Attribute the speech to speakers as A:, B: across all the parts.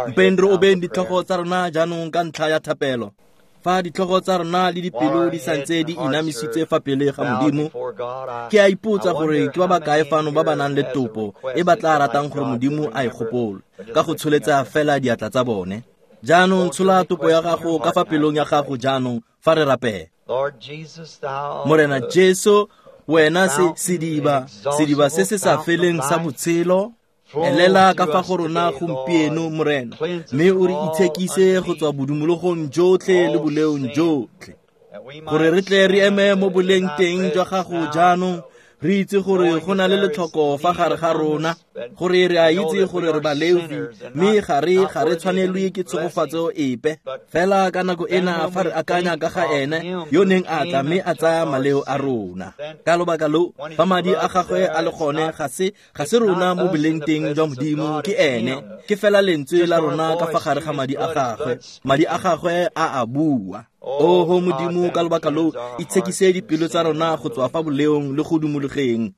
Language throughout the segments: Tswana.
A: Mpeng re obeng ditlhogo tsa rona jaanong ka ntlha ya thapelo. Fa ditlhogo tsa rona le dipelo di santse di inamisitse fa pele ga Modimo, ke a ipotsa gore ke ba ba kae fano ba ba nang le topo e ba tla ratang gore Modimo a e gopole ka go tsholetsa fela diatla tsa bone. Jaanong tshola topo ya gago ka fa pelong ya gago jaanong fa re rapela. Morena Jesu, wena se sediba, sediba se se sa feleng sa botshelo, elela ka fa go rona gompieno, Morena, mme o re itshekise go tswa bodumologong jotlhe le boleong jotlhe, gore re tle re eme mo boleng teng jwa gago jaanong, re itse gore go na le letlhoko fa gare ga rona, gore re a itse gore re baleofi, mme ga re tshwanelwe ke tshegofatso epe. Fela ka nako ena fa re akanya ka ga ene yo neng a tla mme a tsaya maleo a rona, ka lobaka lo fa madi a gagwe a le gone, ga se rona mo boleng teng jwa Modimo, ke ene, ke fela lentswe la rona ka fa gare ga madi a gagwe. Madi a gagwe a a bua. Oho Modimo, ka lobaka lo itshekise dipelo tsa rona go tswa fa boleong le go dumologeng.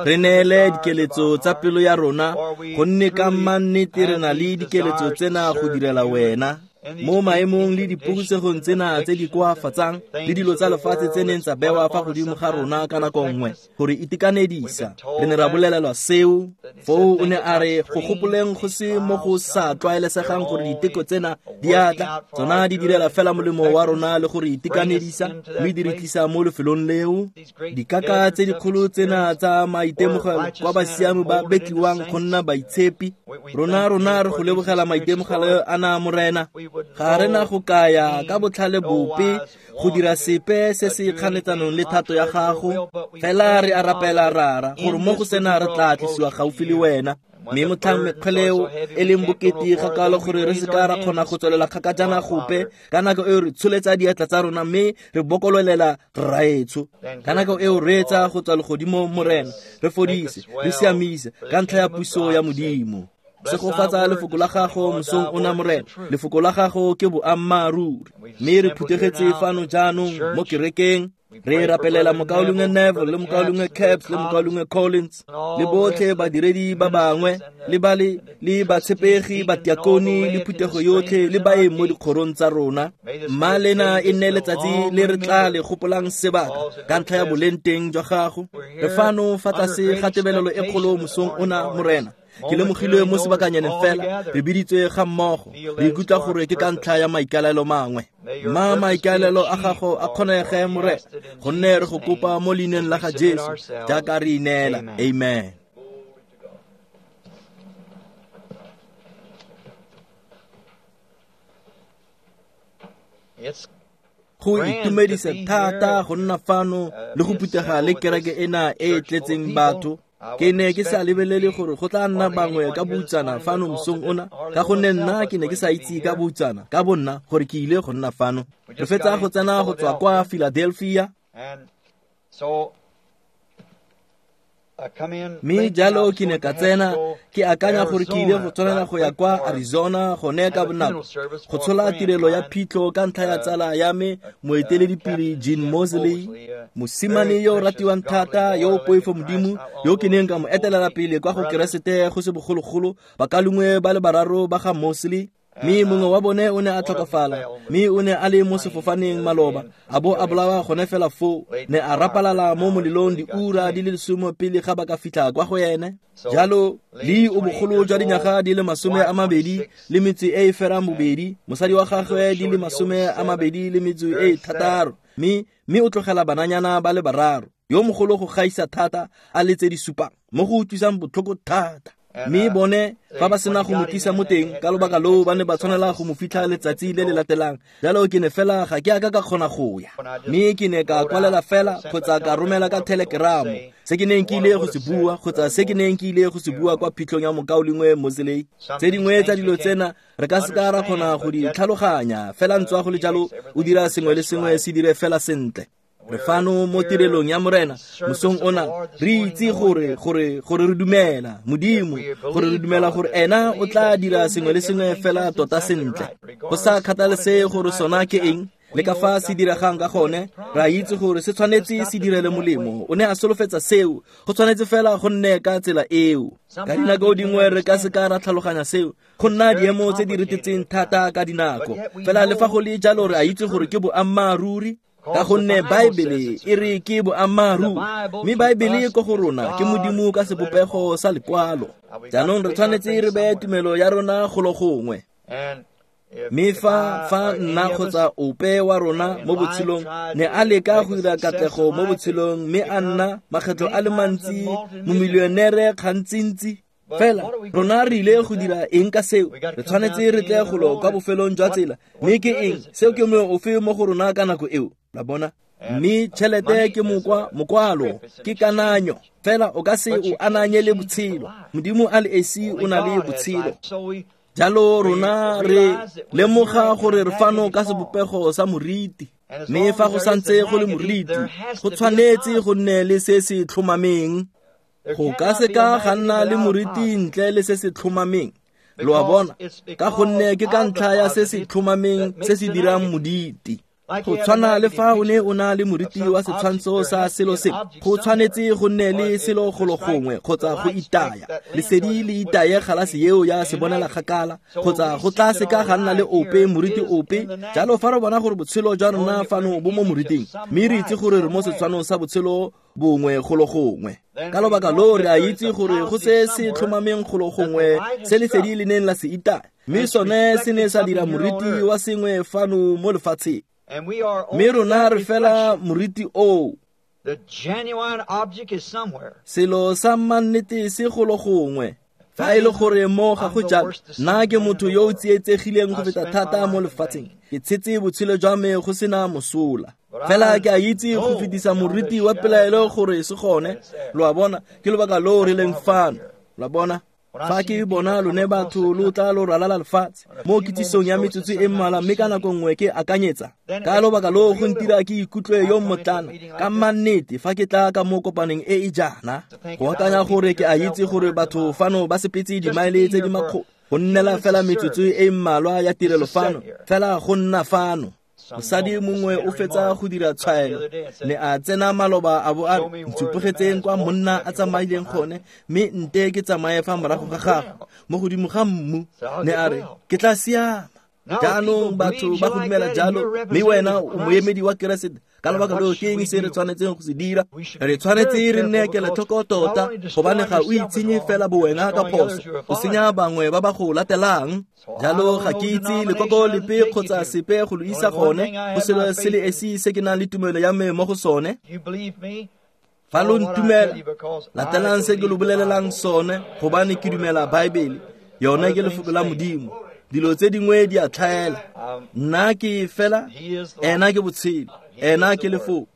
A: Re neele dikeletso tsa pelo ya rona, gonne ka mannete re na le dikeletso tsena go direla wena. Mo maemong le dipogisegong tsena tse di koafatsang le dilo tsa lefatshe tse neng tsa bewa fa godimo ga rona ka nako nngwe gore itekanedisa, re ne ra bolelelwa seo. Foo o ne a re go gopoleng go se mo go sa tlwaelesegang gore diteko tsena di a tla, tsona di direla fela molemo wa rona le gore itekanedisa, mme di re tlisa mo lefelong leo. Dikaka tse dikgolo tsena tsa maitemogelo kwa basiami ba betliwang go nna baitshepi, rona re go lebogela maitemogelo ana, Morena. Ga re na go kaya ka botlhale bope go dira sepe se se kganetsanong le thato ya gago, fela re a rapela Rara gore mo go sena re tla tlisiwa gaufi le wena. Mme motlhang mekgweleo e leng bokete ga kalo gore re se ka ra kgona go tswelela kgakajana gope, ka nako eo re tsholetsa diatla tsa rona mme re bokololela Rraetsho. Ka nako eo re etsa go tswa legodimo, Morena, re fodise, re siamise ka ntlha ya puso ya Modimo. Segofatsa lefoko la gago mosong ona, Morena. Lefoko la gago ke boammaaruri. Mme re phuthegetse fano jaanong mo kerekeng, re rapelela mokaulengwe Neville le mokaulengwe Caps le mokaulengwe Collins le botlhe badiredi ba bangwe le ba le batshepegi, batiakoni le phuthego yotlhe le baeng mo dikgorong tsa rona. Mma lena e nne letsatsi le re tla le gopolang sebaka ka ntlha ya boleng teng jwa gago. Re fano fa tlase ga tebelelo e kgolo mosong ona, Morena. Ke lemogile mo sebakanyaneng fela re biditswe ga mmogo, re ikutlwa gore ke ka ntlha ya maikaelelo mangwe. Mma maikaelelo a gago a kgonege, Morena, gonne re go kopa mo leineng la ga Jesu jaaka re ineela. Amen. Go itumedisa thata go nna fano le go phuthega le kereke ena e e tletseng batho. Ke ne ke sa lebelele gore go tla nna bangwe ka boutsana fano mosong ona, ka gonne nna ke ne ke sa itse ka boutsana ka bonna gore ke ile go nna fano. Re fetsa go tsena go tswa kwa Philadelphia, mme jalo ke ne ka tsena ke akanya gore ke ile go tshwanela go ya kwa Arizona gone ka bonako go tshola tirelo ya phitlho ka ntlha ya tsala ya me moeteledipele Gene Mosley, mosimane yo o ratiwang thata, yo o poifo Modimo, yo ke neng ka mo etelela pele kwa go Keresete go se bogologolo, bakalungwe ba le bararo ba ga Mosley. Mme mongwe wa bone o ne a tlhokafala, mme o ne a le mo sefofaneng maloba, a bo a bolawa gone fela foo, ne a rapalala mo molelong diura di le 10 pele ga ba ka fitlha kwa go ene. Jalo Lee o bogolo jwa dinyaga di le 28 le metso e e ferang bobedi, mosadi wa gagwe di le 26 le metso e 6, mme o tlogela bananyana ba le bararo, yo mogolo go gaisa thata a le tse di supang, mo go utlwisang botlhoko thata. Mme bone fa ba sena go mo tlisa mo teng, ka lobaka loo ba ne ba tshwanela go mo fitlha letsatsi le le latelang. Jalo ke ne fela ga ke a ka ka kgona go ya, mme ke ne ka kwalela fela kgotsa ka romela ka telegramo se ke neng ke ile go se bua kgotsa se ke neng ke ile go se bua kwa phitlhong ya mokaulengwe Mosley. Tse dingwe tsa dilo tsena re ka se ka ra kgona go di tlhaloganya, fela ntswa go le jalo o dira sengwe le sengwe se dire fela sentle. Re fano mo tirelong ya Morena mosong ona, re itse gore re dumela Modimo, gore re dumela gore ena o tla dira sengwe le sengwe fela tota sentle, go sa kgathalesege gore sona ke eng. Le ka fa se diregang ka gone, re a itse gore se tshwanetse se direle molemo. O ne a solofetsa seo, go tshwanetse fela go nne ka tsela eo. Ka dinako dingwe re ka se ka ra tlhaloganya seo, go nna diemo tse di retetseng thata ka dinako. Fela le fa go le jalo re a itse gore ke boammaaruri, ka gonne Baebele e re ke boammaaruri, mme Baebele ko go rona ke Modimo ka sebopego sa lekwalo. Jaanong re tshwanetse re beye tumelo ya rona golo gongwe. Mme fa nna kgotsa ope wa rona mo botshelong ne a leka go dira katlego mo botshelong, mme a nna makgetlho a le mantsi momilionere gantsintsi, fela rona re ile go dira eng ka seo? Re tshwanetse re tle golo kwa bofelong jwa tsela, mme ke eng seo? Ke moeng ofe mo go rona ka nako eo? La bona? Mme tšhelete ke mokwalo, ke kananyo, fela o ka se o ananye le botshelo. Modimo a le esi o na le botshelo. Jalo rona re lemoga gore re fano ka sebopego sa moriti, mme fa go santse go le moriti, go tshwanetse go nne le se se tlhomameng. Go ka se ka ga nna le moriti ntle le se se tlhomameng. Lo a bona? Ka gonne ke ka ntlha ya se se tlhomameng se se dirang moditi. Go tshwana le fa o ne o na le moriti wa setshwantsho sa selo sengwe, go tshwanetse go nne le selo golo gongwe kgotsa go itaya. Lesedi le itaye galase eo ya sebonela kgakala, kgotsa go tla se ka ga nna le ope moriti ope. Jalo fa re bona gore botshelo jwa rona fano bo mo moriting, mme re itse gore re mo setshwanong sa botshelo bongwe golo gongwe, ka lobaka loo re a itse gore go se se tlhomameng golo gongwe se lesedi le neng la se itaya, mme sone se ne sa dira moriti wa sengwe fano mo lefatsheng. Mme rona re fela moriti oo. Selo sa mannete se golo gongwe. Fa e le gore mo ga go jalo, nna ke motho yo o tsietsegileng go feta thata mo lefatsheng. Ke tshetse botshelo jwa me go sena mosola. Fela ke a itse go fetisa moriti wa pelaelo gore se gone. Lo a bona? Ke lobaka loo re leng fano. Lo a bona? Fa ke bona lone batho lo tla lo ralala lefatshe mo kitsisong ya metsotso e mmalwa, mme ka nako nngwe ke akanyetsa ka lobaka loo go ntira ke ikutlwe yo mmotlana ka mannete fa ke tla ka mo kopaneng e e jaana. Go akanya gore ke a itse gore batho fano ba sepetse dimaele tse di makgolo go nnela fela metsotso e mmalwa ya tirelo fano, fela go nna fano. Mosadi mongwe o fetsa go dira tshwaelo, ne a tsena maloba a bo a re, ntshupegetseng kwa monna a tsamaileng gone, mme nte ke tsamaye fa morago ga gagwe mo godimo ga mmu. Ne a re, ke tla siama. Jaanong batho ba go dumela jalo, mme wena o moemedi wa Keresete. Ka lobaka loo ke eng se re tshwanetseng go se dira? Re tshwanetse re nne kelotlhoko tota, gobane ga o itshenye fela bowena ka phoso, o senya bangwe ba ba go latelang. Jalo ga ke itse lekoko lepe kgotsa sepe go lo isa gone, go selo se le esi se ke nang le tumelo ya me mo go sone. Fa lo ntumela, latelang se ke lo bolelelang sone, gobane ke dumela Baebele. Yone ke lefoko la Modimo. Dilo tse dingwe di a tlhaela. Nna ke fela, ena ke botshelo, ena ke lefoko.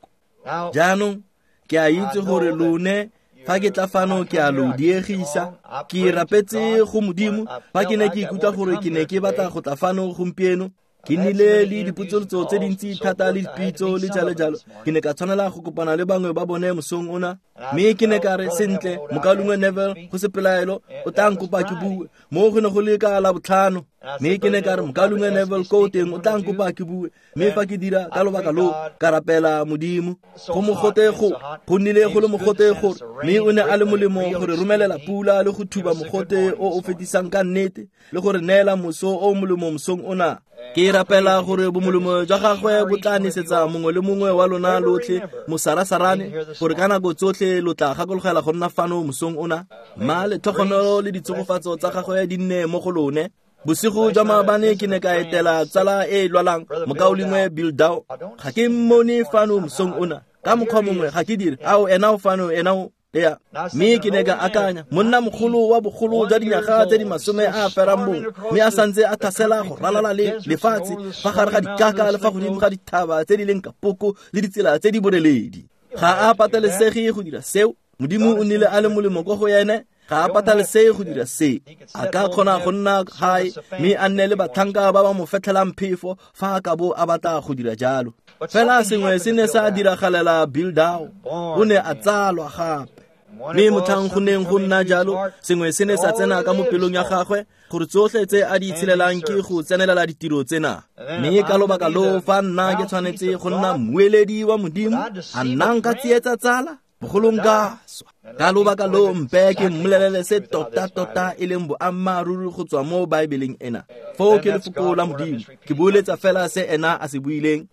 A: Jaanong ke a itse gore lone fa ke tla fano ke a lo diegisa. Ke rapetse go Modimo fa ke ne ke ikutlwa gore ke ne ke batla go tla fano gompieno. Ke nnile le dipotsolotso tse dintsi thata le dipitso le jalo jalo. Ke ne ka tshwanela go kopana le bangwe ba bone mosong ona, mme ke ne ka re, sentle, mokaulengwe Neville, go se pelaelo, o tla nkopa ke bue. Mo go ne go le ka Labotlhano, mme ke ne ka re, mokaulengwe Neville ko teng o tla nkopa ke bue. Mme fa ke dira ka lobaka loo, ka rapela Modimo. Go mogote go nnile go le mogote gore, mme o ne a le molemo gore romelela pula le go thuba mogote o o fetisang ka nnete, le gore neela moso o molemo mosong ona. Ke rapela gore bomolemo jwa gagwe bo tla nesetsa mongwe le mongwe wa lona lotlhe mosarasarane, gore ka nako tsotlhe lo tla gakologela go nna fano mosong ona. Mma letlhogonolo le ditshegofatso tsa gagwe di nne mo go lone. Bosigo jwa maabane ke ne ka etela tsala e e lwalang, mokaulengwe Bill Dow. Ga ke mmone fano mosong ona. Ka mokgwa mongwe ga ke dire. Ao, ena o fano, ena o ya. Mme ke ne ka akanya, monna mogolo wa bogolo jwa dinyaga tse di 91, mme a santse a tlhasela go ralala le lefatshe fa gare ga dikaka le fa godimo ga dithaba tse di leng kapoko le ditsela tse di boreledi. Ga a patelesege go dira seo. Modimo o nnile a le molemo ko go ene. Ga a patelesege go dira se. A ka kgona go nna gae mme a nne le batlhanka ba ba mo fetlhelang phefo fa a ka bo a batla go dira jalo. Fela sengwe se ne sa diragalela Bill Dow. O ne a tsalwa gape. Mme motlhang go neng go nna jalo, sengwe se ne sa tsena ka mo pelong ya gagwe. gore tsotlhe tse a di itshelelang ke go tsenelela ditiro tsena. Mme ka lobaka loo fa nna ke tshwanetse go nna mmueledi wa Modimo, a nna nka tsietsa tsala? Bogolo nka swa. Ka lobaka loo mpe ke mmolelele se tota-tota e leng boammaaruri go tswa mo Baebeleng ena. Foo ke lefoko la Modimo, ke boeletsa fela se ena a se buileng.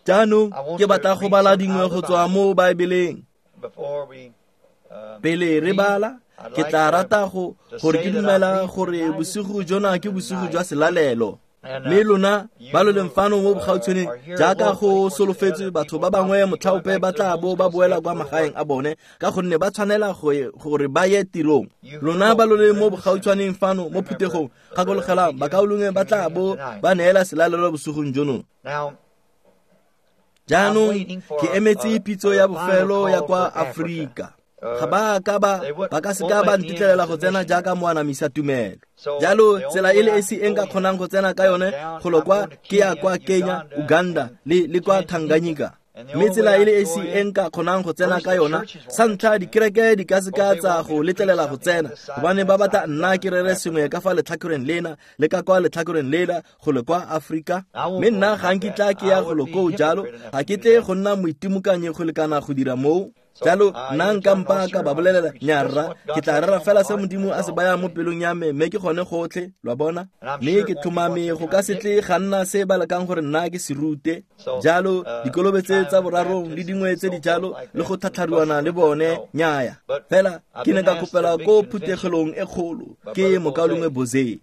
A: Jaanong ke batla go bala dingwe go tswa mo Baebeleng. Pele re bala, ke tla rata gore ke dumela gore bosigo jona ke bosigo jwa selalelo. Mme lona ba lo leng fano mo bogautshwaneng, jaaka go solofetswe, batho ba bangwe motlhaope ba tla bo ba boela kwa magaeng a bone ka gonne ba tshwanela gore ba ye tirong. Lona ba lo leng mo bogautshwaneng fano mo phuthegong, gakologelang bakaulengwe ba tla bo ba neela selalelo bosigong jono. Jaanong ke emetse pitso ya bofelo ya kwa Aforika. Ga ba ka ba ka seka ba ntetlelela go tsena jaaka moanamisa tumelo. Jalo tsela e le esi e nka kgonang go tsena ka yone golo kwa ke ya kwa Kenya, Uganda le kwa Tanganyika. Mme tsela e le esi e nka kgonang go tsena ka yona, sa ntlha dikereke di ka seka tsa go letlelela go tsena, gobane ba batla nna ke rere sengwe ka fa letlhakoreng lena le ka kwa letlhakoreng lela golo kwa Aforika. Mme nna ga nkitla ke ya golo koo jalo, ga ke tle go nna moitimokanyi go lekana go dira moo. Jalo nna nka mpa ka ba bolelela, nyarra, ke tla rera fela se Modimo a se bayang mo pelong ya me, mme ke gone gotlhe, lwa bona. Mme ke tlhomame go ka se tle ga nna se ba lekang gore nna ke se rute. Jalo dikolobetse tsa borarong le dingwe tse di jalo le go tlhatlharuana le bone, nnyaya. Fela ke ne ka kopela ko phutegelong e kgolo ke mokaulengwe Boze.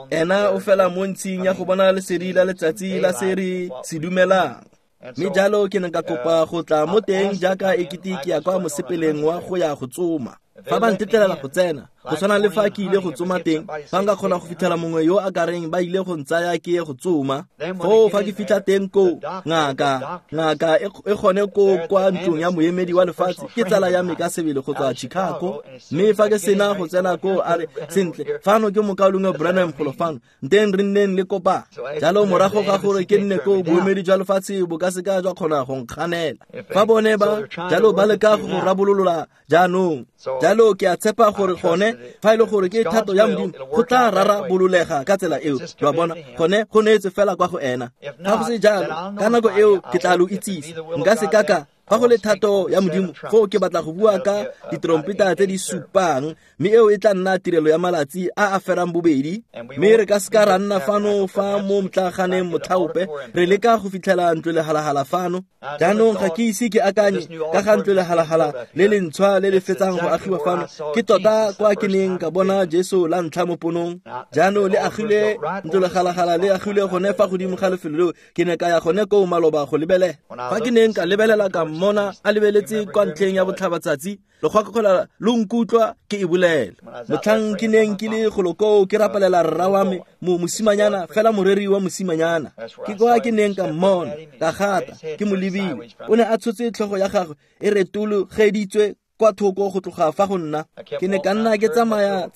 A: Ena o fela mo ntshing ya go bona lesedi la letsatsi la se re se dumelang. Mme jalo ke ne ka kopa go tla mo teng jaaka ekete ke ya kwa mosepeleng wa go ya go tsoma. Fa ba ntetlelela go tsena, go tshwana le fa ke ile go tsoma teng, fa nka kgona go fitlhela mongwe yo a ka reng ba ile go ntsaya ke ye go tsoma. Foo fa ke fitlha teng koo, ngaka e gone koo kwa ntlong ya moemedi wa lefatshe, ke tsala ya me ka sebele go tswa Chicago. Mme fa ke sena go tsena koo, a re, sentle, fano ke mokaulengwe Branham golo fano, nteng re nneng le kopa. Jalo morago ga gore ke nne koo, boemedi jwa lefatshe bo ka seka jwa kgona go nkganela. Fa bone ba jalo ba leka go rabololola jaanong. Jalo ke a tshepa gore gone fa e le gore ke thato ya Modimo, go tla rarabololega ka tsela eo. Lwa bona, gone go neetse fela kwa go ena. Fa go se jalo, ka nako eo ke tla lo itsise. Nka se ka ka fa go le thato ya Modimo, foo ke batla go bua ka ditrompeta tse di supang, mme eo e tla nna tirelo ya malatsi a a ferang bobedi. Mme re ka seka ra nna fano fa mo motlaganeng motlhaope, re leka go fitlhela ntlo lehalahala fano. Jaanong ga ke ise ke akanye ka ga ntlo lehalahala le lentshwa le le fetsang go agiwa fano. Ke tota kwa ke neng ka bona Jesu la ntlha mo ponong. Jaanong le agile ntlo lehalahala le agile gone fa godimo ga lefelo leo. Ke ne ka ya gone koo maloba go lebelela. Fa ke neng ka lebelela ka mmona a lebeletse kwa ntlheng ya botlhabatsatsi, lekgwakgwela lo nkutlwa ke e bolela. Motlhang ke neng ke le golo koo ke rapelela rra wa me, mosimanyana, fela moreri wa mosimanyana. Ke kwa ke neng ka mmona, ka gata, ke mo lebile. O ne a tshotse tlhogo ya gagwe e retologeditswe kwa thoko go tloga fa go nna. Ke ne ka nna ke tsamaya,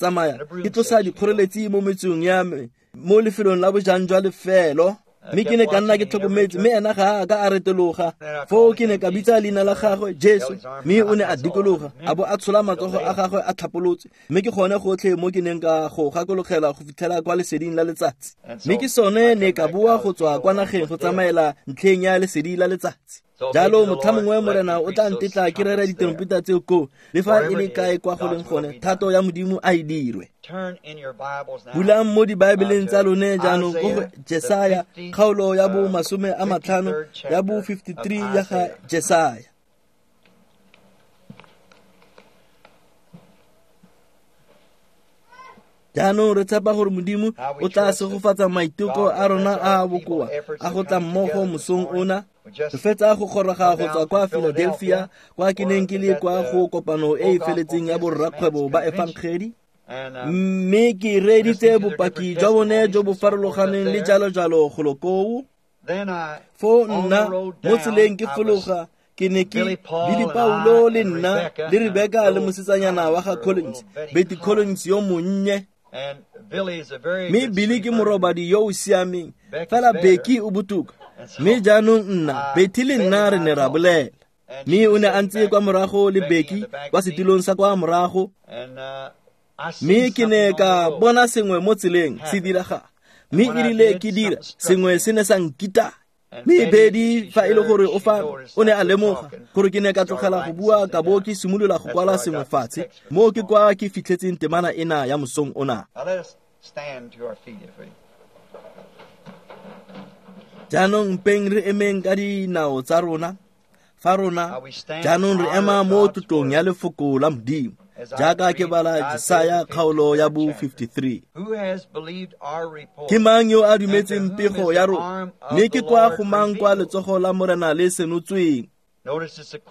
A: ke tlosa dikgoreletsi mo metsong ya me, mo lefelong la bojang jwa lefelo. Mme ke ne ka nna ke tlhokometse, mme ena ga a ka a retologa. Foo ke ne ka bitsa leina la gagwe, Jesu, mme o ne a dikologa, a bo a tshola matsogo a gagwe a tlhapolotse. Mme ke gone gotlhe mo ke neng ka go gakologela go fitlhela kwa leseding la letsatsi. Mme ke sone ne ka boa go tswa kwa nageng go tsamaela ntlheng ya lesedi la letsatsi. Jalo motlha mongwe Morena o tla ntetla ke rere ditrompeta tseo koo, le fa e le kae kwa go leng gone, thato ya Modimo a e dirwe. Bulang mo dibaebeleng tsa lone jaanong ko go Jesaya, kgaolo ya bo 50, ya bo 53 ya ga Jesaya. Jaanong re tshepa gore Modimo o tla segofatsa maiteko a rona a a bokoa a go tla mmogo mosong ona. Re fetsa go goroga go tswa kwa Philadelphia, kwa ke neng ke le kwa go kopano e e feletseng ya borrakgwebo ba efangedi. Mme ke reeditse bopaki jwa bone jo bo farologaneng le jalo jalo golo koo. Foo nna mo tseleng ke fologa, ke ne ke Billy Paulo le nna le Rebecca le mosetsanyana wa ga Collins, Betty Collins yo monnye. Mme Billy ke morobadi yo o siameng, fela Becky o botoka. Mme jaanong nna, Betty le nna re ne ra bolela. Mme o ne a ntse kwa morago le Becky kwa setilong sa kwa morago. Mme ke ne ka bona sengwe mo tseleng se diragala, mme erile ke dira sengwe se ne sa nkita. Mme Bedi, fa e le gore o fa o ne a lemoga gore ke ne ka tlogela go bua ka bo ke simolola go kwala sengwe fatshe, mo ke kwa ke fitlhetseng temana ena ya mosong ona. Jaanong mpeng re emeng ka dinao tsa rona, fa rona jaanong re ema mo tlotlong ya lefoko la Modimo, jaaka ke bala Jesaya kgaolo ya bo 53. Ke mang yo a dumetseng pego ya rona, mme ke kwa go mang kwa letsogo la Morena le senotsweng?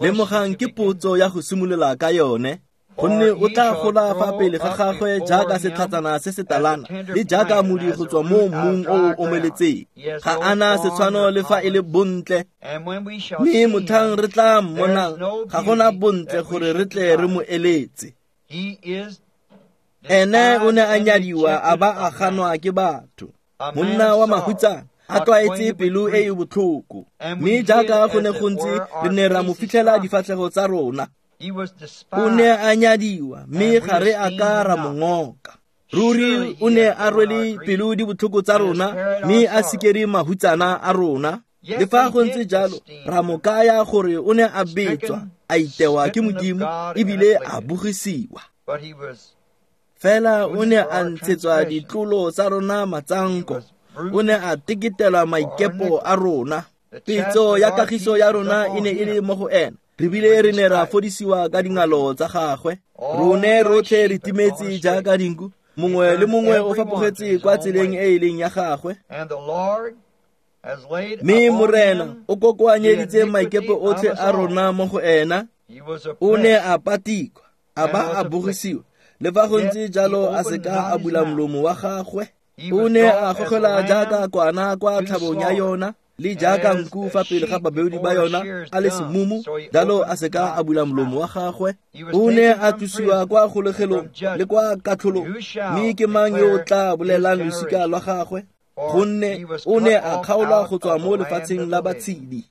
A: Lemogang ke potso ya go simolola ka yone, gonne o tla gola fa pele ga gagwe jaaka setlhatsana se se talana, le jaaka modi go tswa mo mmung o o omeletseng. Ga ana setshwano le fa e le bontle, mme motlhang re tla mmonang ga gona bontle gore re tle re mo eletse. Ene o ne a nyadiwa a ba a ganwa ke batho, monna wa mahutsana, a tlwaetse pelo e e botlhoko. Mme jaaka go ne go ntse, re ne ra mo fitlhela difatlhego tsa rona. O ne a nyadiwa, mme ga re a ka ra mo ngoka. Ruri o ne a rwele pelo di botlhoko tsa rona, mme a sikere mahutsana a rona. Le fa go ntse jalo, ra mo kaya gore o ne a betswa, a itewa ke Modimo, ebile a bogisiwa. Fela o ne a ntshetswa ditlolo tsa rona matsanko, o ne a teketela maikepo a rona. Petso ya kagiso ya rona e ne e le mo go ena, re bile re ne ra fodisiwa ka dingalo tsa gagwe. Rone rotlhe re timetse jaaka dinku, mongwe le mongwe o fapogetse kwa tseleng e e leng ya gagwe. Mme Morena o kokoanyeditse maikepo otlhe a rona mo go ena. O ne a patikwa, a ba a bogisiwa, le fa go ntse jalo a se ka a bula molomo wa gagwe. O ne a gogela jaaka kwana kwa tlhabong ya yona, le jaaka nku fa pele ga babeodi ba yona a le semumu, jalo a se ka a bula molomo wa gagwe. O ne a tlosiwa kwa kgolegelong le kwa katlholong, mme ke mang yo o tla bolelang losika lwa gagwe? Gonne o ne a kgaolwa go tswa mo lefatsheng la batshedi.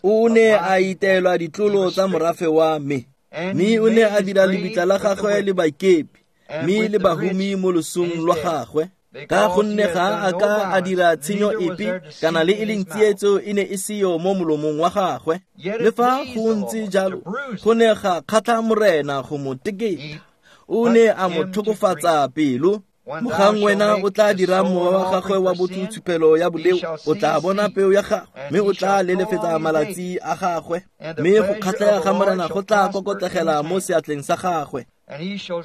A: O ne a iteelwa ditlolo tsa morafe wa me, mme o ne a dira lebitla la gagwe le baikepi, mme le bahumi mo losong lwa gagwe. Ka gonne ga a ka a dira tshenyo epe, kana le e leng tsietso e ne e seyo mo molomong wa gagwe. Le fa go ntse jalo, go ne ga kgatlha Morena go mo teketa. O ne a mo tlhokofatsa pelo. Mogang wena o tla dira mowa wa gagwe wa botho tshupelo ya boleo, o tla bona peo ya gagwe, mme o tla lelefetsa malatsi a gagwe, mme go kgatlhega ga Morena go tla kokotlegela mo seatleng sa gagwe.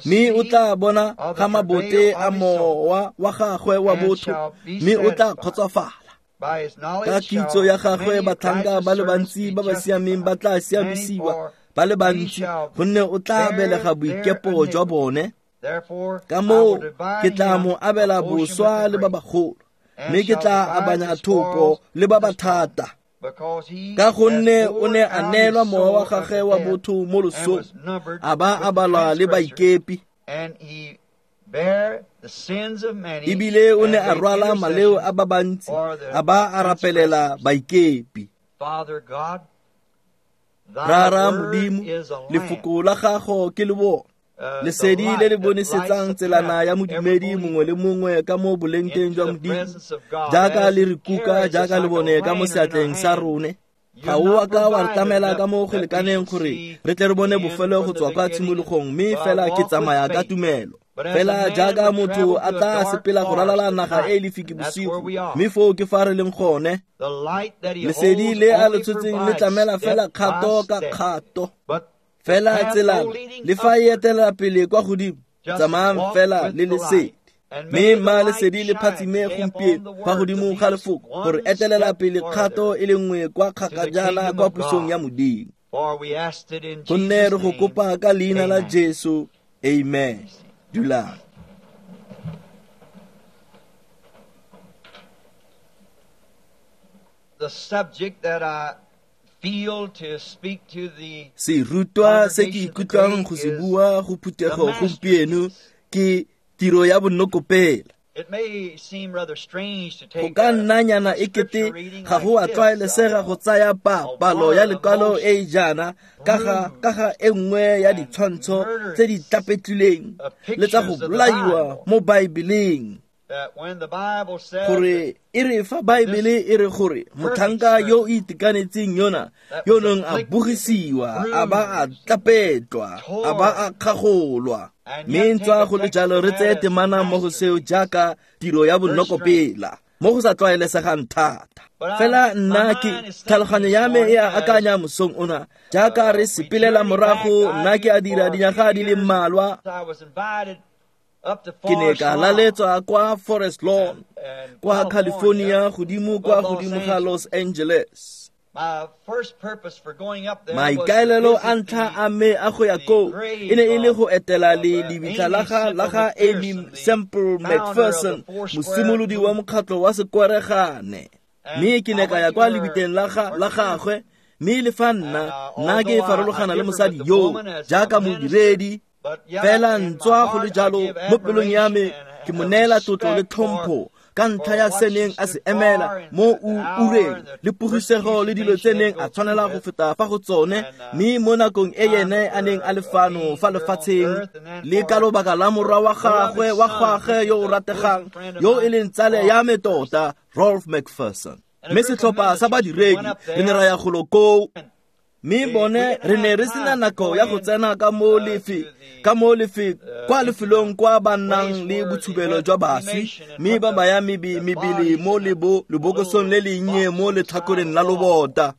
A: Mme o tla bona ga mabote a mowa wa gagwe wa botho, mme o tla kgotsofala. Ka kitso ya gagwe batlhanka ba le bantsi ba ba siameng ba tla siamisiwa, ba le bantsi, gonne o tla belega boikepo jwa bone. Ka moo ke tla mo abela boswa le ba bagolo, mme ke tla abanya thopo le ba ba thata. Ka gonne o ne a neelwa mowa wa gagwe wa botho mo losong, a ba a balwa le baikepi. Ebile o ne a rwala maleo a ba bantsi, a ba a rapelela baikepi. Rara Modimo, lefoko la gago ke lebone, lesedi le le bonesetsang tselana ya modumedi mongwe le mongwe ka mo bolengteng jwa Modimo, jaaka le re kuka jaaka le bone ka mo seatleng sa rone. Ga o a ka wa re tlamela ka mo go lekaneng gore re tle re bone bofelo go tswa kwa tshimologong, mme fela ke tsamaya ka tumelo. Fela jaaka motho a tla sepela go ralala naga e e lefiki bosigo, mme foo ke fa re leng gone. Lesedi le a le tshotseng le tlamela fela kgato ka kgato. Fela tselana le fa e etelela pele kwa godimo, tsamayang fela le lesedi. Mme mma lesedi le phatsime gompieno fa godimo ga lefoko gore etelela pele kgato e le nngwe kwa kgakajana kwa pusong ya Modimo. Gonne re go kopa ka leina la Jesu, amen. Dulang.
B: The subject that I feel to speak to the
A: Serutwa se ke ikutlwang go se bua go phuthego gompieno ke tiro ya bonokopela. Go ka nnanyana e kete ga go a tlwaelesega go tsaya palo ya lekwalo e e jaana ka ga e nngwe ya ditshwantsho tse di tlapetlileng le tsa go bolaiwa mo Baebeleng. Gore e re fa Baebele e re gore motlhanka yo o itekanetseng yona yo neng a bogisiwa a ba a tlapetlwa a ba a kgagolwa, mme ntswa go le jalo re tseye temana mo go seo jaaka tiro ya bonokopela mo go sa tlwaelesegang thata. Fela nna ke tlhaloganyo ya me e a akanya mosong ona jaaka re sepelela morago, nna ke a dira dinyaga di le mmalwa. Ke ne ka laletswa kwa Forest Lawn kwa California, godimo kwa godimo ga Los Angeles. Maikaelelo a ntlha a me a go ya koo e ne e le go etela le lebitla la ga Amy Semple McPherson, mosimolodi wa mokgatlho wa sekweregane. Mme ke ne ka ya kwa lebitleng la gagwe, mme le fa nna ke farologana le mosadi yo jaaka modiredi, fela ntswa go le jalo mo pelong ya me ke mo neela tlotlo le tlhompho ka ntlha ya se neng a se emela mo ureng le pogisego le dilo tse neng a tshwanela go feta fa go tsone, mme mo nakong e yene a neng a le fano fa lefatsheng le ka lobaka la morwa wa gagwe wa gagwe yo o rategang yo e leng tsale ya me tota, Rolf McPherson. Mme setlhopha sa badiredi re ne ra ya golo koo, mme bone re ne re sena nako ya go tsena ka mo kwa lefelong kwa ba nnang le botshubelo jwa baswi, mme ba baya mebele mo lebokosong le lennye mo letlhakoreng la lobota.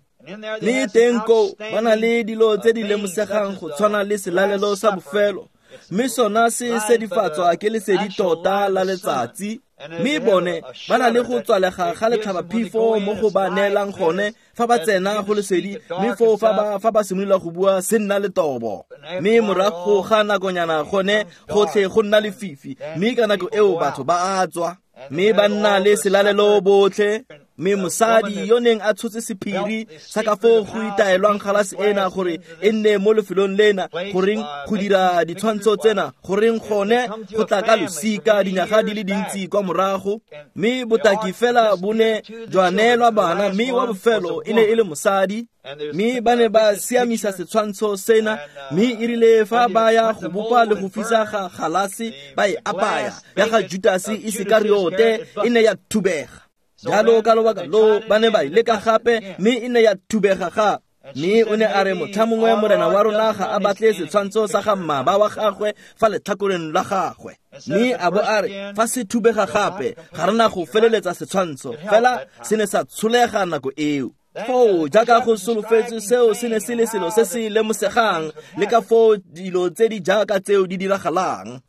A: Mme teng koo ba na le dilo tse di lemosegang go tshwana le selalelo sa bofelo, mme sona se sedifatswa ke lesedi tota la letsatsi. Mme bone ba na le go tswalega ga letlhabaphefo mo go ba neelang gone fa ba tsena go lesedi, mme foo fa ba simolola go bua se nna letobo. Mme morago ga nakonyana gone gotlhe go nna lefifi, mme ka nako eo batho ba a tswa, mme ba nna le selalelo botlhe. Mme mosadi yo neng a tshotse sephiri sa ka foo go itaelwang galase ena gore e nne mo lefelong lena, goreng go dira ditshwantsho tsena, goreng gone go tla ka losika dinyaga di le dintsi kwa morago. Mme botaki fela bo ne jwa neelwa bana, mme wa bofelo e ne e le mosadi. Mme ba ne ba siamisa setshwantsho sena, mme e rile fa ba ya go bopa le go fisa ga galase ba e apaya ya ga Judase Isekariote e ne ya thubega. Jalo ka lobaka lo ba ne ba leka gape, mme e ne ya thubega gape. Mme o ne a re motlha mongwe morena wa rona ga a batle setshwantsho sa ga mmaba wa gagwe fa letlhakoreng la gagwe. Mme a bo a re fa se thubega gape ga rena go feleletsa setshwantsho, fela se ne sa tsholega nako eo. Foo jaaka go solofetswe, seo se ne se le selo se se lemosegang le ka foo dilo tse di jaaka tseo di diragalang.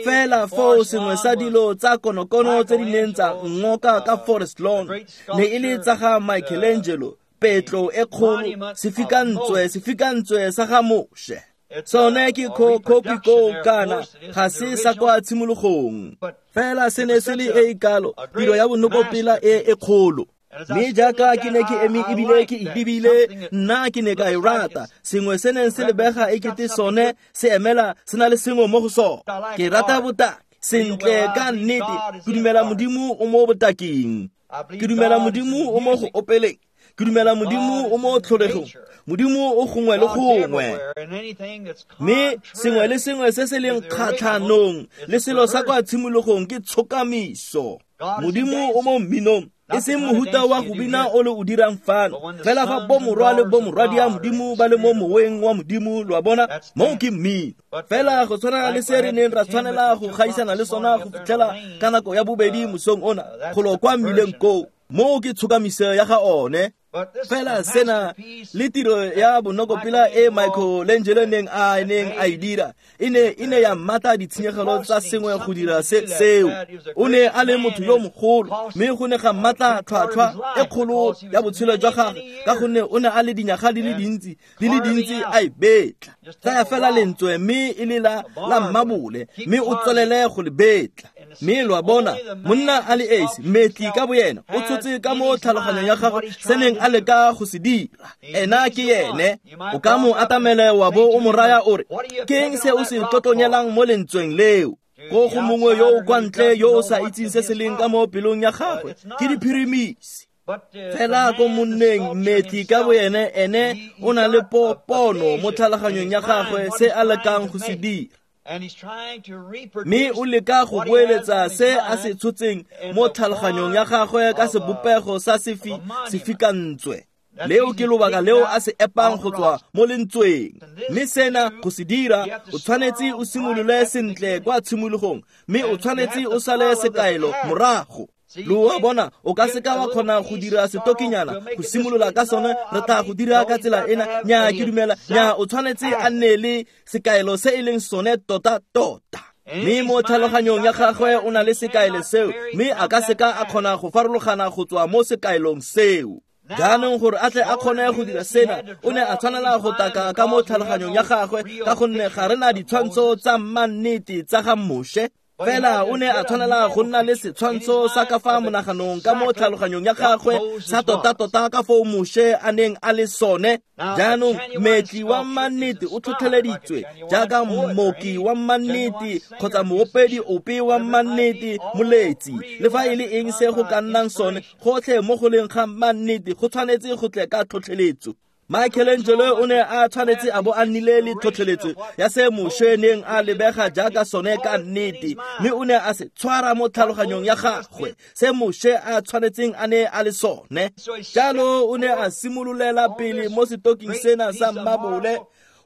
A: Fela foo sengwe sa dilo tsa konokono tse di neng tsa ngoka ka Forest Lawn ne e le tsa ga Michelangelo, petlo e kgolo, sefikantswe sa ga Moshe. Sone ke khopi koo kana ga se sa kwa tshimologong, fela se ne se le e e kalo tiro ya bonokopela e e kgolo. Mme jaaka ke ne ke eme ebile ke e lebile, nna ke ne ka e rata. Sengwe se neng se lebega e kete sone se emela se na le sengwe mo go sone. Ke rata botaki sentle ka nnete. Ke dumela Modimo o mo botaking, ke dumela Modimo o mo go opeleng, ke dumela Modimo o mo tlholegong, Modimo o gongwe le gongwe. Mme sengwe le sengwe se se leng kgatlhanong le selo sa kwa tshimologong ke tshokamiso. Modimo o mo mminong, e seng mohuta wa go bina o le o dirang fano, fela fa bomorwa le bomorwadia Modimo ba le mo moweng wa Modimo, lo a bona, moo ke mmino. Fela go tshwana le se re neng ra tshwanela go gaisana le sona go fitlhela ka nako ya bobedi mosong ona, golo kwa mmileng koo, moo ke tshokamiso ya ga one. Fela sena le tiro ya bonokopela e Michelangelo neng a e dira e ne ya mmata ditshenyegelo tsa sengwe go dira seo. O ne a le motho yo mogolo, mme go ne ga mmata tlhwatlhwa e kgolo ya botshelo jwa gagwe, ka gonne o ne a le dinyaga di le dintsi a e betla. Tsaya fela lentswe mme e le la mmabole, mme o tswelele go le betla. Mme lo a bona, monna a le esi, mmetli ka boyena, o tshotse ka mo tlhaloganyong ya gagwe se neng a leka go se dira. Ena ke ene. O ka mo atamele wa bo o mo raya o re, ke eng se o se tlotlonyelang mo lentsweng leo? Ko go mongwe yo o kwa ntle yo o sa itseng se se leng ka mo pelong ya gagwe, ke diphirimisi. Fela ko monneng, mmetli ka boyene, ene o na le pono mo tlhaloganyong ya gagwe se a lekang go se dira. Mme o leka go boeletsa se a se tshotseng mo tlhaloganyong ya gagwe ka sebopego sa sefikantswe. Leo ke lobaka leo a se epang go tswa mo lentsweng. Mme sena go se dira, o tshwanetse o simolole sentle kwa tshimologong, mme o tshwanetse o sale sekaelo morago. Lo a bona, o ka seka wa kgona go dira setokinyana go simolola ka sone, re tla go dira ka tsela ena, nya ke dumela, nya o tshwanetse a nne le sekaelo se e leng sone tota-tota. Mme mo tlhaloganyong ya gagwe o na le sekaelo seo, mme a ka seka a kgona go farologana go tswa mo sekaelong seo. Jaanong gore a tle a kgone go dira sena, o ne a tshwanela go taka ka mo tlhaloganyong ya gagwe, ka gonne ga re na ditshwantsho tsa mannete tsa ga Moshe. Fela o ne a tshwanela go nna le setshwantsho sa ka fa monaganong ka mo tlhaloganyong ya gagwe sa tota-tota ka foo Moshe a neng a le sone. Jaanong mmetli wa mannete o tlhotlheleditswe jaaka mmoki wa mannete kgotsa moopedi ope wa mannete, moletsi, le fa e le eng se go ka nnang sone, gotlhe mo go leng ga mannete go tshwanetse go tle ka tlhotlheletso. Michelangelo o ne a tshwanetse a bo a nnile le tlhotlheletso ya se Moshe neng a lebega jaaka sone ka nnete, mme o ne a se tshwara mo tlhaloganyong ya gagwe se Moshe a tshwanetseng a ne a le sone. Jalo o ne a simololela pele mo setoking sena sa mmabole,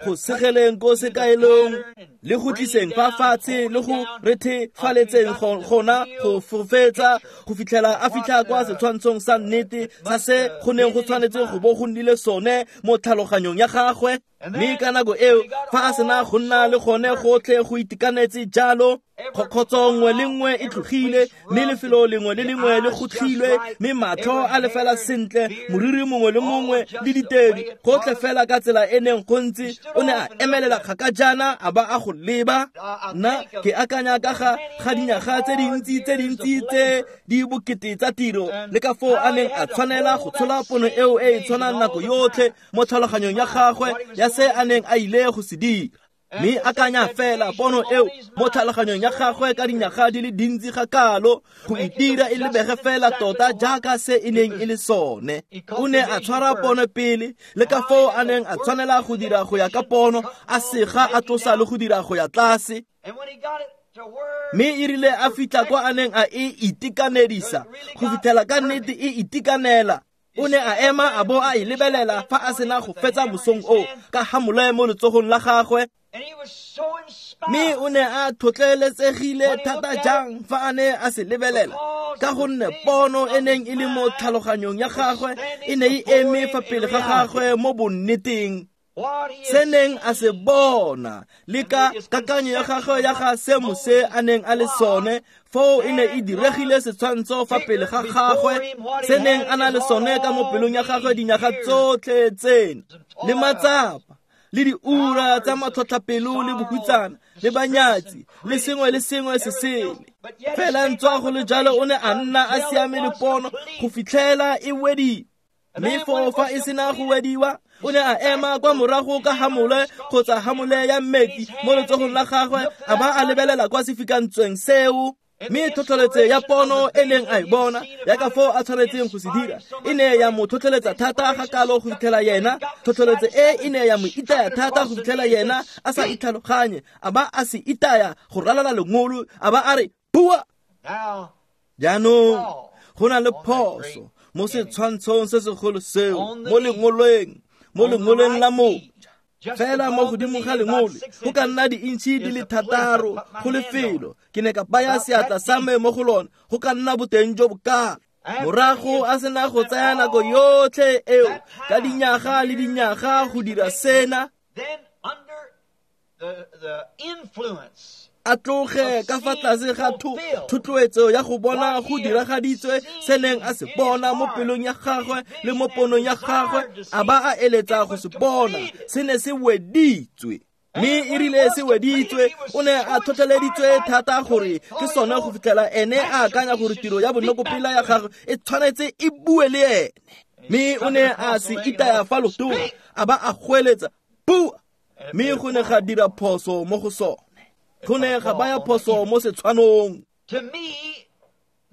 A: go segeleng ko sekaelong le go tliseng fa fatshe le go rethefaletseng gona go fofetsa go fitlhela a fitlha kwa setshwantshong sa nnete sa se go neng go tshwanetse go bo go nnile sone mo tlhaloganyong ya gagwe. Mme ka nako eo, fa a sena go nna le gone gotlhe go itekanetse jalo, kgotso nngwe le nngwe e tlogile, mme lefelo lengwe le lengwe le gotlhilwe, mme matlho a le fela sentle, moriri mongwe le mongwe le ditedi, gotlhe fela ka tsela e neng go ntse, o ne a emelela kgaka jaana a ba a go leba. Nna ke akanya ka ga dinyaga tse dintsi tse di bokete tsa tiro, le ka foo a neng a tshwanela go tshola pono eo e e tshwanang nako yotlhe mo tlhaloganyong ya gagwe ya se a neng a ile go se dira. Mme akanya fela pono eo mo tlhaloganyong ya gagwe ka dinyaga di le dintsi ga kalo, go itira e lebege fela tota jaaka se e neng e le sone. O ne a tshwara pono pele, le ka foo a neng a tshwanela go dira go ya ka pono, a sega a tlosa le go dira go ya tlase. Mme e rile a fitlha kwa a neng a e itekanedisa, go fitlhela ka nnete e itekanela, o ne a ema a bo a e lebelela fa a sena go fetsa mosong oo ka hamole mo letsogong la gagwe. Mme o ne a tlhotlheletsegile thata jang fa a ne a se lebelela, ka gonne pono e neng e le mo tlhaloganyong ya gagwe e ne e eme fa pele ga gagwe mo bonneteng. Se neng a se bona le ka kakanyo ya gagwe ya ga se Moshe a neng a le sone, foo e ne e diregile setshwantsho fa pele ga gagwe se neng a na le sone ka mo pelong ya gagwe dinyaga tsotlhe tseno, le matsapa le diura tsa matlhotlhapelo le bohutsana le banyatsi le sengwe le sengwe se sele. Fela ntswa go le jalo o ne a nna a siame le pono go fitlhela e wediwa. Mme foo fa e sena go wediwa, o ne a ema kwa morago ka hamole kgotsa hamole ya mmetli mo letsogong la gagwe, a ba a lebelela kwa sefikantsweng seo. Mme tlhotlheletso ya pono e neng a e bona ya ka foo a tshwanetseng go se dira e ne ya mo tlhotlheletsa thata ga kalo go fitlhela yena. Tlhotlheletso e e ne ya mo itaya thata go fitlhela yena a sa itlhaloganye, a ba a se itaya go ralala lengolo, a ba a re bua. Jaanong go na le phoso mo setshwantshong se segolo seo mo lengoleng la moja. Fela mo godimo ga lengole go ka nna diintšhi di le 6 go lefelo, ke ne ka baya seatla sa me mo go lone, go ka nna boteng jo bokalo. Morago a sena go tsaya nako yotlhe eo ka dinyaga le dinyaga go dira sena, a tloge ka fa tlase ga thotloetso ya go bona go diragaditswe se neng a se bona mo pelong ya gagwe le mo ponong ya gagwe, a ba a eletsa go se bona, se ne se weditswe. Mme e rile se weditswe, o ne a tlhotlheleditswe thata gore ke sone go fitlhela ene a akanya gore tiro ya bonokopela ya gagwe e tshwanetse e bue le ene. Mme o ne a se itaya fa lotong, a ba a goeletsa, bua! Mme go ne ga dira phoso mo go sone. Go ne ga baya phoso mo setshwanong.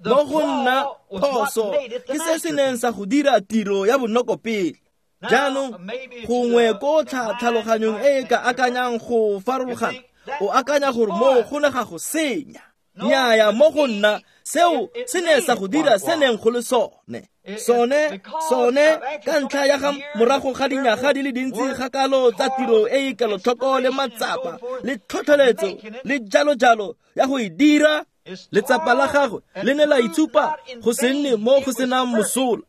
A: Mo go nna phoso ke se se neng sa go dira tiro ya bonokopele. Jaanong gongwe ko tlhaloganyong e e ka akanyang go farologana, o akanya gore mo go ne ga go senya. Nnyaya, mo go nna seo se ne sa go dira se neng go le sone. Sone ka ntlha ya ga morago ga dinyaga di le dintsi ga kalo tsa tiro e e kelotlhoko le matsapa le tlhotlheletso le jalo jalo ya go e dira, letsapa la gagwe le ne la itshupa go se nne mo go senang mosola.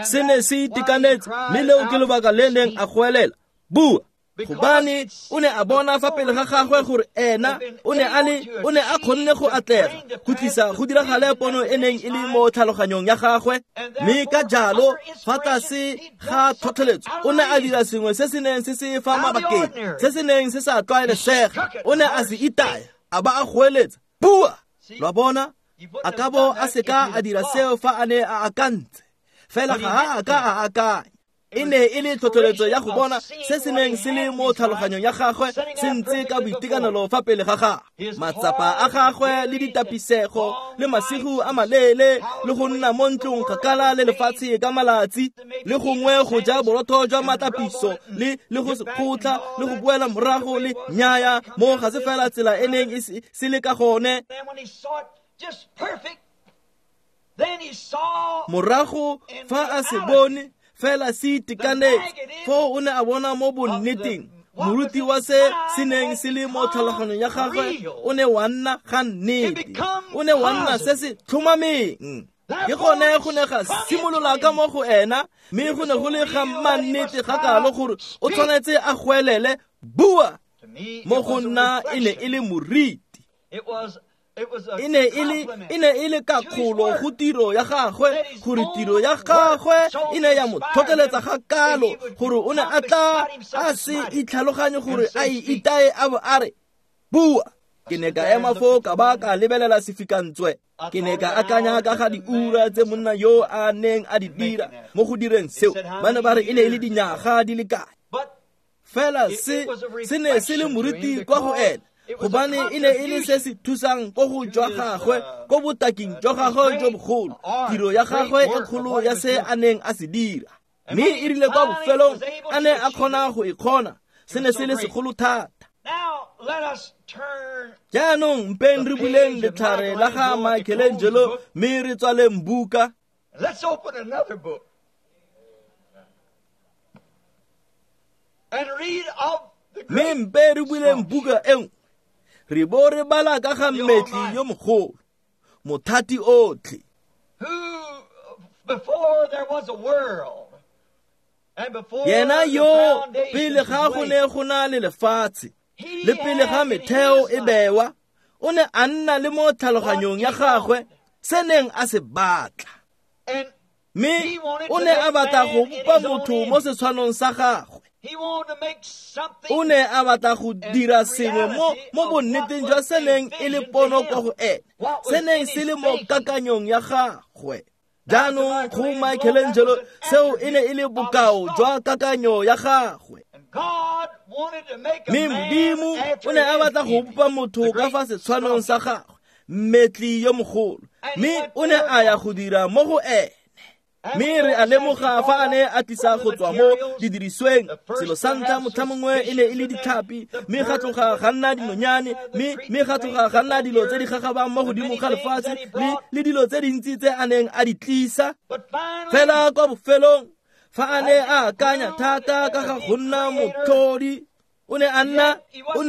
A: Se ne se itekanetse, mme leo ke lobaka le neng a goelela, bua! Gobane o ne a bona fa pele ga gagwe gore ena o ne a kgonne go atlega go tlisa go diragale pono e neng e le mo tlhaloganyong ya gagwe. Mme ka jalo fa tlase ga tlhotlheletso o ne a dira sengwe se se neng se se fa mabakeng, se se neng se sa tlwaelesega. O ne a se itaya, a ba a goeletsa, bua! Lwa bona, a ka bo a seka a dira seo fa a ne a akantse, fela ga a ka a akanya. E ne e le tlhotlheletso ya go bona se se neng se le mo tlhaloganyong ya gagwe se ntse ka boitekanelo fa pele ga gagwe. Matsapa a gagwe le ditapisego le masigo a maleele le go nna mo ntlong kgakala le lefatshe ka malatsi le gongwe go ja borotho jwa matlapiso le go se kgotla le go boela morago le nyaya mo ga se fela tsela e neng e se le ka gone. Morago fa a se bone fela se itekanetse, foo o ne a bona mo bonneteng moruti wa se se neng se le mo tlhaloganyong ya gagwe o ne wa nna ga nnete, o ne wa nna se se tlhomameng. Ke gone go ne ga simolola ka mo go ena, mme go ne go le ga mannete ga kalo gore o tshwanetse a goelele, bua! Mo go nna e ne e le moriti. E ne e le kakgolo go tiro ya gagwe, gore tiro ya gagwe e ne ya mo tlhotlheletsa ga kalo gore o ne a tla a se itlhaloganye gore a e itaye a bo a re, bua! Ke ne ka ema foo ka ba ka lebelela sefikantswe. Ke ne ka akanya ka ga diura tse monna yo a neng a di dira mo go direng seo. Ba ne ba re e ne e le dinyaga di le kae. Fela se ne se le moriti kwa go ene, gobane e ne e le se se thusang ko go jwa gagwe, ko botaking jwa gagwe jo bogolo, tiro ya gagwe e kgolo ya se a neng a se dira. Mme e rile kwa bofelong a ne a kgona go e kgona, se ne se le segolo thata. Jaanong mpeng re buleng letlhare la ga Michelangelo mme re tswaleng buka.
B: Let's open another book and read of the
A: Mme mpe re buleng buka e nngwe, re bo re bala ka ga mmetli yo mogolo, mothati otlhe,
B: who before there was a world and before
A: yena yo pele ga go ne go na le lefatshe le pele ga metheo e bewa, o ne a nna le mo tlhaloganyong ya gagwe se neng a se batla. Mme o ne a batla go bopa motho mo setshwanong sa gagwe. O ne a batla go dira sengwe mo bonneteng jwa se neng e le pono kwa go ene, se neng se le mo kakanyong ya gagwe. Jaanong go Michelangelo seo e ne e le bokao jwa kakanyo ya gagwe. Mme Modimo o ne a batla go bopa motho ka fa setshwanong sa gagwe, mmetli yo mogolo, mme o ne a ya go dira mo go ene. Mme re a lemoga fa a ne a tlisa go tswa mo didirisweng, selo sa ntlha motlha mongwe e ne e le ditlhapi, mme ga tloga ga nna dinonyane, mme ga tloga ga nna dilo tse di gagabang mo godimo ga lefatshe, le dilo tse dintsi tse a neng a di tlisa. Fela kwa bofelong, fa a ne a akanya thata ka ga go nna motlhodi, o ne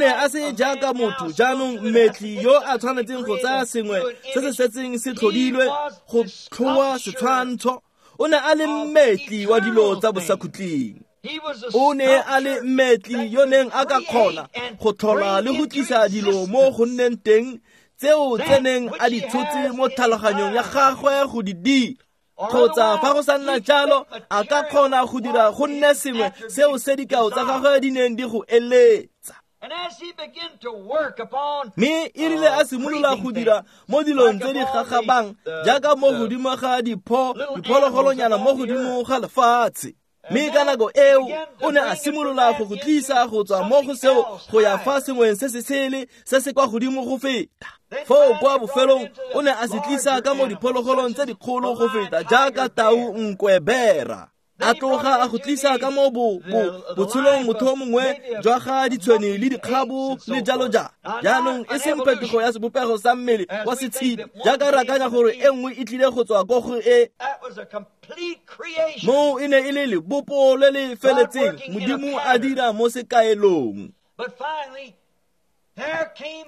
A: a se jaaka motho jaanong mmetli yo a tshwanetseng go tsaya sengwe se se setseng se tlhodilwe go tlhoa setshwantsho. O ne a le mmetli wa dilo tsa bosakhutleng. O ne a le mmetli yo neng a ka kgona go tlhola le go tlisa dilo mo go nneng teng tseo tse neng a di tshotse mo tlhaloganyong ya gagwe go di dira. Kgotsa fa go sa nna jalo, a ka kgona go dira go nne sengwe seo se dikao tsa gagwe di neng di go eletsa. Mme e rile a simolola go dira mo dilong tse di gagabang jaaka mo godimo ga diphologolonyana mo godimo ga lefatshe. Mme ka nako eo o ne a simolola go go tlisa go tswa mo go seo go ya fa sengweng se se sele se se kwa godimo go feta. Foo kwa bofelong o ne a se tlisa ka mo diphologolong tse dikgolo go feta jaaka tau, nkwe, bera. A tloga a go tlisa ka mo botshelong motho mongwe jwa ga ditshwene le dikgabo le jalo jalo. Jaanong e seng phetogo ya sebopego sa mmele wa setshedi jaaka re akanya gore e nngwe e tlile go tswa ko go e. Moo e ne e le lebopo le le feletseng, Modimo a dira mo sekaelong.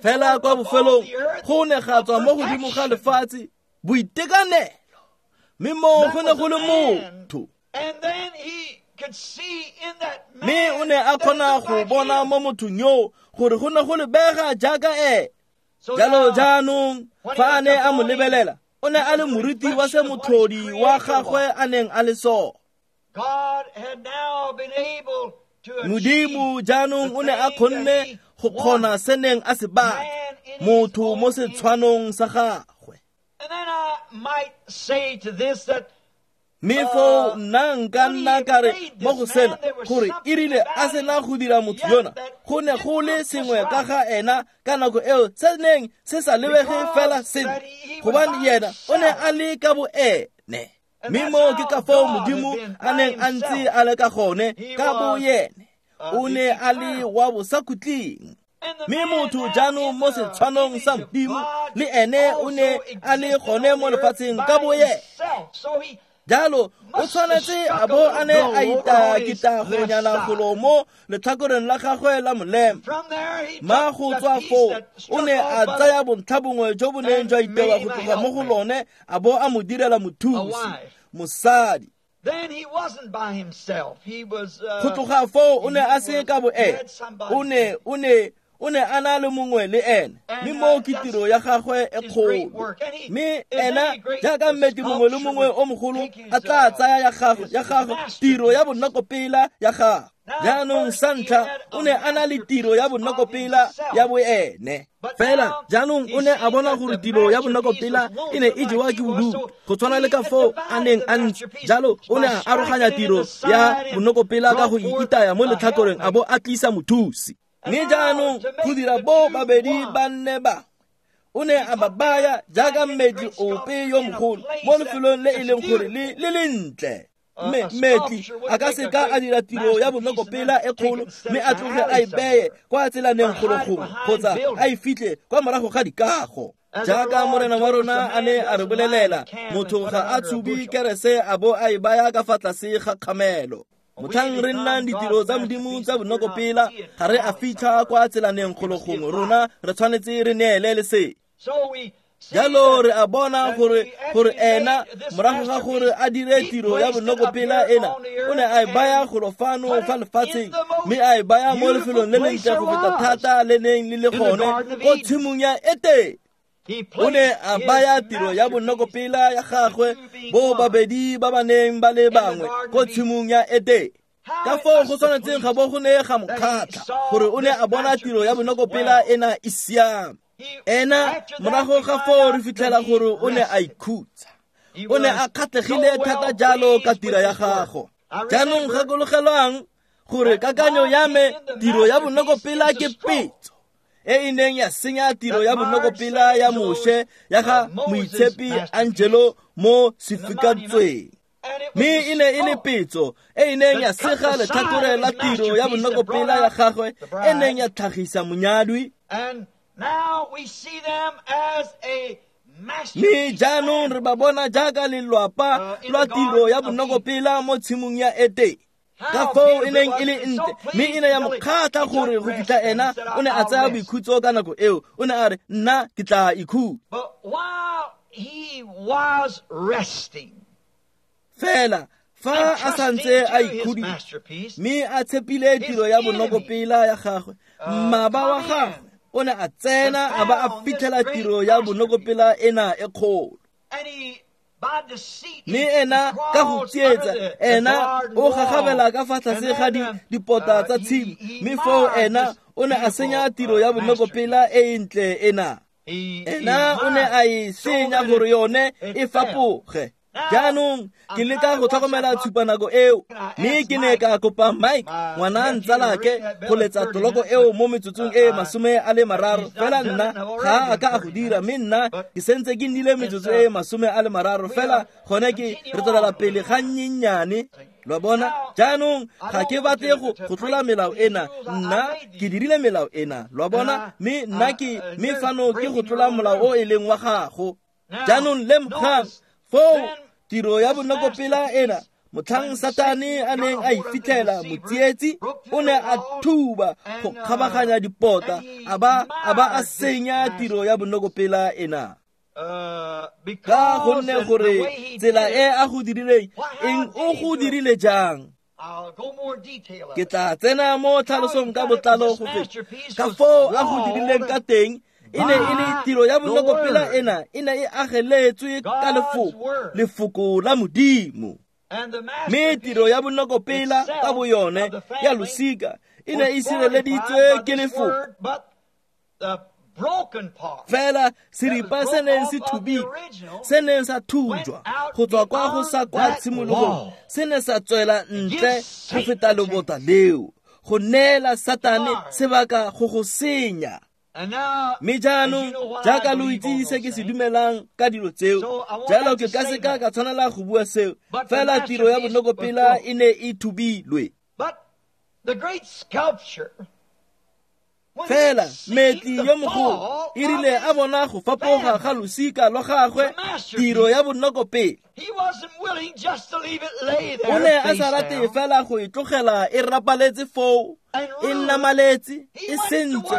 A: Fela kwa bofelong go ne ga tswa mo godimo ga lefatshe boitekanelo, mme moo go ne go le motho. Mme o ne a kgona go bona mo mothong yoo gore go ne go lebega jaaka ene. Jalo jaanong fa a ne a mo lebelela, o ne a le moriti wa se motlhodi wa gagwe a neng a le sone. Modimo jaanong o ne a kgonne go kgona se neng a se batla, motho mo setshwanong sa gagwe. Mme foo nna nka nna ka re mo go sena gore e rile a sena go dira motho yona, go ne go le sengwe ka ga ena ka nako eo se neng se sa lebege fela sentle, gobane yena o ne a le ka boene. Mme moo ke ka foo Modimo a neng a ntse a le ka gone ka boyene, o ne a le wa bosakhutleng. Mme motho jaanong mo setshwanong sa Modimo le ene o ne a le gone mo lefatsheng ka boyene. Jalo o tshwanetse a bo a ne a itakita gonyana golo mo letlhakoreng la gagwe la molema. Ma go tswa foo o ne a tsaya bontlha bongwe jo bo neng jwa itewa go tloga mo go lone a bo a mo direla mothusi, mosadi. Go tloga foo o ne a se ka boene, o ne a na le mongwe le ene, mme moo ke tiro ya gagwe e kgolo. Mme ena jaaka mmetli mongwe le mongwe o mogolo a tla tsaya ya gagwe tiro ya bonokopela ya gagwe. Jaanong sa ntlha o ne a na le tiro ya bonokopela ya boene. Fela jaanong o ne a bona gore tiro ya bonokopela e ne e jewa ke bodutu, go tshwana le ka foo a neng a ntse. Jalo o ne a aroganya tiro ya bonokopela ka go itaya mo letlhakoreng a bo a tlisa mothusi. Mme jaanong go dira bo babedi ba nne ba, o ne a ba baya jaaka mmetli ope yo mogolo mo lefelong le e leng gore le lentle. Mme mmetli a ka seka a dira tiro ya bonokopela e kgolo mme a tloge a e beye kwa tselaneng kgologongwe kgotsa a e fitlhe kwa morago ga dikago. Jaaka morena wa rona a ne a re bolelela, motho ga a tshubi kerese a bo a e baya ka fa tlase ga kgamelo. Motlhang re nnang ditiro tsa Modimo tsa bonokopela ga re a fitlha kwa tselaneng kgologongwe, rona re tshwanetse re neele lesedi. Jalo re a bona gore ena morago ga gore a dire tiro ya bonokopela ena, o ne a e baya golo fano fa lefatsheng, mme a e baya mo lefelong le lentle go feta thata le neng le le gone ko tshimong ya Etene. O ne a baya tiro ya bonokopela ya gagwe bo babedi ba ba neng ba le bangwe ko tshimong ya Etene. Ka foo go tshwanetseng ga bo go ne ga mo kgatlha gore o ne a bona tiro ya bonokopela ena e siame. Ena morago ga foo re fitlhela gore o ne a ikhutsa, o ne a kgatlhegile thata jalo ka tiro ya gago. Jaanong gakologelwang gore kakanyo ya me tiro ya bonokopela ke petso e e neng ya senya tiro ya bonokopela ya Moshe ya ga moitshepi Angelo mo sefikantsweng. Mme e ne e le petso e e neng ya sega letlhakore la tiro ya bonokopela ya gagwe e neng ya tlhagisa monyadwi. Mme jaanong re ba bona jaaka lelwapa lwa tiro ya bonokopela mo tshimong ya Etene. Ka foo e neng e le ntle, mme e ne ya mo kgatlha gore go fitlha ena o ne a tsaya boikhutso ka nako eo. O ne a re, nna ke tla ikhutsa. Fela fa a santse a ikhuditse mme a tshepile tiro ya bonokopela ya gagwe, mmaba wa gagwe o ne a tsena a ba a fitlhela tiro ya bonokopela ena e kgolo. Mme ena ka go tsietsa, ena o gagabela ka fa tlase ga dipota tsa tshimo, mme foo ena o ne a senya tiro ya bonokopela e e ntle ena. Ena o ne a e senya gore yone e fapoge. Jaanong ke leka go tlhokomela tshupanako eo, mme ke ne ka kopa Mike, ngwana ntsalake, go letsa toloko eo mo metsotsong e 30, fela nna ga a ka a go dira, mme nna ke sentse ke nnile metsotso e 30, fela gone ke re tswelela pele ga nnyennyane. Lo bona? Jaanong ga ke batle go tlola melao ena, nna ke dirile melao ena, lo bona? Mme nna ke mme fano ke go tlola molao o e leng wa gago. Jaanong lemogang foo tiro ya bonokopela ena, motlhang Satane a neng a e fitlhela motsietsi, o ne a thuba go kgabaganya dipota, a ba a senya tiro ya bonokopela ena. Ka gonne gore tsela e a go dirileng, eng o go dirile jang? Ke tla tsena mo tlhalosong ka botlalo go feta ka foo a go dirileng ka teng. E ne e le tiro ya bonokopela ena, e ne e ageletswe ka lefoko, lefoko la Modimo. Mme tiro ya bonokopela ka boyone ya losika e ne e sireleditswe ke lefoko. Fela seripa se neng se thubile, se neng sa thujwa go tswa kwa go sa kwa tshimologong, se ne sa tswela ntle go feta lobota leo, go neela Satane sebaka go go senya. Mme jaanong jaaka lo itse se ke se dumelang ka dilo tseo, jalo ke ka seka ka tshwanela go bua seo, fela tiro ya bonokopela e ne e thubilwe. Fela metli yo mogolo e rile a bona go fapoga ga losika lwa gagwe, tiro ya bonokopela, o ne a sa rate fela go e tlogela e rapaletse foo, e nnamaletse, e sentse.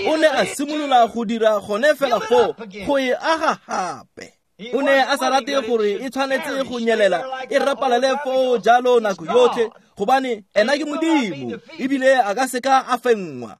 A: O ne a simolola go dira gone fela foo go e aga gape. O ne a sa rate gore e tshwanetse go nyelela e rapalele foo jalo nako yotlhe, gobane ena ke Modimo, ebile a ka seka a fenngwa.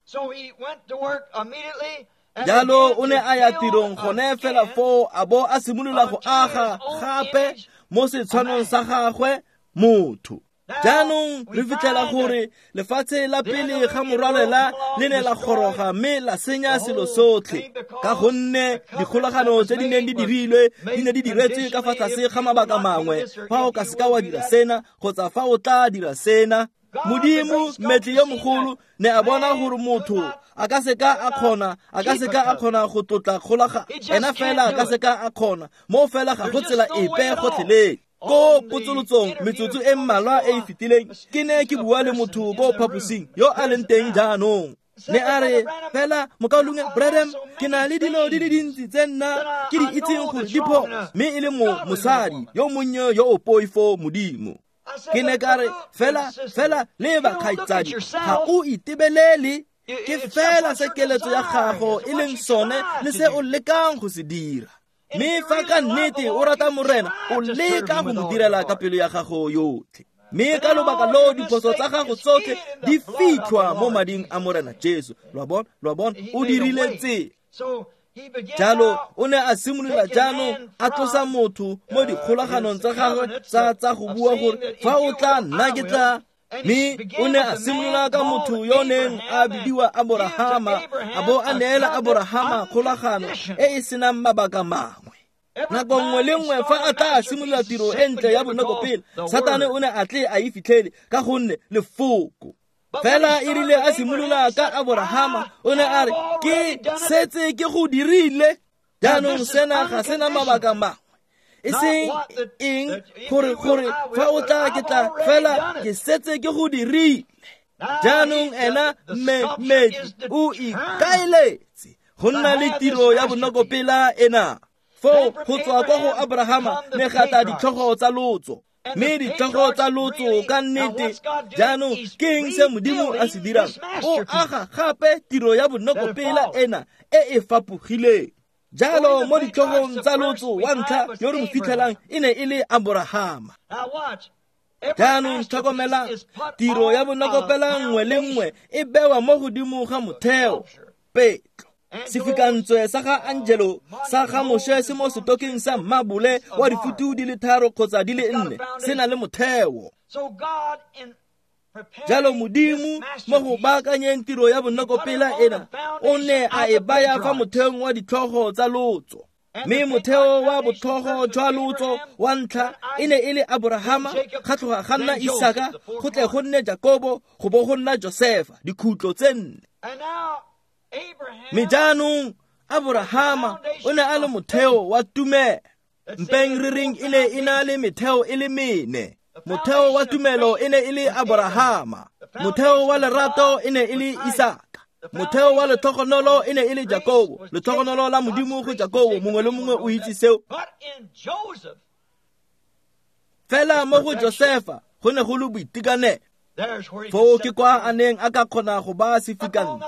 A: Jalo o ne a ya tirong gone fela foo, a bo a simolola go aga gape mo setshwanong sa gagwe motho. Jaanong re fitlhela gore lefatshe la pele ga morwalela le ne la goroga mme la senya selo sotlhe, ka gonne dikgolagano tse di neng di dirilwe di ne di diretswe ka fa tlase ga mabaka mangwe, fa o ka seka wa dira sena kgotsa fa o tla dira sena. Modimo mmetli yo mogolo ne a bona gore motho a ka seka a kgona, a ka seka a kgona go tlotla kgolagano, ena fela a ka seka a kgona, mo fela ga go tsela epe gotlhelele. Ko potsolotsong metsotso e mmalwa e e fetileng, ke ne ke bua le motho ko phaposing yo a leng teng jaanong. Ne a re, fela mokaulengwe Branham, ke na le dilo di le dintsi tse nna ke di itseng gore di phoso, mme e le mosadi yo monnye yo o poifo Modimo. Ke ne ka re, fela fela leba kgaitsadi, ga o itebelele, ke fela se keletso ya gago e leng sone le se o lekang go se dira. Mme fa ka nnete o rata Morena, o leka go mo direla ka pelo ya gago yotlhe. Mme ka lobaka lo diphoso tsa gago tsotlhe di fitlhwa mo mading a Morena Jesu. Lo a bona, o dirile tsela. Jalo o ne a simolola jaanong a tlosa motho mo dikgolaganong tsa gagwe tsa go bua gore fa o tla nna ke tla. Mme o ne a simolola ka motho yo neng a bidiwa Aborahama, a bo a neela Aborahama kgolagano e e senang mabaka mangwe. Nako nngwe le nngwe fa a tla simolola tiro e ntle ya bonokopela, Satane o ne a tle a e fitlhele ka gonne lefoko. Fela e rile a simolola ka Aborahama, o ne a re, ke setse ke go dirile. Jaanong sena ga sena mabaka mangwe, e seng eng gore fa o tla ke tla, fela ke setse ke go dirile. Jaanong ena mmetli o ikaeletse go nna le tiro ya bonokopela ena. Foo go tswa kwa go Abrahama ne ga tla ditlhogo tsa lotso, mme ditlhogo tsa lotso ka nnete. Jaanong ke eng se Modimo a se dirang? O aga gape tiro ya bonokopela ena e e fapogileng. Jalo mo ditlhogong tsa lotso wa ntlha yo re mo fitlhelang e ne e le Aborahama. Jaanong tlhokomela, tiro ya bonokopela nngwe le nngwe e bewa mo godimo ga motheo, petlo. Sefikantswe sa ga Angelo sa ga Moshe se mo setokeng sa mabole wa difutu di le 3 kgotsa di le 4, se na le motheo. Jalo Modimo mo go baakanyeng tiro ya bonokopela ena o ne a e baya fa motheong wa ditlhogo tsa lotso. Mme motheo wa botlhogo jwa lotso wa ntlha e ne e le Aborahama, ga tloga ga nna Isaka, go tle go nne Jakobo, go bo go nna Josefa, dikhutlo tse nne. Mme jaanong Aborahama o ne a le motheo wa tumelo. Mpeng re reng e ne e na le metheo e le mene. Motheo wa tumelo e ne e le Aborahama, motheo wa lerato e ne e le Isaka, motheo wa letlhogonolo e ne e le Jakobo, letlhogonolo la Modimo go Jakobo, mongwe le mongwe o itse seo. Fela mo go Josefa go ne go le boitekanelo. Foo ke kwa a neng a ka kgona go ba sefikantswe,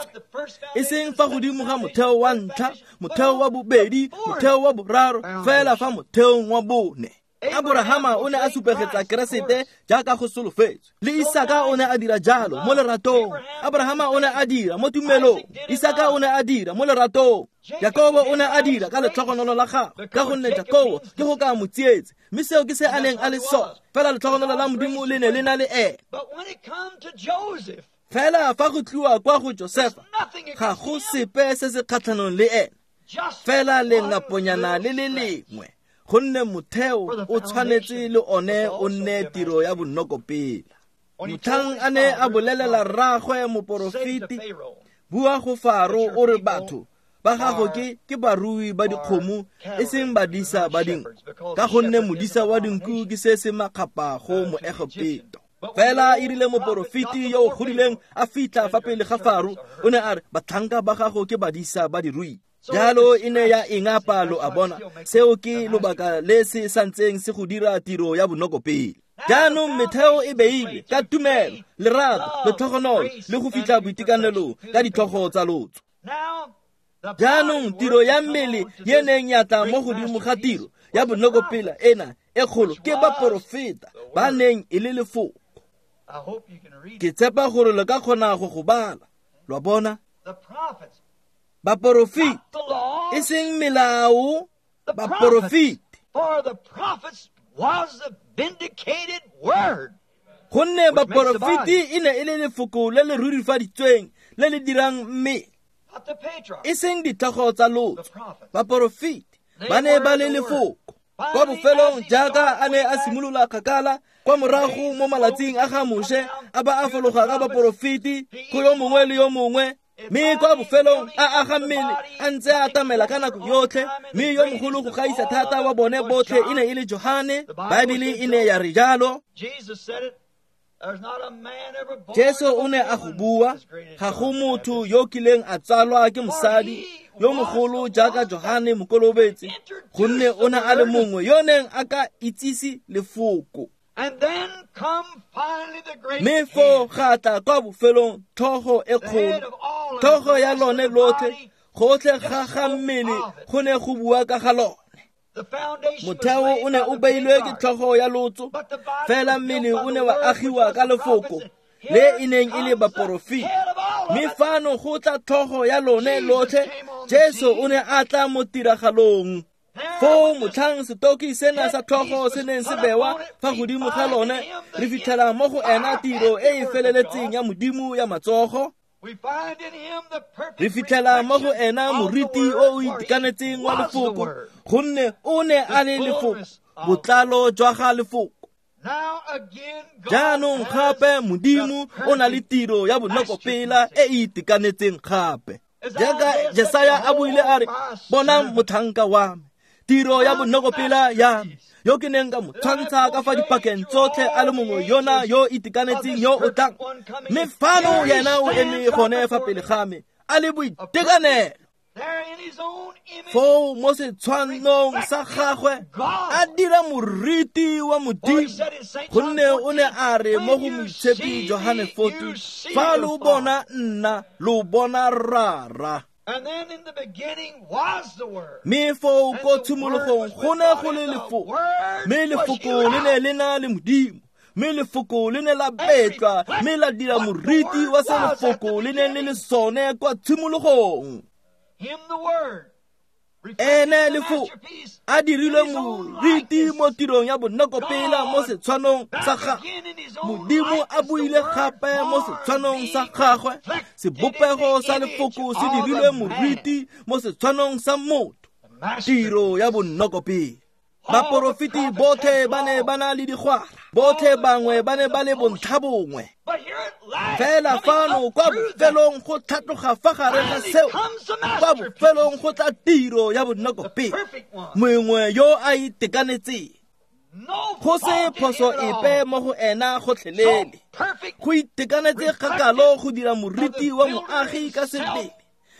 A: e seng fa godimo ga motheo wa ntlha, motheo wa bobedi, motheo wa boraro, fela fa motheong wa bone. Aborahama o ne a supegetsa Keresete jaaka go solofetswe, le Isaka o ne a dira jalo mo leratong. Aborahama o ne a dira mo tumelong, Isaka o ne a dira mo leratong, Jakobo o ne a dira ka letlhogonolo la gagwe, ka gonne Jakobo ke go ka mo tsietse, mme seo ke se a neng a le sone. Fela letlhogonolo la Modimo le ne le na le ene. Fela fa go tliwa kwa go Josefa, ga go sepe se se kgatlhanong le ene, fela lengaponyana le le lengwe, gonne motheo o tshwanetse le one o nne tiro ya bonokopela. Motlhang a ne a bolelela rraagwe moporofeti, bua go Faro o re batho ba gago ke barui ba dikgomo e seng badisa ba dinku, ka gonne modisa wa dinku ke se se makgapa go Moegepeto. Fela e rile moporofeti yo o godileng a fitlha fa pele ga Faro, o ne a re batlhanka ba gago ke badisa ba dirui. Jalo e ne ya ingapa, lo a bona. Seo ke lobaka le se santseng se go dira tiro ya bonokopele. Jaanong metheo e beile ka tumelo, lerato, letlhogonolo le go fitlha boitekanelong ka ditlhogo tsa lotso. Jaanong tiro ya mmele ye neng ya tla mo godimo ga tiro ya bonokopela ena e kgolo ke baporofeta ba neng e le lefoko. Ke tshepa gore le ka kgona go go bala, lo a bona. Baporofeti, e seng melao, baporofeti. Gonne baporofeti e ne e le lefoko le le rurifaditsweng le le dirang mme, e seng ditlhogo tsa lotso. Baporofeti ba ne ba le lefoko. Kwa bofelong jaaka a ne a simolola kgakala kwa morago mo malatsing a ga Moshe, a ba a fologa ka baporofeti go yo mongwe le yo mongwe, mme kwa bofelong a aga mmele a ntse a atamela ka nako yotlhe. Mme yo mogolo go gaisa thata wa bone botlhe e ne e le Johane. Baebele e ne ya re jalo. Jesu o ne a go bua, ga go motho yo kileng a tsalwa ke mosadi yo mogolo jaaka Johane Mokolobetsi, gonne o ne a le mongwe yo neng a ka itsise lefoko. Mme foo ga tla kwa bofelong tlhogo e kgolo, tlhogo ya lone lotlhe, gotlhe ga ga mmele go ne go bua ka ga lone. Motheo o ne o beilwe ke tlhogo ya lotso, fela mmele o ne wa agiwa ka lefoko le e neng e le baporofeti. Mme fano go tla tlhogo ya lone lotlhe, Jesu o ne a tla mo tiragalong. Foo motlhang setoki sena sa tlhogo se neng se bewa fa godimo ga lone, re fitlhela mo go ena tiro e e feleletseng ya Modimo ya matsogo. Re fitlhela mo go ena moriti o o itekanetseng wa lefoko, gonne o ne a le lefoko, botlalo jwa ga lefoko. Jaanong gape Modimo o na le tiro ya bonokopela e e itekanetseng gape. Jaaka Jesaya a buile a re, bonang motlhanka wa me, tiro ya bonokopela ya me, yo ke neng ka mo tshwantsha ka fa dipakeng tsotlhe a le mongwe yona yo itekanetseng yo o tlang. Mme fano yena o eme gone fa pele ga me a le boitekanelo. Foo mo setshwanong sa gagwe a dira moriti wa Modimo, gonne o ne a re mo go Moitshepi Johane 14, fa lo bona nna lo bona Rara. Mme foo ko tshimologong go ne go le lefoko, mme lefoko le ne le na le Modimo, mme lefoko le ne la betlwa, mme la dira moriti wa se lefoko le neng le le sone kwa tshimologong. Ene lefoko a dirilwe moriti mo tirong ya bonokopela mo setshwanong sa gagwe. Modimo a buile gape mo setshwanong sa gagwe. Sebopego sa lefoko se dirilwe moriti mo setshwanong sa motho. Tiro ya bonokopela. Baporofeti botlhe ba ne ba na le digwara, botlhe bangwe ba ne ba le bontlhabongwe. Fela fano kwa bofelong go tlhatloga fa gare ga seo, kwa bofelong go tla tiro ya bonokopela, mongwe yo a itekanetseng. Go se phoso epe mo go ena gotlhelele. Go itekanetse kgakalo go dira moriti wa moagi ka sebele.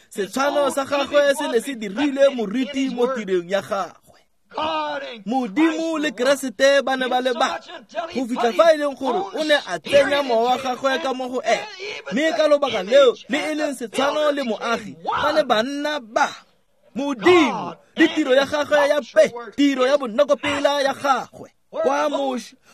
A: Setshwano sa gagwe se ne se dirile moriti mo tirong ya gagwe. Modimo le Keresete ba ne ba le ba go fitlha fa e leng gore o ne a tsenya mowa wa gagwe ka mo go ene, mme ka lobaka leo le e leng setshwano le moagi ba ne ba nna ba Modimo le tiro ya gagwe ya pe, tiro ya bonokopela ya gagwe. Kwa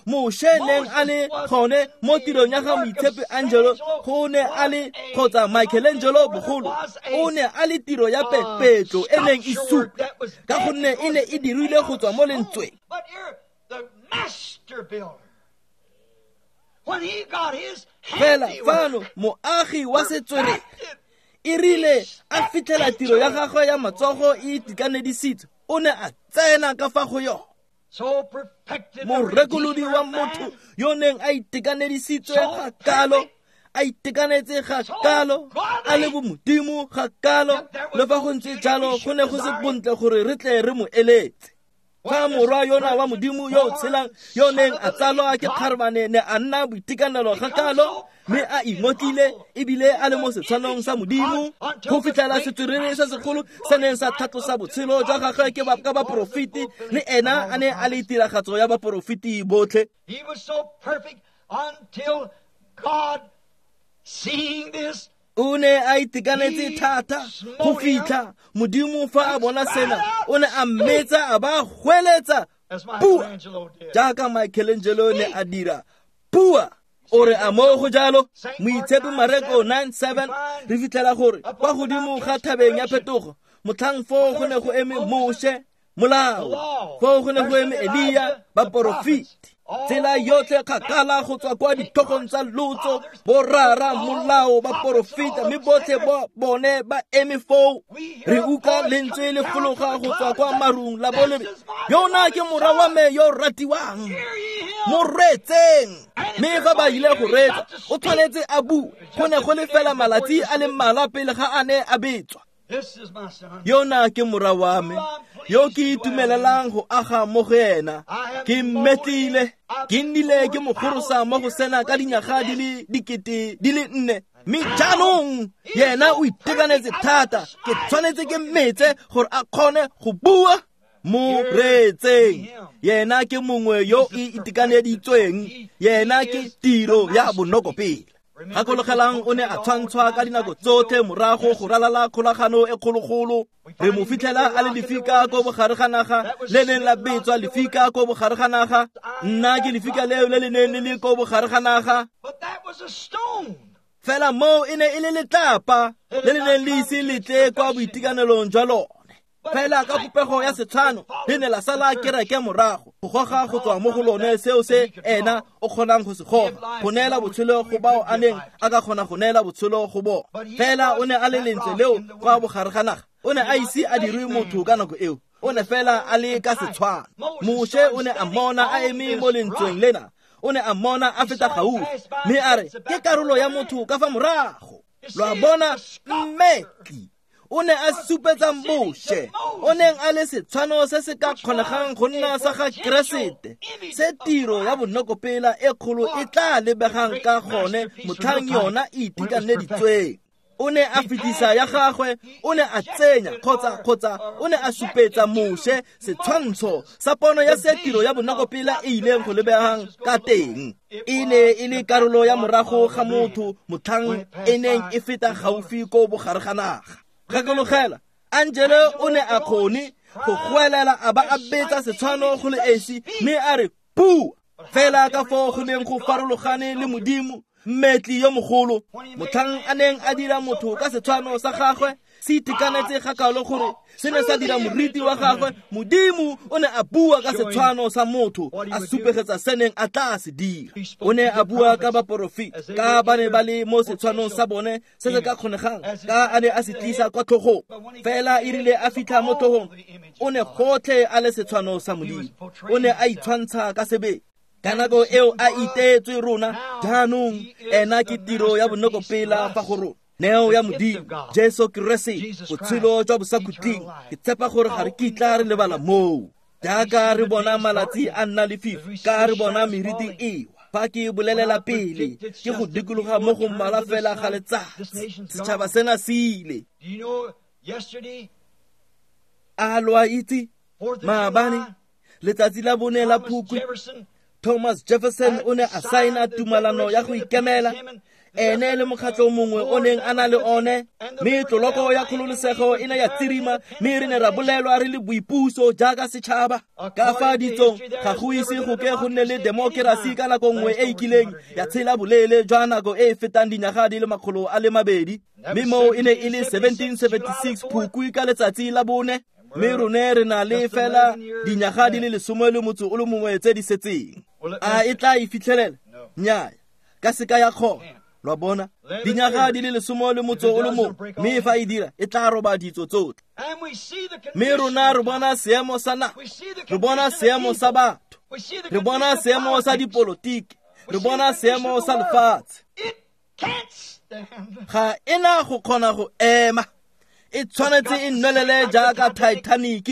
A: Moshe neng a le gone mo tirong ya ga Moitshepi Angelo, go ne a le kgotsa Michelangelo bogolo, o ne a le tiro ya pepetlo e neng e supa, ka gonne e ne e dirilwe go tswa mo lentsweng. Fela fano moagi wa setswerere e rile a fitlhela tiro ya gagwe ya matsogo e itekanedisitswe, o ne a tsena ka fa go yone. Morekolodi wa motho yo neng a itekanedisitswe ga kalo, a itekanetse ga kalo, a le bomodimo ga kalo, le fa go ntse jalo go ne go se bontle gore re tle re mo eletse. Fa morwa yona wa Modimo yo o tshelang yo neng a tsalwa ke kgarebane ne a nna boitekanelo ga kalo, mme a ingotlile ebile a le mo setshwanong sa Modimo, go fitlhela setswerere se segolo se neng sa tlhatlosa botshelo jwa gagwe ke ka baporofeti, le ena a ne a le tiragatso ya baporofeti botlhe. O ne a itekanetse thata go fitlha Modimo fa a bona sena, o ne a mmetsa a ba hweletsa bua, jaaka Michelangelo ne a dira bua. O re a mo go jalo. Moitshepi Mareko 9:7 re fitlhela gore kwa godimo ga thabeng ya phetogo, motlhang foo go ne go eme Moshe, molao, foo go ne go eme Elia, baporofeti. Tsela yotlhe kgakala go tswa kwa ditlhogong tsa lotso, borara, molao, baporofeta, mme botlhe bone ba eme foo. Re utlwa lentswe le fologa go tswa kwa marung la bo le re, yona ke morwa wa me yo ratiwang, mo reetseng. Mme fa ba ile go reetsa, o tshwanetse a bue. Go ne go le fela malatsi a le mmalwa pele ga a ne a betswa. Yona ke morwa wa me yo ke itumelelang go aga mo go ena. Ke mmetlile, ke nnile ke mo gorosa mo go sena ka dinyaga di le 4,000, mme jaanong yena o itekanetse thata, ke tshwanetse ke mmetse gore a kgone go bua. Mo reetseng, yena ke mongwe yo e itekaneditsweng, yena ke tiro ya bonokopela. Gakologelang o ne a tshwantshwa ka dinako tsotlhe morago go ralala kgolagano e kgologolo. Re mo fitlhela a le lefika ko bogare ga naga, le neng la betswa lefika ko bogare ga naga. Nna ke lefika leo le le neng le le ko bogare ga naga. Fela moo e ne e le letlapa le le neng le ise le tle kwa boitekanelong jwa lone. Fela ka popego ya setshwano le ne la sala kereke morago, go goga go tswa mo go lone seo se ena o kgonang go se goga, go neela botshelo go bao a neng a ka kgona go neela botshelo go bona. Fela o ne a le lentswe leo kwa bogare ga naga, o ne a ise a dirwe motho ka nako eo, o ne fela a le ka setshwano. Moshe o ne a mmona a eme mo lentsweng lena, o ne a mmona a feta gaufi, mme a re ke karolo ya motho ka fa morago. Lo a bona, mmetli o ne a supetsa Moshe, o neng a le setshwano se se ka kgonegang go nna sa ga Keresete, se tiro ya bonokopela e kgolo e tla lebegang ka gone motlhang yona e itekaneditsweng. O ne a fetisa ya gagwe, o ne a tsenya kgotsa o ne a supetsa Moshe setshwantsho sa pono ya se tiro ya bonokopela e ileng go lebegang ka teng. E ne e le karolo ya morago ga motho motlhang e neng e feta gaufi ko bogare ga naga. Gakologela, Angelo o ne a kgone go goelela a ba a betsa setshwano go le esi, mme a re bua. Fela ka foo go neng go farologane le Modimo, mmetli yo mogolo, motlhang a neng a dira motho ka setshwano sa gagwe, Se itekanetse ga kalo gore se ne sa dira moriti wa gagwe. Modimo o ne a bua ka setshwano sa motho, a supegetsa se neng a tla se dira. O ne a bua ka baporofeti, ka ba ne ba le mo setshwanong sa bone se se ka kgonegang, ka a ne a se tlisa kwa tlhogong. Fela e rile a fitlha mo tlhogong, o ne gotlhe a le setshwano sa Modimo. O ne a itshwantsha ka sebele. Ka nako eo a iteetswe rona, jaanong ena ke tiro ya bonokopela fa go rona. Neo ya Modimo, Jesu Keresete, botshelo jwa bosakhutleng. Ke tshepa gore ga re kitla re lebala moo. Jaaka re bona malatsi a nna lefifi, ka re bona meriti ewa. Fa ke bolelela pele, ke go dikologa mo go mmalwa fela ga letsatsi. Setšhaba sena se ile. A lo a itse? Maabane, letsatsi la bone la Phukwi, Thomas Jefferson o ne a saena tumalano ya go ikemela, ene le mokgatlho mongwe o neng a na le one, mme tloloko ya kgololosego e ne ya tsirima, mme re ne ra bolelwa re le boipuso jaaka setšhaba. Ka fa ditsong ga go ise go ke go nne le demokerasi ka nako nngwe e e kileng ya tshela boleele jwa nako e e fetang dinyaga di le 200. Mme moo e ne e le 1776 Phukwi ka letsatsi la bone, mme rone re na le fela dinyaga di le 11 tse di setseng. A e tla e fitlhelela? Nnyaa, ka seka ya kgona. Lwa bona, dinyaga di le 11, mme fa e dira e tla roba ditso tsotlhe. Mme rona re bona seemo sa naga, re bona seemo sa batho, re bona seemo sa dipolotiki, re bona seemo sa lefatshe. Ga ena go kgona go ema. E tshwanetse e nwelele jaaka Titanic,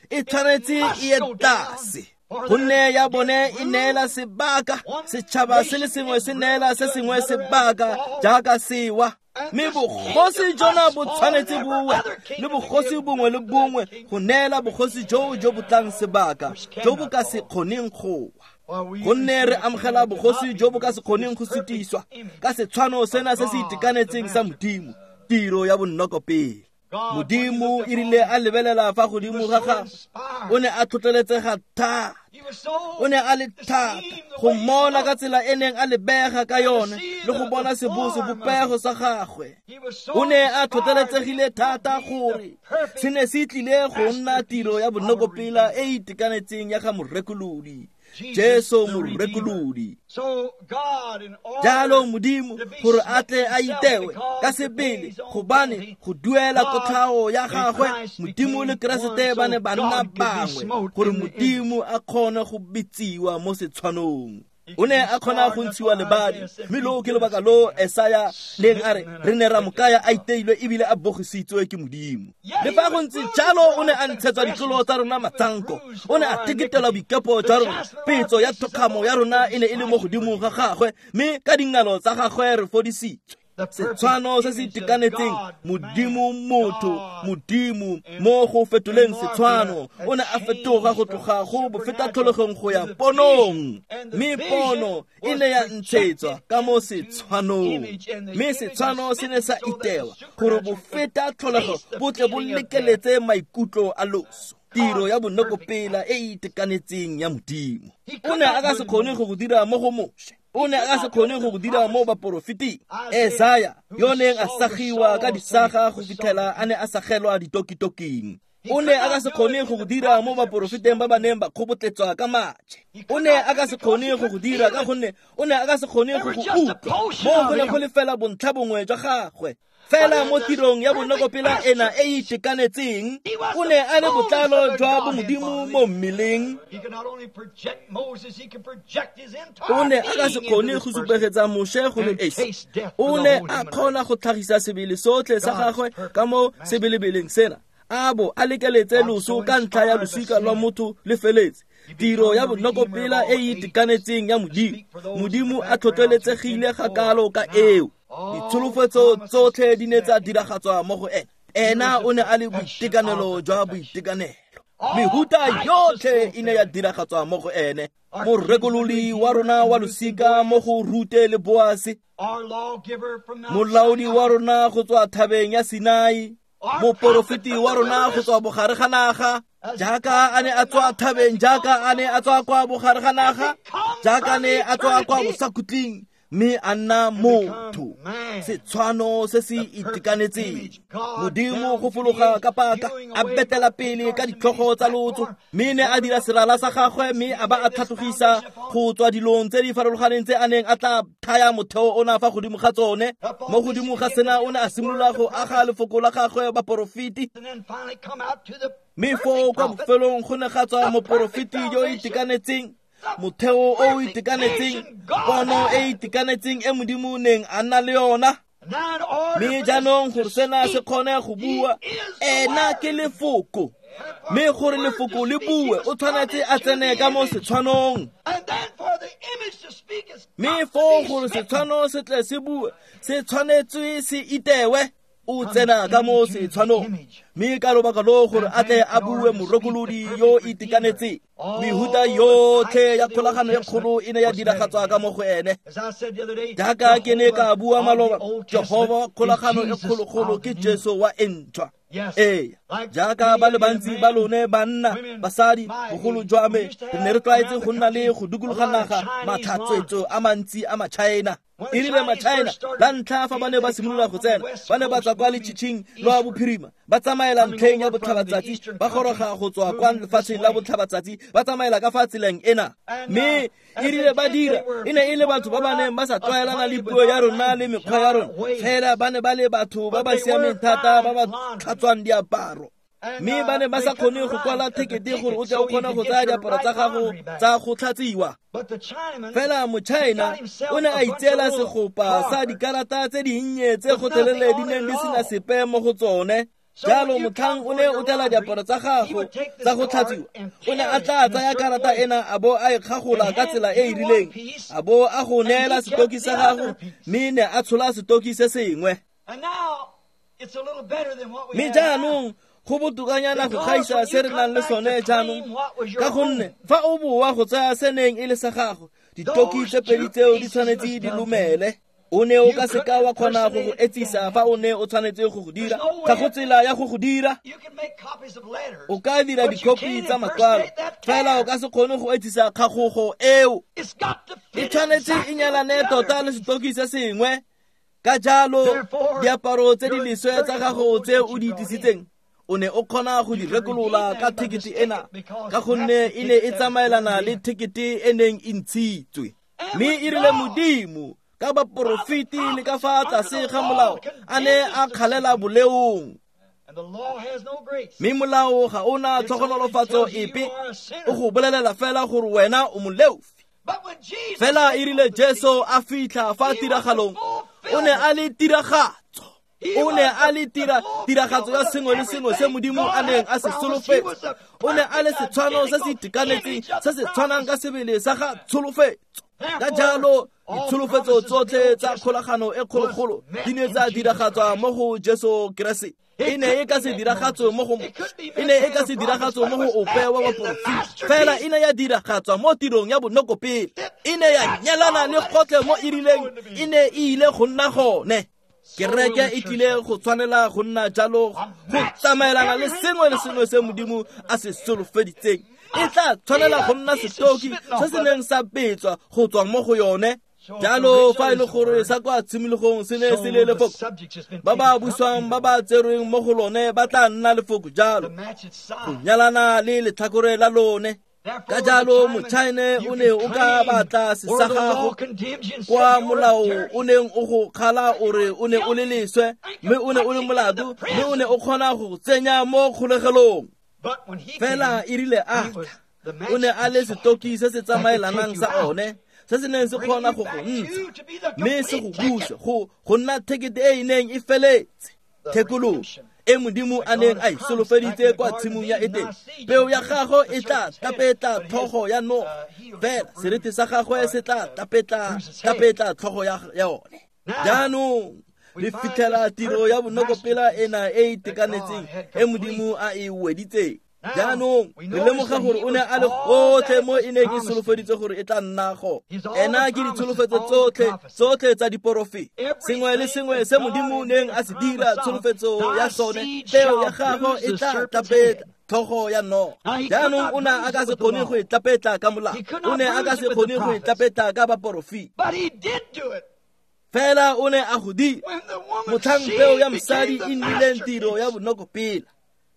A: e tshwanetse e ye tlase. Gonne ya bone e neela sebaka, setšhaba se le sengwe se neela se sengwe sebaka jaaka sewa. Mme bogosi jona bo tshwanetse bowe le bogosi bongwe le bongwe go neela bogosi joo jo bo tlang sebaka, jo bo ka se kgoneng go wa. Gonne re amogela bogosi jo bo ka se kgoneng go sutiswa ka setshwano sena se se itekanetseng sa Modimo, tiro ya bonnokopele. Modimo e rile a lebelela fa godimo ga gagwe, o ne a tlhotlheletsega thata. O ne a le thata go mmona ka tsela e neng a lebega ka yone le go bona sebopego sa gagwe. O ne a tlhotlheletsegile thata gore se ne se tlile go nna tiro ya bonokopela e e itekanetseng ya ga morekolodi, Jesu morekolodi. Jalo Modimo gore a tle a itewe ka sebele, gobane go duela kotlhao ya gagwe, Modimo le Keresete ba ne ba nna bangwe, gore Modimo a kgone go bitsiwa mo setshwanong. O ne a kgona go ntshiwa lebadi, mme loo ke lobaka lo Esaya neng a re re ne ra mo kaya a iteilwe ebile a bogisitswe ke Modimo. Le fa go ntse jalo, o ne a ntshetswa ditlolo tsa rona matsanko, o ne a teketelwa boikepo jwa rona. Petso ya thokgamo ya rona e ne e le mo godimo ga gagwe, mme ka dingalo tsa gagwe re fodisitswe. Setshwano se se itekanetseng, Modimo motho, Modimo mo go fetoleng setshwano, o ne a fetoga go tloga go bofeta tlholegong go ya ponong, mme pono e ne ya ntshetswa ka mo setshwanong, mme setshwano se ne sa itewa gore bofeta tlholego bo tle bo lekeletse maikutlo a loso. Tiro ya bonokopela e e itekanetseng ya Modimo. O ne a ka se kgone go go dira mo go Moshe, o ne a ka se kgone go go dira mo baporofeting. Esaya yo neng a sagiwa ka disaga go fitlhela a ne a sagelwa ditokitoking, o ne a ka se kgone go go dira mo baporofeteng ba ba neng ba kgobotletswa ka maje. O ne a ka se kgone go go dira ka gonne o ne a ka se kgone go go utlwa. Mo go ne go le fela bontlha bongwe jwa gagwe. Fela mo tirong ya bonokopela ena e e itekanetseng, o ne a le botlalo jwa bomodimo mo mmeleng. O ne a ka se kgone go supegetsa Moshe go le esi. O ne a kgona go tlhagisa sebele sotlhe sa gagwe ka mo sebelebeleng sena, a bo a lekeletse loso ka ntlha ya losika lwa motho le feletse. Tiro ya bonokopela e e itekanetseng ya Modimo, Modimo a tlhotlheletsegile ga kalo ka eo. Ditsholofetso tsotlhe di ne tsa diragatswa mo go ena. Ena o ne a le boitekanelo jwa boitekanelo. Mehuta yotlhe e ne ya diragatswa mo go ene. Morekololi wa rona wa losika mo go Rute le Boase, molaodi wa rona go tswa thabeng ya Sinai, moporofeti wa rona go tswa bogare ga naga, jaaka a ne a tswa thabeng, jaaka a ne a tswa kwa bogare ga naga, jaaka a ne a tswa kwa bosakhutleng, mme a nna motho. Setshwano se se itekanetseng. Modimo go fologa ka paka, a betela pele ka ditlhogo tsa lotso, mme ne a dira serala sa gagwe, mme a ba a tlhatlogisa go tswa dilong tse di farologaneng tse a neng a tla thaya motheo ona fa godimo ga tsone. Mo godimo ga sena o ne a simolola go aga lefoko la gagwe baporofeti. Mme foo kwa bofelong go ne ga tswa moporofeti yo o itekanetseng, motheo o o itekanetseng, pono e itekanetseng e Modimo neng a nna le yona. Mme jaanong gore sena se kgone go bua, ena ke lefoko. Mme gore lefoko le bue, o tshwanetse a tsene ka mo setshwanong. Mme foo gore setshwano se tle se bue, se tshwanetswe se itewe. O tsena ka mo setshwanong, mme ka lobaka lo gore a tle a bue morekolodi yo itekanetseng. Mehuta yotlhe ya kgolagano e kgolo e ne ya diragatswa ka mo go ene. Jaaka ke ne ka bua maloba, Jehova kgolagano e kgologolo ke Jesu wa e ntšhwa. Ee, jaaka ba le bantsi ba lone banna, basadi, bogolo jwa me, re ne re tlwaetse go nna le go dikologa naga matlhatswetso a mantsi a maChina. E rile maChina la ntlha fa ba ne ba simolola go tsena, ba ne ba tswa kwa letšhitšhing lwa bophirima, ba tsamaela ntlheng ya botlhabatsatsi, ba goroga go tswa kwa lefatsheng la botlhabatsatsi, ba tsamaela ka fa tseleng ena. Mme e rile ba dira, e ne e le batho ba ba neng ba sa tlwaelana le puo ya rona le mekgwa ya rona, fela ba ne ba le batho ba ba siameng thata ba ba tlhatswang diaparo. Mme ba ne ba sa kgone go kwala thekete gore o tle o kgone go tsaya diaparo tsa gago tsa go tlhatsiwa. Fela moChina o ne a itseela segopa sa dikarata tse dinnye tse gotlhelele di neng di sena sepe mo go tsone. Jalo motlhang o ne o tlela diaparo tsa gago tsa go tlhatsiwa, o ne a tla tsaya karata ena a bo a e kgagola ka tsela e e rileng, a bo a go neela setoki sa gago, mme ne a tshola setoki se sengwe. Mme jaanong go botokanyana go gaisa se re nang le sone jaanong, ka gonne fa o boa go tsaya se neng e le sa gago, ditoki tse pedi tseo di tshwanetse di lumele. O ne o ka seka wa kgona go go etsisa fa o ne o tshwanetse go go dira. Ga go tsela ya go go dira. O ka dira dikhopi tsa makwalo, fela o ka se kgone go etsisa kgagogo eo. E tshwanetse e nyalane tota le setoki se sengwe. Ka jalo diaparo tse di leswe tsa gago tse o di tlisitseng, o ne o kgona go di rekolola ka thekete ena, ka gonne e ne e tsamaelana le thekete e neng e ntshitswe. Mme e rile Modimo ka baporofeti le ka fa tlase ga molao a ne a kgalela boleong. Mme molao ga ona tlhogonolofatso epe, o go bolelela fela gore wena o moleofi. Fela e rile Jesu a fitlha fa tiragalong, o ne a le tiragatso. O ne a le tiragatso ya sengwe le sengwe se Modimo a neng a se solofetsa. O ne a le setshwano se se itekanetseng, se se tshwanang ka sebele sa ga tsholofetso. Ka jalo ditsholofetso tsotlhe tsa kgolagano e kgologolo di ne tsa diragatswa mo go Jesu Keresete. E ne e ka se diragatswe mo go e ne e ka se diragatswe mo go ope wa baporofeti, fela e ne ya diragatswa mo tirong ya bonokopele. E ne ya nyalana le gotlhe mo e rileng e ne e ile go nna gone. Kereke e tlile go tshwanela go nna jalo, go tsamaelana le sengwe le sengwe se Modimo a se solofeditseng. E tla tshwanela go nna setoki se se neng sa betswa go tswa mo go yone. Jalo fa e le gore sa kwa tshimologong se ne se le lefoko, ba ba buswang ba ba tserweng mo go lone ba tla nna lefoko jalo, go nyalana le letlhakore la lone. Ka jalo moChina o ne o ka batla sesa gago kwa molao o neng o go kgala o re o ne o le leswe, mme o ne o le molato, mme o ne o kgona go tsenya mo kgolegelong. Fela e rile a o ne a le setoki se se tsamaelanang sa one, se se neng se kgona go go ntsha mme se go buse go nna thekete e e neng e feletse. Thekolo e Modimo a neng a e solofeditse kwa tshimong ya Edene, peo ya gagwe e tla tapetla tlhogo ya noga, fela seriti sa gagwe se tla tapetla tlhogo ya yone. Jaanong le fitlhela tiro ya bonokopela ena e itekanetseng e Modimo a e weditseng. Jaanong re lemoga gore o ne a le gotlhe mo e neng e solofeditse gore e tla nna go. Ena ke ditsholofetso tsotlhe tsa diporofeti. Sengwe le sengwe se Modimo neng a se dira tsholofetso ya sone, peo ya gagwe e tla tapetla tlhogo ya noga. Jaanong o ne a ka se kgone go e tlapetla ka molao, o ne a ka se kgone go e tlapetla ka baporofeti. Fela o ne a go dira. Motlhang peo ya mosadi e nnileng tiro ya bonokopela,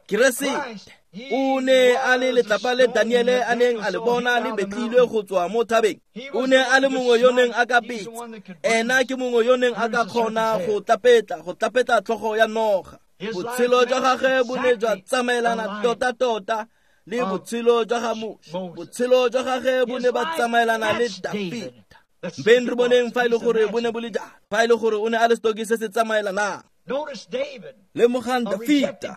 A: Keresete o ne a le letlapa le Daniele a neng a le bona le betlilwe go tswa mo thabeng. O ne a le mongwe yo neng a ka betsa. Ena ke mongwe yo neng a ka kgona go tlapetla tlhogo ya noga. Botshelo jwa gagwe bo ne jwa tsamaelana tota-tota le botshelo jwa ga Moshe. Botshelo jwa gagwe bo ne ba tsamaelana le Dafita. Mpeng re boneng fa e le gore bo ne bo le jalo, fa e le gore o ne a le setoki se se tsamaelanang. Lemogang Dafita,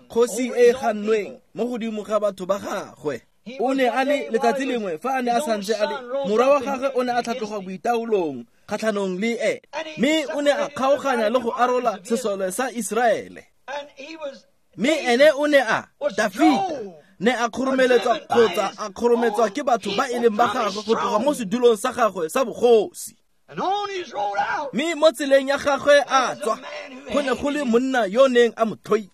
A: kgosi e e gannweng mo godimo ga batho ba gagwe. O ne a le letsatsi lengwe fa a ne a santse a le morwa wa gagwe o ne a tlhatloga boitaolong kgatlhanong le ene, mme o ne a kgaoganya le go arola sesole sa Iseraele. Mme ene o ne a Dafita ne a kgoromeletswa kgotsa a kgorometswa ke batho ba e leng ba gagwe go tloga mo sedulong sa gagwe sa bogosi. Mme mo tseleng ya gagwe a tswa, go ne go le monna yo neng a mo tlhoile,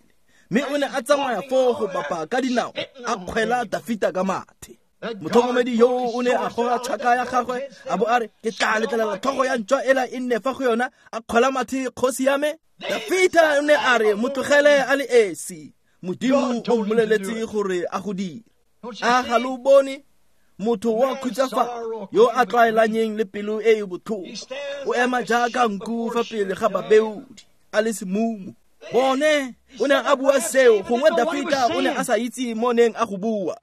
A: mme o ne a tsamaya foo go bapa ka dinao a kgwela Dafita ka mathe. Motlhokomedi yo o ne a goga tšhaka ya gagwe a bo a re, ke tla letlelela tlhogo ya ntšwa ela e nne fa go yona, a kgwela mathe kgosi ya me. Dafita o ne a re, mo tlogele a le esi, Modimo o mmoleletse gore a go dire. A ga lo bone motho wa khutsafalo yo a tlwaelanyeng le pelo e e botlhoko, o ema jaaka nku fa pele ga babeodi a le semumu. Bone o ne a bua seo, gongwe Dafita o ne a sa itse mo neng a go bua.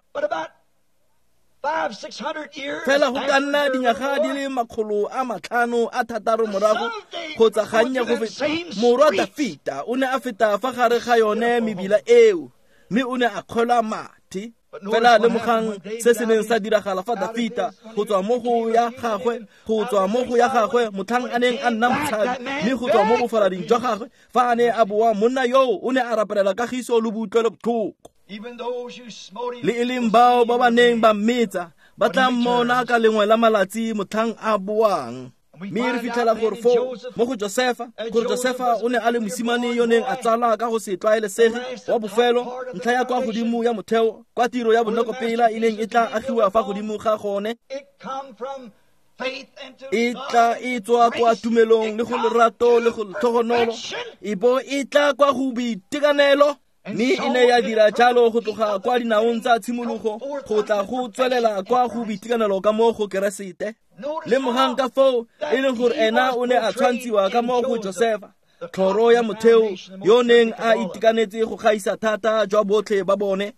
A: Fela go ka nna dinyaga di le 506 morago kgotsa gannye go feta, morwa Dafita o ne a feta fa gare ga yone mebila eo, mme o ne a kgwelwa mathe. Fela lemogang se se neng sa diragala fa Dafita go tswa mo go ya gagwe, go tswa mo go ya gagwe motlhang a neng a nna motshabi, mme go tswa mo bofalading jwa gagwe fa a ne a boa, monna yoo o ne a rapelela kagiso le boutlwelo botlhoko. Le e leng bao ba ba neng ba mmetsa ba tla mmona ka lengwe la malatsi motlhang a boang. Mme re fitlhela gore foo mo go Josefa, gore Josefa o ne a le mosimane yo neng a tsala ka go se tlwaelesege wa bofelo, ntlha ya kwa godimo ya motheo kwa tiro ya bonokopela e neng e tla agiwa fa godimo ga gone. E tla e tswa kwa tumelong le go lerato le go letlhogonolo, e bo e tla kwa go boitekanelo. Mme e ne ya dira jalo go tloga kwa dinaong tsa tshimologo go tla go tswelela kwa go boitekanelo ka mo go Keresete. Lemogang ka foo e leng gore ena o ne a tshwantshiwa ka mo go Josefa, tlhoro ya motheo yo neng a itekanetse go gaisa thata jwa botlhe ba bone.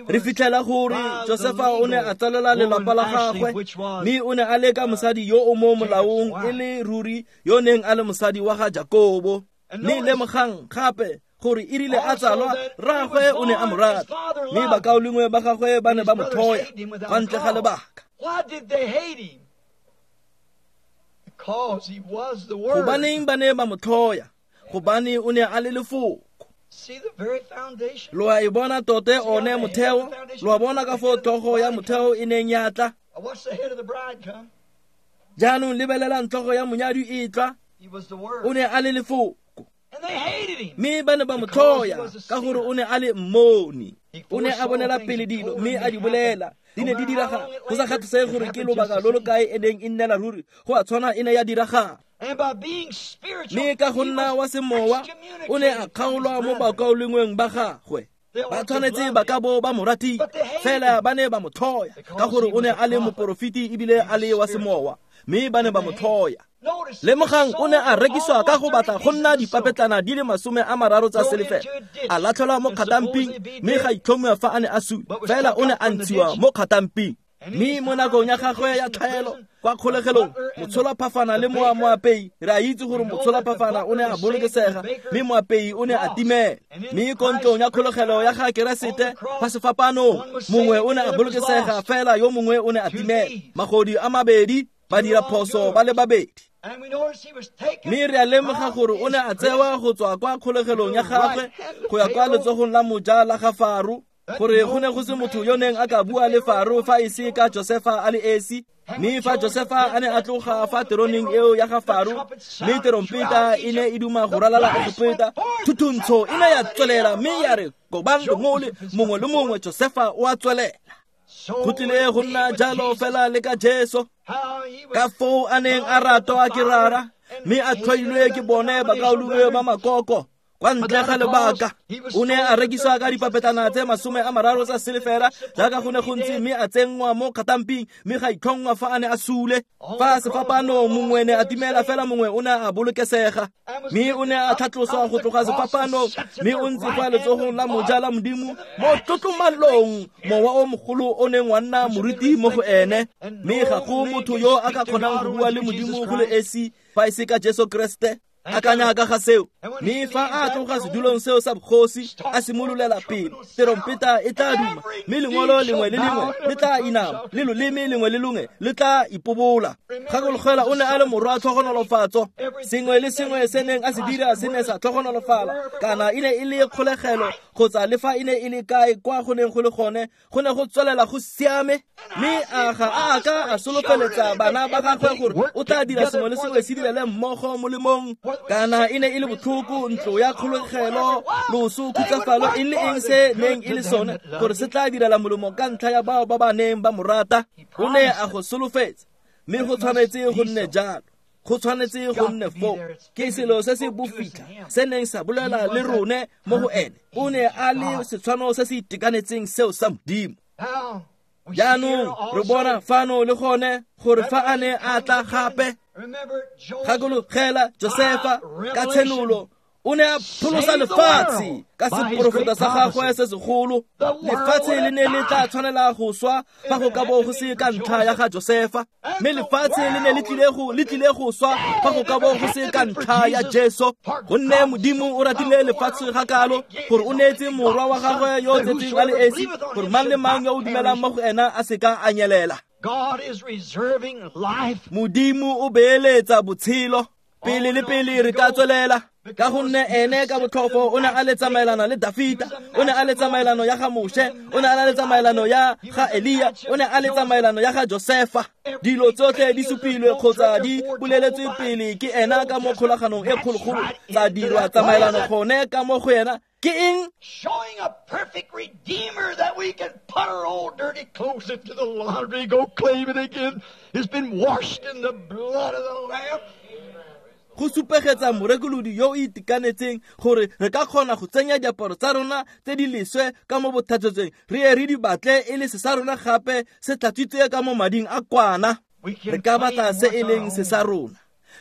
A: Re fitlhela gore Josefa o ne a tsalela lelapa la gagwe, mme o ne a le ka mosadi yo o mo molaong e le ruri yo neng a le mosadi wa ga Jakobo. Mme lemogang gape gore e rile a tsalwa, rraagwe o ne a mo rata, mme bakaulengwe ba gagwe ba ne ba mo tlhoya kwa ntle ga lebaka. Gobaneng ba ne ba mo tlhoya? Gobane o ne a le lefoko. Lo a e bona tote one motheo, lo a bona ka foo tlhogo ya motheo e neng ya tla. Jaanong lebelelang tlhogo ya monyadi e tla, o ne a le lefoko. Mme ba ne ba mo tlhoya ka gore o ne a le mmoni. O ne a bonela pele dilo mme a di bolela, di ne di diragala. Go sa kgathalesege gore ke lobaka lo lo kae e neng e nnela ruri, go a tshwana e ne ya diragala. Mme ka go nna wa semowa o ne a kgaolwa mo bakaulengweng ba gagwe. Ba tshwanetse ba ka bo ba mo ratile, fela ba ne ba mo tlhoya ka gore o ne a le moporofeti ebile a le wa semowa, mme ba ne ba mo tlhoya. Lemogang o ne a rekiswa ka go batla go nna dipapetlana di le 30 tsa selefela, a latlhelwa mo kgatamping, mme ga itlhomiwa fa a ne a sule, fela o ne a ntshiwa mo kgatamping. Mme mo nakong ya gagwe ya tlhaelo kwa kgolegelong, motsholaphafana le moapei, re a itse gore motsholaphafana o ne a bolokesega, mme moapei o ne a timela. Mme ko ntlong ya kgolegelo ya ga Keresete fa sefapanong, mongwe o ne a bolokesega fela yo mongwe o ne a timela. Magodi a mabedi, ba dira phoso ba le babedi. Mme re a lemoga gore o ne a tsewa go tswa kwa kgolegelong ya gagwe go ya kwa letsogong la moja la ga Faro, gore go ne go se motho yo neng a ka bua le Faro fa e se ka Josefa a le esi. Mme fa Josefa a ne a tloga fa teroneng eo ya ga Faro, mme terompeta e ne e duma go ralala Egepeta, thuthuntsho e ne ya tswelela mme ya re kobang lengole mongwe le mongwe, Josefa o a tswelela. Go tlile go nna jalo fela le ka Jesu, ka foo a neng a ratwa ke Rara, mme a tlhoilwe ke bone bakaulengwe ba makoko. Kwa ntle ga lebaka, o ne a rekiswa ka dipapetlana tse 30 tsa silefera jaaka go ne go ntse, mme a tsenngwa mo kgatamping, mme ga itlhongwa fa a ne a sule. Fa sefapano mongwe ne a timela fela mongwe o ne a bolokesega, mme o ne a tlhatloswa go tloga sefapanong, mme o ntse kwa letsogong la moja la Modimo mo tlotlomalong, mowa o mogolo o neng wa nna moruti mo go ene. Mme ga go motho yo a ka kgonang go bua le Modimo go le esi fa e se ka Jesu Kriste. Akanya ka ga seo. Mme fa a tloga sedulong seo sa bogosi a simololela pele, terompeta e tla duma, mme lengolo lengwe le lengwe le tla inama, le loleme lengwe le longwe le tla ipobola. Gakologela o ne a le morwa tlhogonolofatso. Sengwe le sengwe se neng a se dira se ne sa tlhogonolofala, kana e ne e le kgolegelo kgotsa le fa e ne e le kae kwa go neng go le gone, go ne go tswelela go siame. Mme a ga a ka a solofeletsa bana ba gagwe gore o tla dira sengwe le sengwe se direle mmogo molemong, kana e ne e le botlhoko, ntlo ya kgolegelo, loso, khutsafalo, eng le eng se neng e le sone, gore se tla direla molemo ka ntlha ya bao ba ba neng ba mo rata. O ne a go solofetsa, mme go tshwanetse go nne jalo. Go tshwanetse go nne foo. Ke selo se se bofitlha se neng sa bolela le rone mo go ene. O ne a le setshwano se se itekanetseng seo sa Modimo. Jaanong re bona fano le gone gore fa a ne a tla gape, gakologela Josefa ka tshenolo, o ne a pholosa lefatshe ka seporofeta sa gagwe se segolo. Lefatshe le ne le tla tshwanela go swa fa go ka bo go se ka ntlha ya ga Josefa, mme lefatshe le ne le tlile go swa fa go ka bo go se ka ntlha ya Jesu. Gonne Modimo o ratile lefatshe ga kalo gore o neetse morwa wa gagwe yo o tsetseng a le esi, gore mang le mang yo o dumelang mo go ena a seka a nyelela. Modimo o beeletsa botshelo pele le pele re ka tswelela, ka gonne ene ka botlhofo o ne a le tsamaelana le Dafita, o ne a le tsamaelano ya ga Moshe, o ne a le tsamaelano ya ga Elia, o ne a le tsamaelano ya ga Josefa. Dilo tsotlhe di supilwe kgotsa di boleletswe pele ke ena ka mo kgolaganong e kgologolo, tsa dirwa tsamaelano gone ka mo go ena. Ke eng?
B: Showing a perfect redeemer that we can put our old dirty clothes into the laundry, go claim it again. It's been washed in the blood of the Lamb.
A: Go supegetsa morekolodi yo o itekanetseng gore re ka kgona go tsenya diaparo tsa rona tse di leswe ka mo bothatsetseng, re ye re di batle e le se sa rona gape se tlatswitswe ka mo mading a kwana. Re ka batla se e leng se sa rona,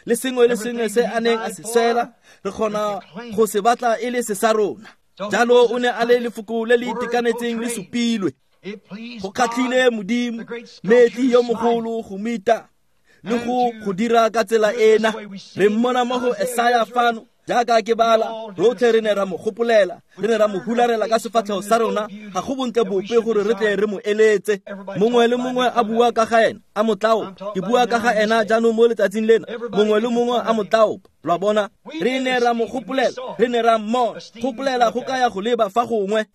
A: le sengwe le sengwe se a neng a se swela, re kgona go se batla e le se sa rona. Jalo o ne a le lefoko le le itekanetseng le supilwe. Go kgatlhile Modimo, metli yo mogolo go mita le go dira ka tsela ena. Re mmona mo go Esaya fano, jaaka ke bala, rotlhe re ne ra mo gopolela, re ne ra mo hularela ka sefatlhego sa rona, ga go bontle bope gore re tle re mo eletse. Mongwe le mongwe a bua ka ga ena, a mo tlaopa. Ke bua ka ga ena jaanong mo letsatsing lena, mongwe le mongwe a mo tlaopa. Lo a bona, re ne ra mo gopolela, re ne ra mmona. Gopolela go kaya go leba fa gongwe.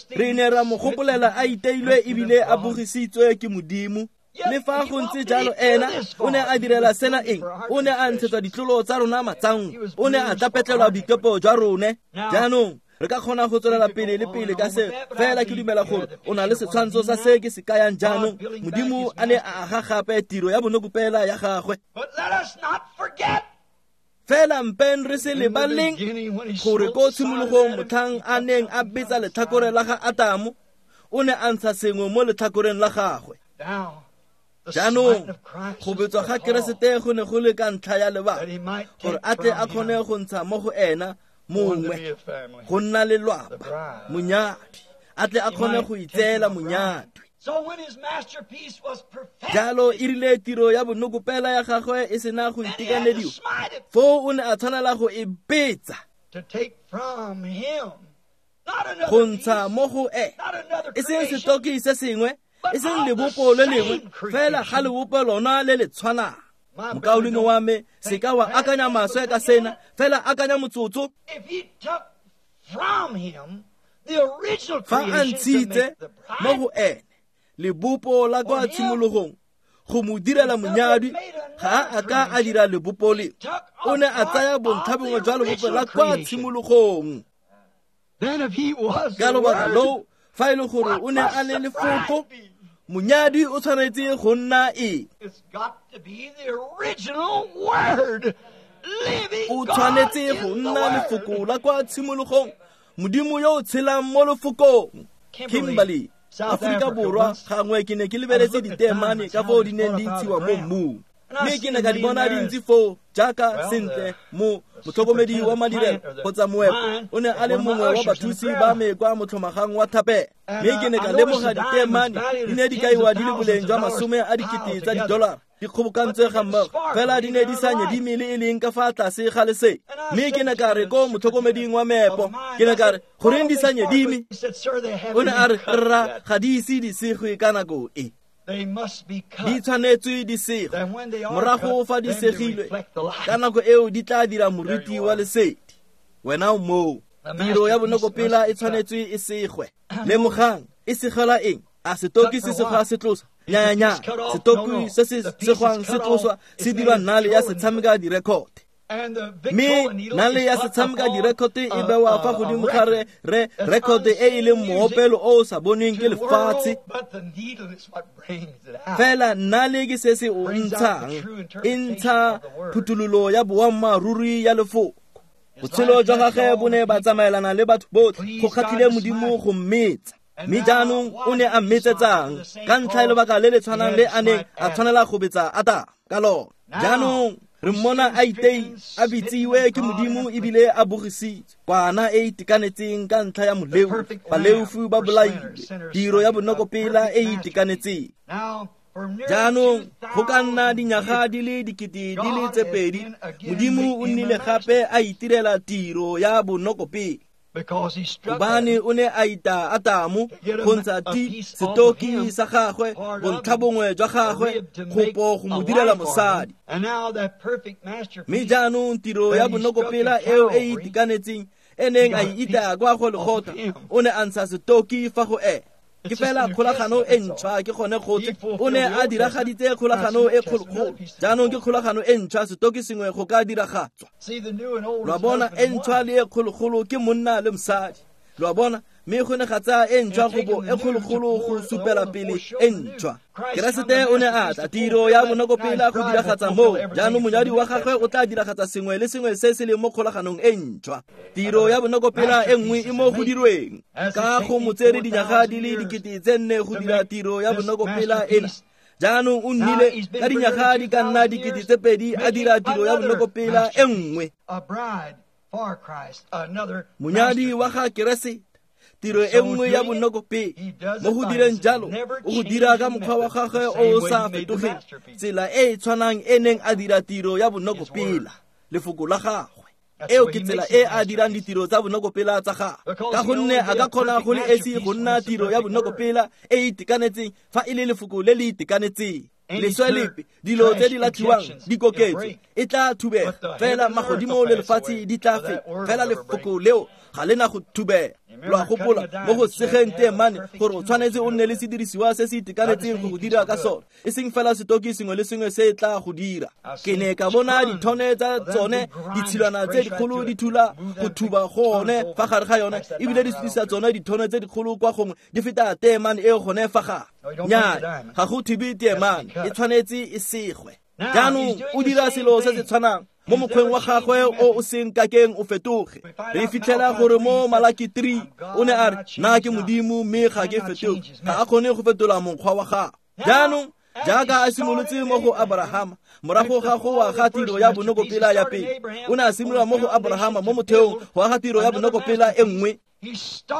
A: Re ne ra mo gopolela a iteilwe ebile a bogisitswe ke Modimo. Le fa go ntse jalo, ena o ne a direla sena eng? O ne a ntshetsa ditlolo tsa rona matsango, o ne a tlapetlelwa boikepo jwa rone. Jaanong re ka kgona go tswelela pele le pele ka se, fela ke dumela gore o na le setshwantsho sa se ke se kayang jaanong. Modimo a ne a aga gape tiro ya bonokopela ya gagwe. Fela mpeng re se lebaleng gore ko tshimologong motlhang a neng a betsa letlhakore la ga Atamo, o ne a ntsha sengwe mo letlhakoreng la gagwe. Jaanong go betswa ga Keresete go ne go le ka ntlha ya lebaka gore a tle a kgone go ntsha mo go ena mongwe go nna lelwapa, monyadi, a tle a kgone go itseela monyadi. Jalo e rile tiro ya bonokopela ya gagwe e sena go itekanediwa, foo o ne a tshwanela go e betsa go ntsha mo go ene, e seng setoki se sengwe, e seng lebopo le lengwe, fela ga lebopo lona le le tshwanang. Mokaulengwe wa me, se ka wa akanya maswe ka sena, fela akanya motsotso. Fa a ntshitse mo go ene lebopo la kwa tshimologong go mo direla monyadi, ga a ka a dira lebopo le. O ne a tsaya bontlhabongwe jwa lebopo la kwa tshimologong. Ka lobaka loo, fa e le gore o ne a le lefoko, Monyadi o tshwanetse go nna eng? O tshwanetse go nna lefoko la kwa tshimologong, Modimo yo o tshelang mo lefokong. Kimberley, Aforika Borwa, gangwe ke ne ke lebeletse diteemane ka foo di neng di ntshiwa mo mmung, mme ke ne ka di bona di ntse foo jaaka sentle mo motlhokomedi wa madirelo kgotsa moepo o ne a le mongwe wa bathusi ba me kwa motlhomagang wa thapelo, mme ke ne ka lemoga diteemane di ne di kaiwa di le boleng jwa 10,000 tsa didolara di kgobokantswe ga mmogo, fela di ne di sa nyedime le e leng ka fa tlase ga lesedi. Mme ke ne ka re ko motlhokomeding wa meepo, ke ne ka re, goreng di sa nyedime? O ne a re, rra, ga di ise di segwe ka nako e. Di tshwanetswe di segwe. Morago fa di segilwe, ka nako eo di tla dira moriti wa lesedi. Wena o moo. Tiro ya bonokopela e tshwanetswe e segwe. Lemogang, e segela eng? A setoki se segwa se tlosa? Nya, setoki se se segwang se tloswa se dirwa nale ya setshameka direkote. Mme nale ya setshameka direkote e bewa fa godimo ga re rekote e e leng moopelo o o sa bonweng ke lefatshe. Fela nale ke se se o ntshang, e ntsha phuthololo ya boammaaruri ya lefoko. Botshelo jwa gagwe bo ne ba tsamaelana le batho botlhe, go kgatlhile Modimo go mmetsa. Mme jaanong o ne a mmetsetsang ka ntlha ya lebaka le le tshwanang le a neng a tshwanela go betsa Adama ka lona. Jaanong re mmona a itei, a bitsiwe ke Modimo ebile a bogisitswe, kwana e itekanetseng ka ntlha ya moleo, baleofi ba bolailwe, tiro ya bonokopela e itekanetseng. Jaanong go ka nna dinyaga di le 2000, Modimo o nnile gape a itirela tiro ya bonokopela. Gobane o ne a ita Adamo go ntsha setoki sa gagwe, bontlhabongwe jwa gagwe, gopo go mo direla mosadi. Mme jaanong tiro ya bonokopela eo e itekanetseng e neng a e ita kwa go Golgotha, o ne a ntsha setoki fa go ene. Ke fela kgolagano e ntšhwa, ke gone gotlhe. O ne a diragaditse kgolagano e kgologolo, jaanong ke kgolagano e ntšhwa, setoki sengwe go ka diragatswa. Lo a bona, e ntšhwa le e kgologolo ke monna le mosadi. Lo a bona, mme go ne ga tsaya e ntšhwa go bo e kgologolo go supela pele e ntšhwa. Keresete o ne a tla, tiro ya bonokopela go diragatsa moo. Jaanong monyadi wa gagwe o tla diragatsa sengwe le sengwe se se leng mo kgolaganong e ntšhwa. Tiro ya bonokopela e nngwe e mo go dirweng, ka go mo tsere dinyaga di le 4,000 go dira tiro ya bonokopela ena. Jaanong o nnile ka dinyaga di ka nna 2,000 a dira tiro ya bonokopela e nngwe. Monyadi wa ga Keresete, tiro e nngwe ya bonokopela. Mo go direng jalo, o go dira ka mokgwa wa gagwe o o sa fetogeng, tsela e e tshwanang e neng a dira tiro ya bonokopela, lefoko la gagwe. Eo ke tsela e a dirang ditiro tsa bonokopela tsa gagwe, ka gonne a ka kgona go le esi go nna tiro ya bonokopela e e itekanetseng fa e le lefoko le le itekanetseng. Leswe lepe, dilo tse di latlhiwang di koketswe, e tla thubega, fela magodimo le lefatshe di tla feta, fela lefoko leo ga le na go thubega. Lo a gopola mo go segeng teemane gore o tshwanetse o nne le sedirisiwa se se itekanetseng go go dira ka sone, e seng fela setoki sengwe le sengwe se tla go dira. Ke ne ka bona dithone tsa tsone, ditshilwana tse dikgolo di thula go thuba gone fa gare ga yone, ebile di sutisa tsone dithone tse dikgolo kwa gongwe di feta teemane e gone fa gare. Nnyaa, ga go thube teemane, e tshwanetse e segwe. Jaanong o dira selo se se tshwanang mo mokgweng wa gagwe o o seng kakeng o fetoge. Re fitlhela gore mo Malaki 3 o ne a re, nna ke Modimo mme ga ke fetoge. Ga a kgone go fetola mokgwa wa gagwe. Jaanong jaaka a simolotse mo go Abrahama, morago ga go wa ga tiro ya bonokopela ya pele, o ne a simolola mo go Abrahama mo motheong go aga tiro ya bonokopela e nngwe.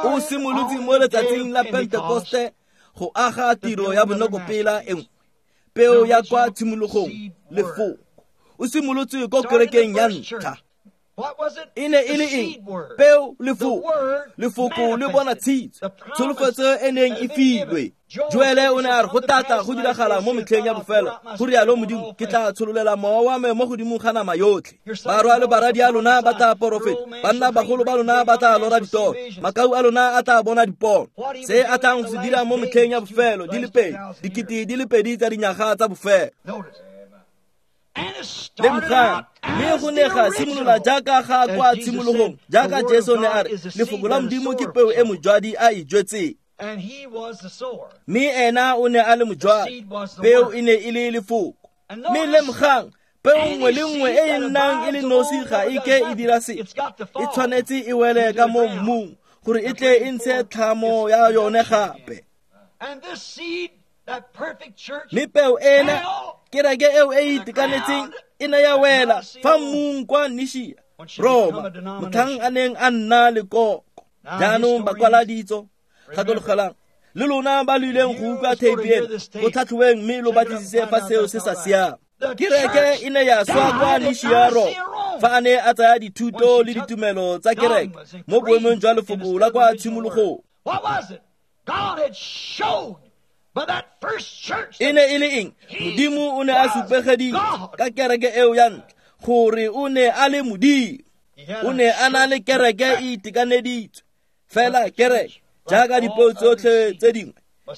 A: O simolotse mo letsatsing la Pentekoste go aga tiro ya bonokopela e nngwe, peo ya kwa tshimologong, lefoko. O simolotse ko kerekeng ya ntlha. E ne e le eng? Peo, lefoko. Lefoko le bona tshitso, tsholofetso e neng e filwe. Joele o ne a re go tlatla go diragala mo metlheng ya bofelo, go rialo Modimo, ke tla tshololela mowa wa me mo godimo ga nama yotlhe. Barwa le baradi a lona ba tla porofeta, banna bagolo ba lona ba tla lora ditoro, makau a lona a tla bona dipono. Se a tlang go se dira mo metlheng ya bofelo di le pedi, 2000 tsa dinyaga tsa bofelo. Lemogang, mme go ne ga simolola jaaka ga kwa tshimologong, jaaka Jesu ne a re, lefoko la Modimo ke peo e mojwadi a e jwetseng. Mme ena o ne a le mojwadi, peo e ne e le lefoko. Mme lemogang, peo nngwe le nngwe e e nnang e le nosi ga e ke e dira sepe, e tshwanetse e wele ka mo mmung gore e tle e ntshe tlhamo ya yone gape. Mme peo ena, kereke eo e e itekanetseng, e ne ya wela fa mmung kwa Nishia, Roma, motlhang a neng a nna lekoko. Jaanong bakwaladitso, gakologelang, le lona ba lo ileng go utlwa theipi eno, go tlhatlhoweng mme lo batlisise fa seo se sa siama. Kereke e ne ya swa kwa Nishia, Roma, fa a ne a tsaya dithuto le ditumelo tsa kereke mo boemong jwa lefoko la kwa tshimologong. E ne e le eng? Modimo o ne a supegeditse ka kereke eo ya ntlha gore o ne a le Modimo. O ne a na le kereke e itekaneditswe. Fela kereke, jaaka dipeo tsotlhe tse dingwe,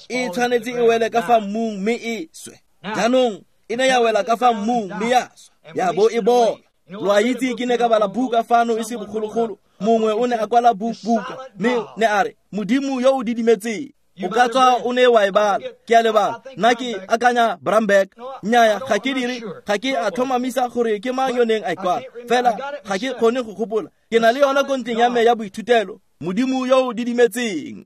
A: e tshwanetse e wele ka fa mmung mme e swe. Jaanong e ne ya wela ka fa mmung mme ya swa, ya bo e bola. Lo a itse, ke ne ka bala buka fano e se bogologolo. Mongwe o ne a kwala buka mme ne a re, Modimo yo o didimetseng. O ka tswa o ne wa e bala, ke a lebala. Nna ke akanya Bramberg. Nnyaya, ga ke dire, ga ke a tlhomamisa gore ke mang yo neng a e kwala. Fela ga ke kgone go gopola. Ke na le yona ko ntleng ya me ya boithutelo. Modimo yo o didimetseng.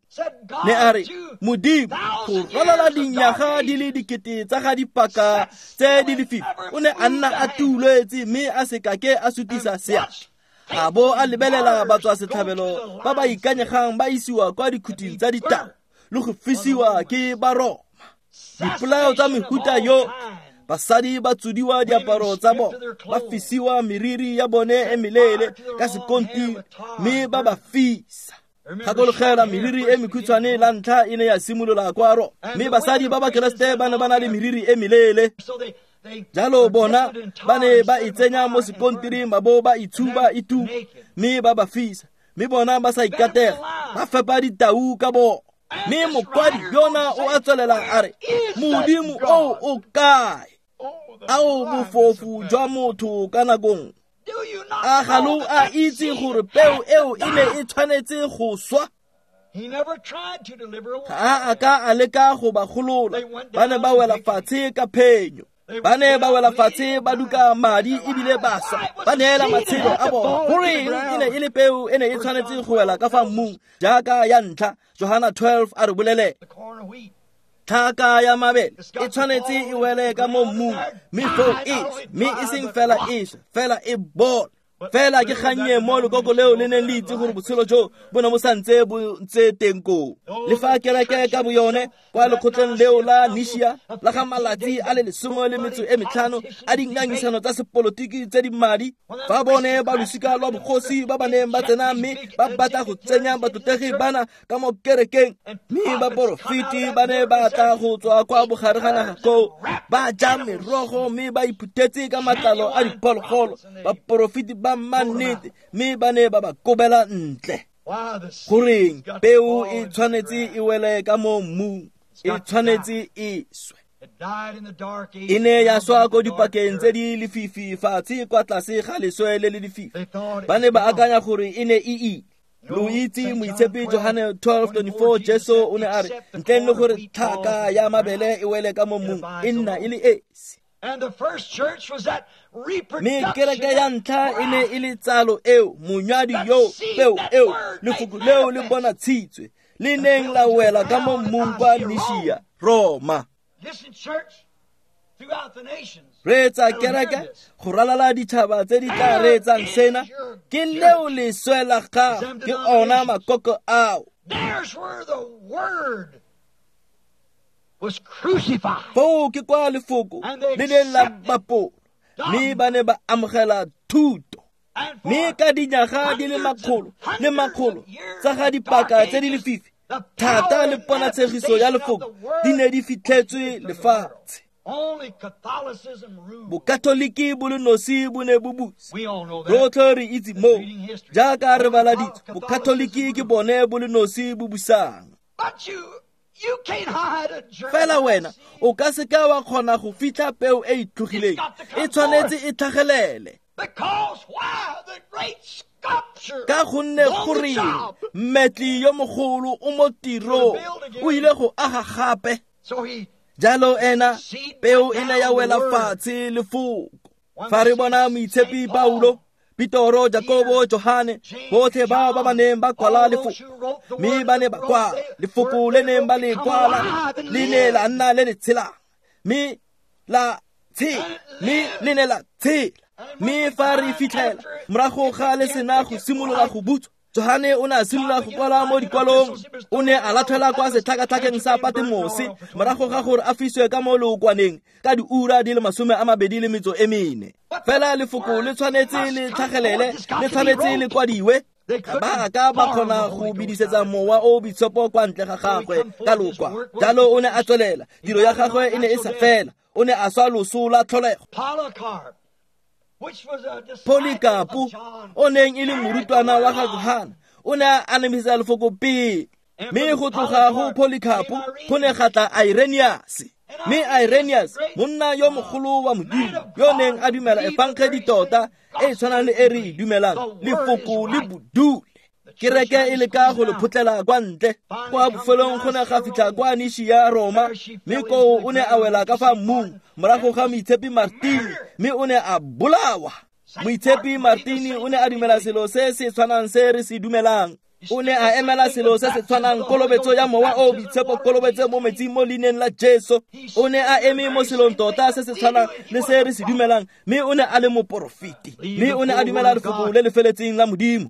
A: Ne a re, Modimo, go ralala dinyaga di le dikete tsa ga dipaka tse di lefifi, o ne a nna a tuletse mme a se kake a sutisa seatla. A bo a lebelela batswasetlhabelo ba ba ikanyegang ba isiwa kwa dikhuting tsa ditau le go fisiwa ke Baroma. Dipolao tsa mehuta yo, basadi ba tsodiwa diaparo tsa bona, ba fisiwa meriri ya bone e meleele ka sekontiri mme ba ba fisa. Gakologela, meriri e mekhutshwane la ntlha e ne ya simolola kwa Roma, mme basadi ba Bakeresete ba ne ba na le meriri e meleele. Jalo bona ba ne ba e tsenya mo sekontiring ba bo ba itshuba e tuka mme ba ba fisa, mme bona ba sa ikatega, ba fepa ditau ka bona. Mme mokwadi yona o a tswelela a re, Modimo o o kae? Ao bofofu jwa motho ka nakong. A ga lo a itse gore peo eo e ne e tshwanetse go swa? Ga a ka a leka go ba golola, ba ne ba wela fatshe ka phenyo. Ba ne ba wela fatshe ba duka madi ebile ba swa, ba neela matshelo a bona. Goreng e ne e le peo e ne e tshwanetse go wela ka fa mmung jaaka ya ntlha? Johana 12 a re bolele, tlhaka ya mabele e tshwanetse e wele ka mo mmung mme foo e swe, mme e seng fela e swe, fela e bole. Fela ke kgannye mo lekoko leo le neng le itse gore botshelo jo bo ne bo santse bo ntse teng koo. Le fa kereke ka boyone kwa lekgotleng leo la Nishia la ga malatsi a le 15 a dingangisano tsa sepolotiki tse di madi, fa bone ba losika lwa bogosi ba ba neng ba tsena mme ba batla go tsenya batlotlegi bana ka mo kerekeng, mme baporofeti ba ne ba tla go tswa kwa bogare ga naga koo, ba ja merogo mme ba iphuthetse ka matlalo a diphologolo, baporofeti ba mannete, mme ba ne ba ba kobela ntle. Goreng peo e tshwanetse e wele ka mo mmung, e tshwanetse e swe. E ne ya swa ko dipakeng tse di lefifi fatshe kwa tlase ga leswe le le lefifi. Ba ne ba akanya gore e ne e ile. Lo itse moitshepi Johane 12:24, Jesu o ne a re, ntleng le gore tlhaka ya mabele e wele ka mo mmung, e nna e le esi. Mme kereke ya ntlha e ne e le tsalo eo, monywadi yo, peo eo, lefoko leo le bonatshitswe, le neng la wela ka mo mmung kwa Nishia, Roma. Reetsa kereke go ralala ditšhaba tse di tla reetsang sena, ke leo leswe la gago, ke ona makoko ao. Foo ke kwa lefoko le neng la bapolwa, mme ba ne ba amogela thuto. Mme ka dinyaga di le makgolo le makgolo tsa ga dipaka tse di lefifi, thata le ponatshegiso ya lefoko di ne di fitlhetswe lefatshe. Bokatoliki bo le nosi bo ne bo busa. Rotlhe re itse moo, jaaka re bala ditso, bokatoliki ke bone bo le nosi bo busang. Fela wena o ka se ka wa kgona go fitlha peo e e tlhogileng, e tshwanetse e tlhagelele. Ka gonne gore mmetli yo mogolo o mo tirong, o ile go aga gape. Jalo ena peo e ne ya wela fatshe lefoko. Fa re bona moitshepi Paulo, Petoro, Jakobo, Johane, botlhe bao ba ba neng ba kwala lefoko, mme ba ne ba kwala lefoko le neng ba le kwala le ne la nna le le tshelang, mme la tshela, mme le ne la tshela. Mme fa re fitlhela morago ga le sena go simolola go butswa, Johane o ne a simolola go kwala mo dikwalong. O ne a latlhelwa kwa setlhakatlhakeng sa Patemose morago ga gore a fiswe ka mo leokwaneng ka diura di le 24. Fela lefoko le tshwanetse le tlhagelele, le tshwanetse le kwadiwe. Ga ba ka ba kgona go bidisetsa mowa o boitshepo kwa ntle ga gagwe ka lokwa. Jalo o ne a tswelela, tiro ya gagwe e ne e sa fela. O ne a swa loso la tlholego. Polycarpo, o neng e le morutwana wa ga Johane, o ne a anamisa lefoko pele. Mme go tloga go Polycarpo go ne ga tla Irenaeus. Mme Irenaeus, monna yo mogolo wa Modimo, yo neng a dumela efangedi tota e tshwanang le e re e dumelang, lefoko le bodule. Kereke e leka go le photlela kwa ntle. Kwa bofelong go ne ga fitlha kwa Nishia Roma, mme koo o ne a wela ka fa mmung morago ga moitshepi Martini, mme o ne a bolawa. Moitshepi Martini o ne a dumela selo se se tshwanang se re se dumelang. O ne a emela selo se se tshwanang, kolobetso ya mowa o boitshepo, kolobetso mo metsing mo leineng la Jesu. O ne a eme mo selong tota se se tshwanang le se re se dumelang, mme o ne a le moporofeti, mme o ne a dumela lefoko le le feletseng la Modimo.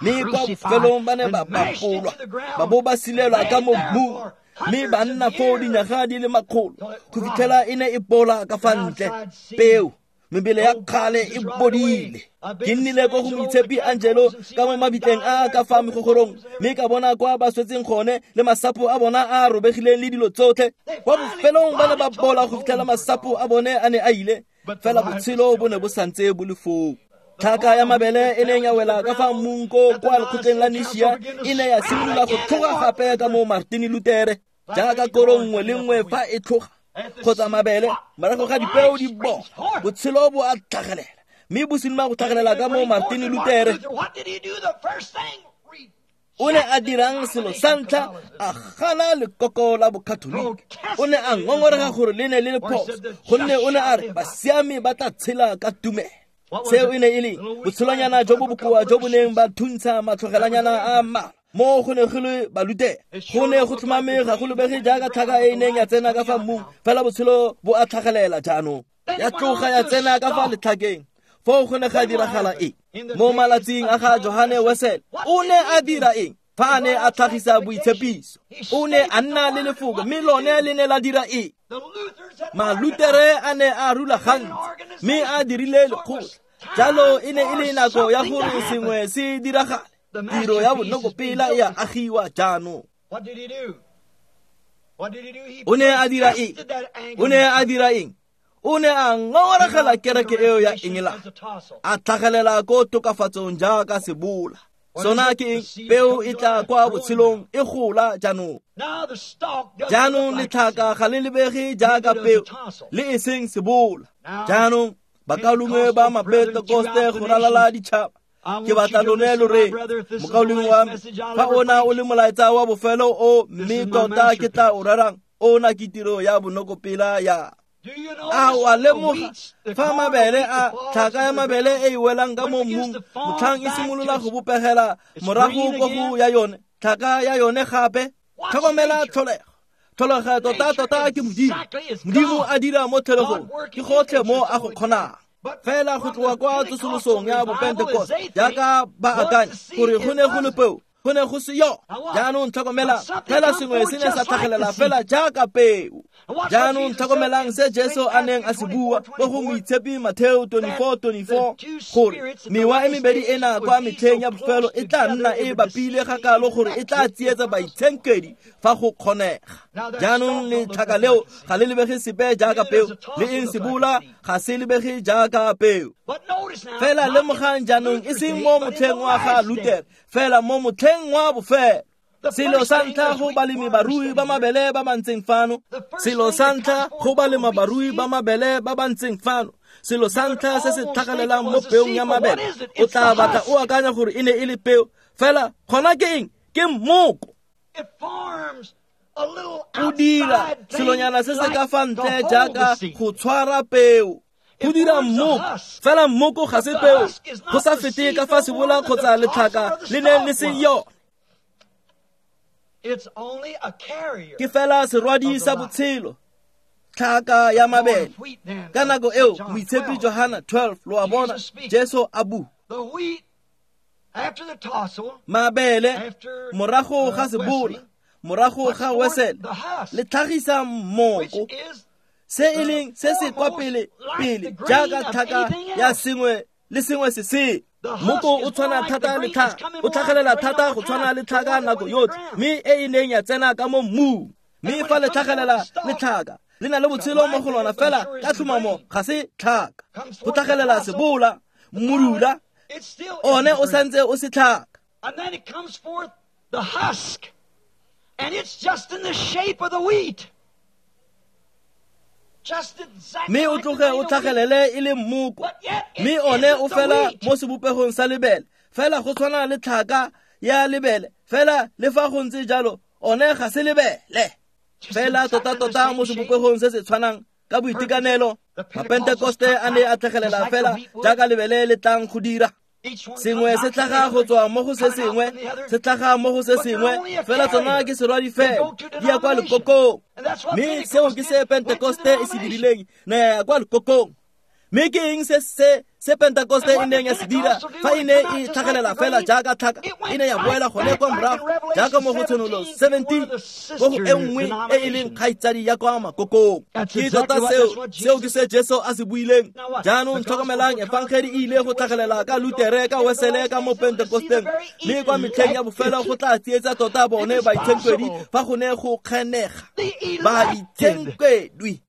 A: Mme kwa bofelong ba ne ba bapolwa, ba bo ba silelwa ka mo mmung, mme ba nna foo dinyaga di le makgolo go fitlhela e ne e bola ka fa ntle. Peo, mebele ya kgale e bodile. Ke nnile ko go moitshepi Angelo ka mo mabitleng a ka fa megogorong, mme ka bona kwa ba swetseng gone le masapo a bona a robegileng le dilo tsotlhe. Kwa bofelong ba ne ba bola go fitlhela masapo a bone a ne a ile, fela botshelo bo ne bo santse bo le foo. Tlhaka ya mabele e neng ya wela ka fa mmung ko kwa lekgotleng la Nishia e ne ya simolola go tlhoga gape ka mo Martin Luthere, jaaka korong nngwe le nngwe fa e tlhoga kgotsa mabele morago ga dipeo di bola, botshelo bo a tlhagelela, mme bo simolola go tlhagelela ka mo Martin Luthere. O ne a dirang selo sa ntlha? A gana lekoko la bokatolika. O ne a ngongorega gore le ne le le phoso, gonne o ne a re basiami ba tla tshela ka tumelo. Seo e ne e le botshelonyana jo bo bokoa jo bo neng ba thuntsha matlhogelanyana a mmalwa mo go ne go le Balutere. Go ne go tlhomame ga go lebege jaaka tlhaka e neng ya tsena ka fa mmung, fela botshelo bo a tlhagelela jaanong. Ya tloga ya tsena ka fa letlhakeng. Foo go ne ga diragala eng? Mo malatsing a ga Johane Wesele, o ne a dira eng fa a ne a tlhagisa boitshepiso? O ne a nna le lefoko, mme lone le ne la dira eng? Malutere a ne a rulagantse, mme a dirile lekgotla. Jalo e ne e le nako ya gore sengwe se diragale. Tiro ya bonokopela e a agiwa jaanong. O ne a dira eng? O ne a dira eng? O ne a ngongoregela kereke eo ya Engelane, a tlhagelela ko tokafatsong jaaka sebola. Sona ke eng? Peo e tla kwa botshelong e gola jaanong. Jaanong letlhaka ga le lebege jaaka peo, le e seng sebola. Jaanong bakaulengwe ba Mapentekoste go ralala ditšhaba, ke batla lone lo re, mokaulengwe wa me, fa ona o le molaetsa wa bofelo o, mme tota ke tla o rerang, ona ke tiro ya bonokopela ya. A wa lemoga fa mabele a tlhaka ya mabele e e welang ka mo mmung, motlhang e simolola go bopegela morago ko go ya yone tlhaka ya yone gape? Tlhokomela tlholego. Tlholego tota tota ke Modimo. Modimo a dira mo tlholegong, ke gotlhe mo a go kgonang. Fela go tloga kwa tsosolosong ya Bopentekoste, jaaka ba akanya gore go ne go le peo, go ne go se yo. Jaanong tlhokomelang, fela sengwe se ne sa tlhagelela fela jaaka peo. Jaanong tlhokomelang se Jesu a neng a se bua mo go moitshepi Mateo 24:24, gore mewa e mebedi ena kwa metlheng ya bofelo e tla nna e bapile ga kalo gore e tla tsietsa baitshenkedi fa go kgonega. Jaanong letlhaka leo ga le lebege sepe jaaka peo, le eng sebola ga se lebege jaaka peo. Fela lemogang jaanong, e seng mo motlheng wa ga Luther, fela mo motlheng wa bofelo. Selo sa ntlha go balemi barui ba mabele ba ba ntseng fano, selo sa ntlha go balema barui ba mabele ba ba ntseng fano, Selo sa ntlha se se tlhagelelang mo peong ya mabele, o tla batla o akanya gore e ne e le peo, fela gona ke eng? Ke mmoko. O dira selonyana se se ka fa ntle jaaka go tshwara peo. Go dira mmoko, fela mmoko ga se peo, go sa fete ka fa sebola kgotsa letlhaka le neng le se yone. Ke fela serwadi sa botshelo, tlhaka ya mabele. Ka nako eo moitshepi Johana 12, lo a bona, Jesu a bua. Mabele morago ga sebola, morago ga wesele, le tlhagisa mmoko, se e leng se se kwa pele pele jaaka tlhaka ya sengwe le sengwe se se. Mmoko o tshwana thata le tlhaka, o tlhagelela thata go tshwana le tlhaka nako yotlhe, mme e e neng ya tsena ka mo mmung. Mme fa le tlhagelela le tlhaka, le na le botshelo mo go lona, fela ka tlhomamo ga se tlhaka. Go tlhagelela sebola, mmudula, one o santse o se tlhaka.
B: And then it comes forth the husk, and it's just in the shape of the wheat.
A: Mme o tloge o tlhagelele e le mmoko, mme one o fela mo sebopegong sa lebele, fela go tshwana le tlhaka ya lebele, fela le fa go ntse jalo one ga se lebele, fela tota-tota mo sebopegong se se tshwanang ka boitekanelo. Mapentekoste a ne a tlhagelela fela jaaka lebele le tlang go dira. Sengwe se tlhaga go tswa mo go se sengwe, se tlhaga mo go se sengwe, fela tsona ke serwadi fela, di ya kwa lekokong. Mme seo ke se Pentekoste e se dirileng, ne ya kwa lekokong. Mme ke eng se se se Pentekoste e neng ya se dira fa e ne e tlhagelela fela jaaka tlhaka? E ne ya boela gone kwa morago jaaka mo go Tshenolo 17, mo go e nngwe e e leng kgaitsadi ya kwa makokong. Ke tota seo, seo ke se Jesu a se buileng. Jaanong tlhokomelang, efangedi e ile go tlhagelela ka Lutere, ka Wesele, ka mo Pentekosteng, mme kwa metlheng ya bofelo go tla tsietsa tota bone baitshenkwedi fa go ne go kgenega. Baitshenkwedwi.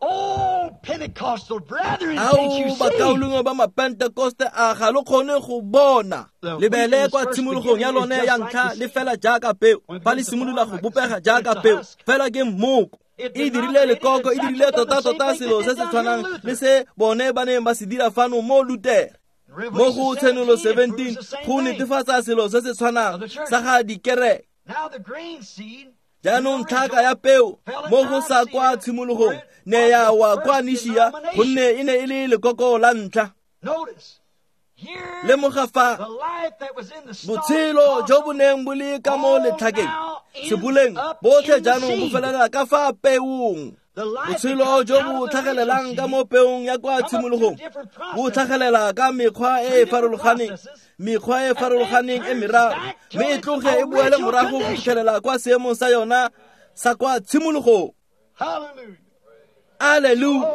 B: Oh, Pentecostal brethren, can't you see?
A: Bakaulengwe ba Mapentekoste, a ga lo kgone go bona lebele kwa tshimologong ya lone ya ntlha le fela jaaka peo, fa le simolola go bopega jaaka peo, fela ke mmoko. E dirile lekoko, e dirile tota-tota selo se se tshwanang le se bone ba neng ba se dira fano mo Lutere. Mo go Tshenolo 17 go netefatsa selo se se tshwanang sa ga dikereke. Jaanong tlhaka ya peo mo go sa kwa tshimologong ne ya wa kwa Nishia, gonne e ne e le lekoko la ntlha. Lemoga fa botshelo jo bo neng bo le ka mo letlhakeng seboleng botlhe jaanong bo felela ka fa peong. Botshelo jo bo tlhagelelang ka mo peong ya kwa tshimologong bo tlhagelela ka mekgwa e e farologaneng, mekgwa e farologaneng e meraro, mme e tloge e boele morago go fitlhelela kwa seemong sa yona sa kwa tshimologong. Alleluia.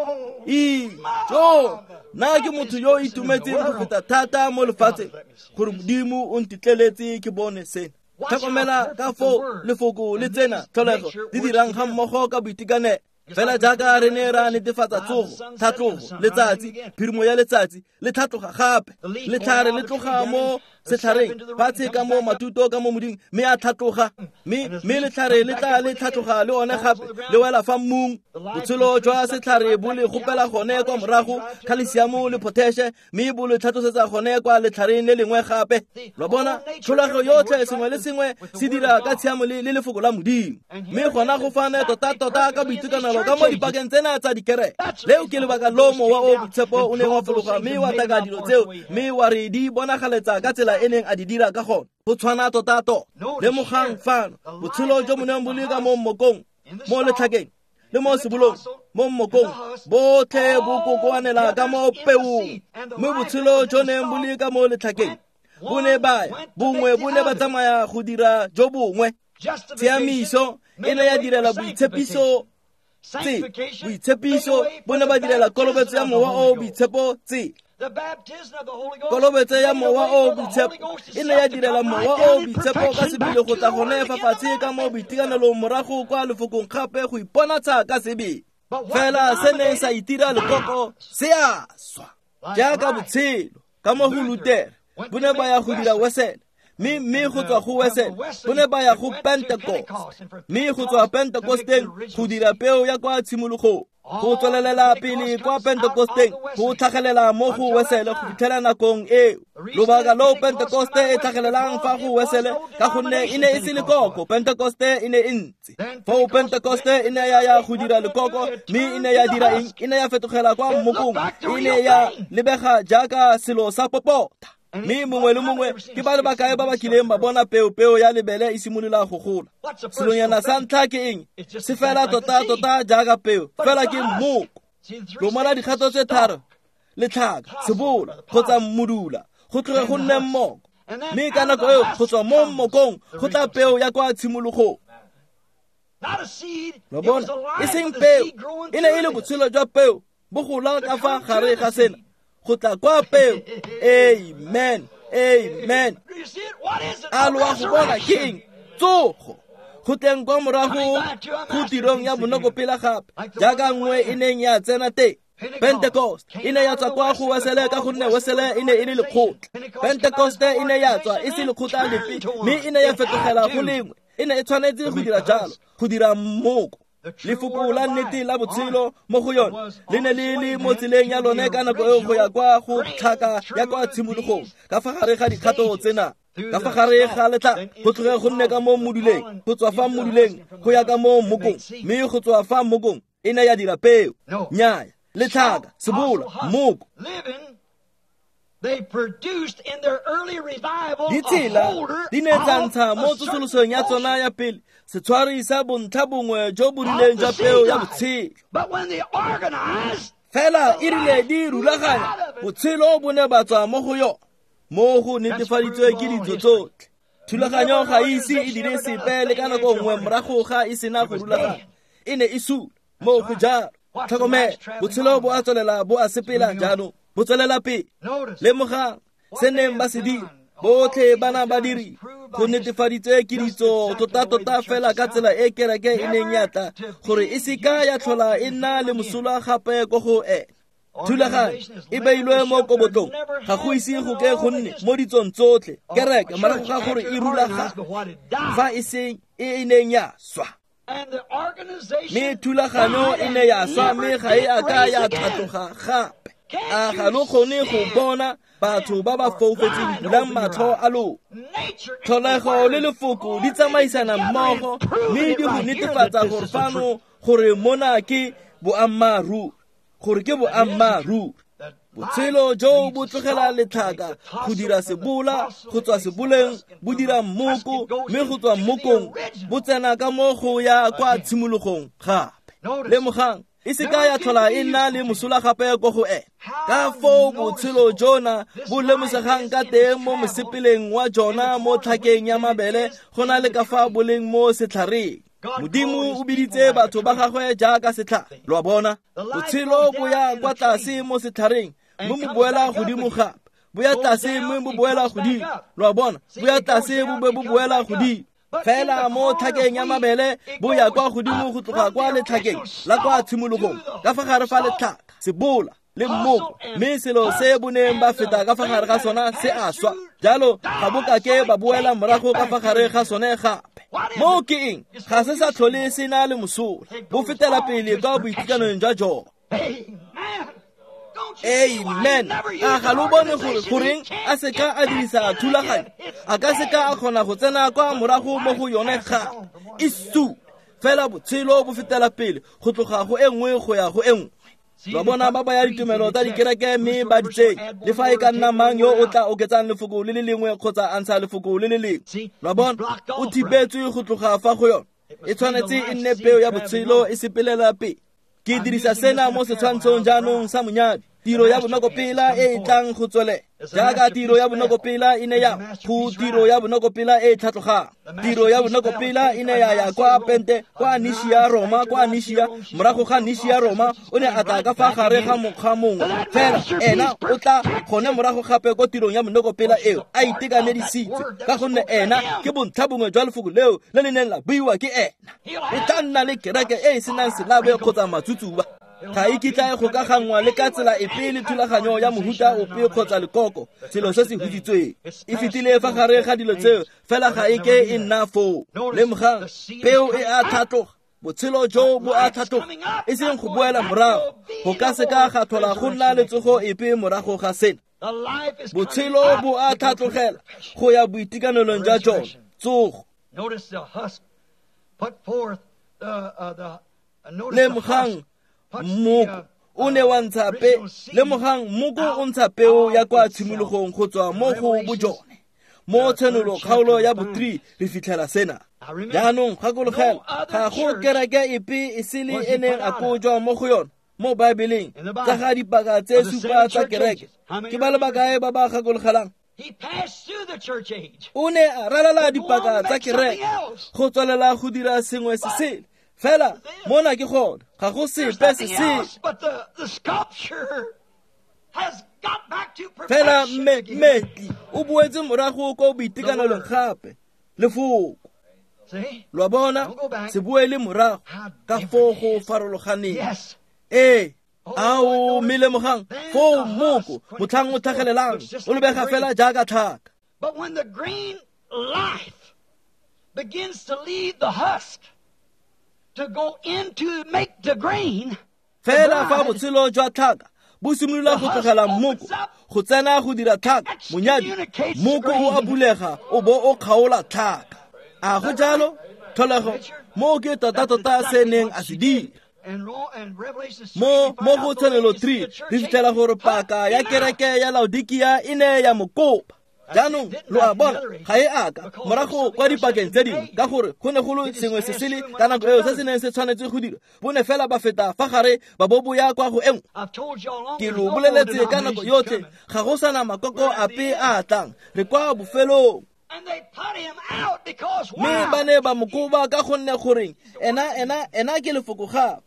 A: Ijo, nna ke motho yo o itumetseng go feta thata mo lefatsheng gore Modimo o ntetleletse ke bone sena. Tlhokomela ka foo lefoko le tsena tlholego di dirang ga mmogo ka boitekanelo. Fela jaaka re ne ra netefatsa tsogo, tlhatlogo, letsatsi, phirimo ya letsatsi le tlhatloga gape, letlhare le tloga mo setlhareng fatshe ka mo matuto ka mo moding, mme a tlhatloga, mme letlhare le tla le tlhatloga le one gape le wela fa mmung. Botshelo jwa setlhare bo le gopela gone kwa morago, khalesiamo le potashe, mme bo le tlhatlosetsa gone kwa letlhareng le lengwe gape. Lo bona tlholego yotlhe, sengwe le sengwe se dira ka tshiamo le lefoko la Modimo, mme gona go fane tota-tota ka boitekanelo ka mo dipakeng tsena tsa dikereke. Leo ke lebaka lo mowa o boitshepo o neng wa fologa mme wa taka dilo tseo, mme wa re di bonagaletsa ka tsela e neng a di dira ka gone. Go tshwana tota-tota. Lemogang fano botshelo jo bo neng bo le ka mo mmokong, mo letlhakeng le mo sebolong, mo mmokong, botlhe bo kokoanela ka mo peong. Mme botshelo jo neng bo le ka mo letlhakeng bo ne ba ya, bongwe bo ne ba tsamaya go dira jo bongwe. Tshiamiso e ne ya direla boitshepiso tse, boitshepiso bo ne ba direla kolobetso ya mowa o boitshepo tse. Kolobetso ya mowa o boitshepo e ne ya direla mowa o boitshepo ka sebele go tla gone fa fatshe ka mo boitekanelong morago kwa lefokong gape go iponatsha ka sebele. Fela se neng sa itira lekoko se a swa jaaka botshelo ka mo go Lutere bo ne ba ya go dira Wesele, Mme go tswa go Wesele bo ne ba ya go Pentecost, mme go tswa Pentecosteng go dira peo ya kwa tshimologong, go tswelelela pele kwa Pentecosteng go tlhagelela mo go Wesele go fitlhela nakong eo. Lobaka lo Pentecoste e tlhagelelang fa go Wesele ka gonne e ne e se lekoko, Pentecoste e ne e ntse. Foo Pentecoste e ne ya ya go dira lekoko, mme e ne ya dira eng? E ne ya fetogela kwa mmokong, e ne ya lebega jaaka selo sa popota. Mme mongwe le mongwe ke ba le bakae ba ba kileng ba bona peo ya lebele e simolola go gola. Selonyana sa ntlha ke eng? Se fela tota-tota jaaka peo, fela ke mmoko. Lomala dikgato tse tharo, letlhaka, sebola kgotsa mmudula, go tloge go nne mmoko. Mme ka nako eo go tswa mo mmokong go tla peo ya kwa tshimologong. Lo bona, e seng peo, e ne e le botshelo jwa peo bo gola ka fa gare ga sena, go tla kwa peo. Amen, amen. A lo a go bona ke eng? Tsogo. Go tleng kwa morago go tirong ya bonokopela gape, jaaka nngwe e neng ya tsena teng. Pentecost e ne ya tswa kwa go Wesele ka gonne Wesele e ne e le lekgotla. Pentecost e ne ya tswa e se lekgotla lepe, mme e ne ya fetogela go lengwe. E ne e tshwanetse go dira jalo, go dira mmoko. Lefoko la nnete la botshelo mo go yone le ne le le mo tseleng ya lone ka nako eo go ya kwa go tlhaka ya kwa tshimologong, ka fa gare ga dikgato tsena, ka fa gare ga letla, go tloge go nne ka mo mmuduleng, go tswa fa mmuduleng go ya ka mo mmokong, mme go tswa fa mmokong e ne ya dira peo. Nnyaya, letlhaka, sebola, mmoko. Ditsela di ne tsa ntsha mo tsosolosong ya tsona ya pele setshwari sa bontlha bongwe jo bo rileng jwa peo ya botshelo. Fela e rile di rulaganya, botshelo bo ne ba tswa mo go yona, mo go netefaditswe ke ditso tsotlhe. Thulaganyo ga e ise e dire sepe le ka nako nngwe morago ga e sena go rulaganya, e ne e sule mo go jalo. Tlhokomela, botshelo bo a tswelela, bo a sepela jaanong, bo tswelela pele. Lemogang se neng ba se dira, botlhe bana ba diri go netefaditswe ke ditso tota-tota fela ka tsela e kereke e neng ya tla gore e seka ya tlhola e nna le mosola gape ko go ena. Thulaganyo e beilwe mo kobotlong, ga go ise go ke go nne mo ditsong tsotlhe kereke morago ga gore e rulagane fa e seng e e neng ya swa. Mme thulaganyo e ne ya swa, mme ga e a ka ya tlhatloga gape. A ga lo kgone go bona batho ba ba foufetseng bulang matlho a lona? Tlholego le lefoko di tsamaisana mmogo, mme di go netefatsa gore fano gore mona ke boammaaruri, gore ke boammaaruri. Botshelo jo bo tlogela letlhaka go dira sebola, go tswa seboleng bo dira mmoko, mme go tswa mmokong bo tsena ka mo go ya kwa tshimologong gape. Lemogang, e seka ya tlhola e nna le mosola gape ko go ena. Ka foo botshelo jona bo lemosegang ka teng mo mosepeleng wa jona mo tlhakeng ya mabele, go na le ka fa bo leng mo setlhareng. Modimo o biditse batho ba gagwe jaaka setlhare. Lo a bona, botshelo bo ya kwa tlase mo setlhareng, mme bo boela godimo gape. Bo ya tlase mme bo boela godimo. Lo a bona, bo ya tlase bo be bo boela godimo. Fela mo tlhakeng ya mabele bo ya kwa godimo go tloga kwa letlhakeng la kwa tshimologong, ka fa gare fa letlhaka, sebola le mmoko, mme selo se bo neng ba feta ka fa gare ga sona se a swa. Jalo ga bo kake ba boela morago ka fa gare ga sone gape. Mo ke eng? Ga se sa tlhole se na le mosola, bo fetela pele kwa boitekanelong jwa jone. Amen. A ga lo bone gore goreng a seka a dirisa thulaganyo? A ka seka a kgona go tsena kwa morago mo go yone gape. E sule fela, botshelo bo fetela pele go tloga go e nngwe go ya go e nngwe. Ba bona ba baya ditumelo tsa dikereke mme ba di tsenya, le fa e ka nna mang yo o tla oketsang lefoko le le lengwe kgotsa a ntsha lefoko le le lengwe. Lwa bona, o thibetswe go tloga fa go yone. E tshwanetse e nne peo ya botshelo e sepelela pele. Ke dirisa sena mo setshwantshong jaanong sa monyadi, tiro ya bonokopela e e tlang go tswelela. Jaaka tiro ya bonokopela e ne ya go tiro ya bonokopela e e tlhatlogang, tiro ya bonokopela e ne ya ya kwa Pente, kwa Nishia Roma, kwa Nishia. Morago ga Nishia Roma o ne a tla ka fa gare ga mokgwa mongwe, fela ena o tla gone morago gape ko tirong ya bonokopela eo a itekanedisitswe, ka gonne ena ke bontlha bongwe jwa lefoko leo le le neng la buiwa ke ena. O tla nna le kereke e e senang selabe kgotsa matsutsuba. Ga e kitla e gokaganngwa le ka tsela epe le thulaganyo ya mohuta ope kgotsa lekoko, selo se se hutsitsweng. E fetile fa gare ga dilo tseo, fela ga e ke e nna foo. Lemogang, peo e a tlhatloga, botshelo jo bo a tlhatloga, e seng go boela morago. Go ka se ka ga tlhola go nna le tsogo epe morago ga sena. Botshelo bo a tlhatlogela go ya boitekanelong jwa jone, tsogo. Lemogang, mmoko o ne wa ntsha pe, lemogang mmoko o ntsha peo ya kwa tshimologong go tswa mo go bojone. Mo Tshenolo kgaolo ya bo-3 re fitlhela sena. Jaanong gakologela, ga go kereke epe e sele e neng a kojwa mo go yone mo Baebeleng tsa ga dipaka tse supa tsa kereke. Ke ba le bakae ba ba gakologelang? O ne a ralala dipaka tsa kereke go tswelela go dira sengwe se sele. Fela mona ke gone, ga go sepe se sele. Fela mmetli o boetse morago ko boitekanelong gape, lefoko. Lo a bona, se boele morago ka foo go farologaneng. Ee, ao, mme lemogang foo mmoko motlhang o tlhagelelang o lebega fela jaaka tlhaka.
B: But when the green life begins to leave the husk to go into make the grain,
A: fela fa botshelo jwa tlhaka bo simolola go tlogela mmoko go tsena go dira tlhaka, monyadi mmoko o a bulega o bo o kgaola tlhaka. A go jalo? Tlholego mo ke tota-tota se neng a se dira. Mo go Tshenolo 3 re fitlhela gore paka ya kereke ya Laodikia e ne ya mo kopa. Jaanong lo a bona, ga e aka morago kwa dipakeng tse dingwe, ka gore go ne go le sengwe se sele ka nako eo se se neng se tshwanetse go dira. Bo ne fela ba feta fa gare ba bo boya kwa go e nngwe. Ke lo boleletse ka nako yotlhe, ga go sana makoko ape a tlang, re kwa bofelong. Mme ba ne ba mo koba ka gonne goreng ena ke lefoko gape.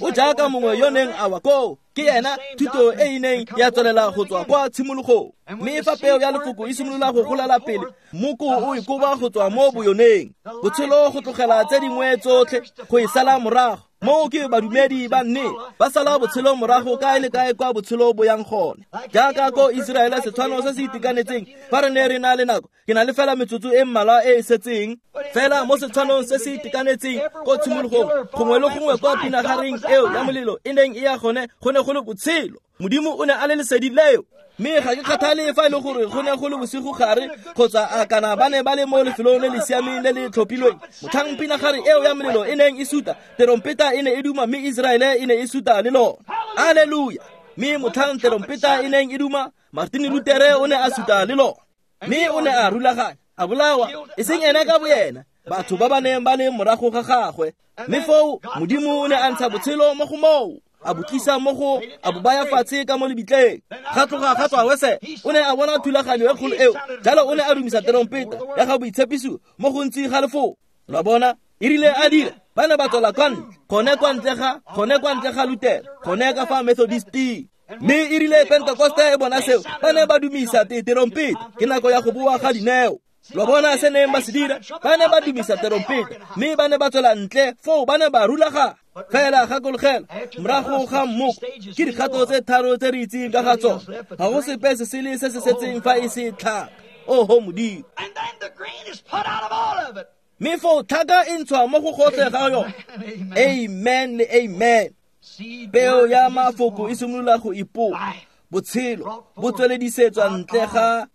A: O jaaka mongwe yo neng a wa koo, ke ena thuto e e neng ya tswelela go tswa kwa tshimologong. Mme fa peo ya lefoko e simolola go golela pele, mmoko o e koba go tswa mo boyoneng. Botshelo go tlogela tse dingwe tsotlhe go e sala morago. Moo ke badumedi ba nnete ba sala botshelo morago kae le kae kwa botshelo bo yang gone. Jaaka ko Iseraele, setshwano se se itekanetseng, fa re ne re na le nako, ke na le fela metsotso e mmalwa e e setseng. Fela mo setshwanong se se itekanetseng ko tshimologong, gongwe le gongwe kwa pinagareng eo ya molelo e neng e ya gone, go ne go le botshelo. Modimo o ne a le lesedi leo. Mme ga ke kgathale fa e le gore go ne go le bosigo gare kgotsa a kana ba ne ba le mo lefelong le le siameng le le tlhophilweng. Motlhang pinagare eo ya molelo e neng e suta, terompeta e ne e duma, mme Iseraele e ne e suta le lona. Alleluia! Mme motlhang terompeta e neng e duma, Martin Luther o ne a suta le lona. Mme o ne a rulaganya, a bolawa, e seng ena ka boyena, batho ba ba neng ba le morago ga gagwe. Mme foo Modimo o ne a ntsha botshelo mo go moo, a bo tlisa mo go, a bo baya fatshe ka mo lebitleng. Ga tloga ga tswa Wesele, o ne a bona thulaganyo e kgolo eo, jalo o ne a dumisa terompeta ya ga boitshepiso mo gontsi ga lefoko. Lo a bona, e rile a dira, ba ne ba tswela kwa ntle, gone kwa ntle ga, gone kwa ntle ga Luther, gone ka fa Methodisting. Mme e rile Pentekoste e bona seo, ba ne ba dumisa terompeta, ke nako ya go boa ga dineo. Lo bona se neng ba se dira, ba ne ba dumisa terompeta, mme ba ne ba tswela ntle foo, ba ne ba rulaganya. Fela gakologela, morago ga mmoko ke dikgato tse tharo tse re itseng ka ga tsone. Ga go sepe se sele se se setseng fa e se tlhaka. Oho Modimo! Mme foo tlhaka e ntshwa mo go gotlhe ga yone. Amen le amen. Peo ya mafoko e simolola go ipopa, botshelo bo tsweledisetswa ntle ga.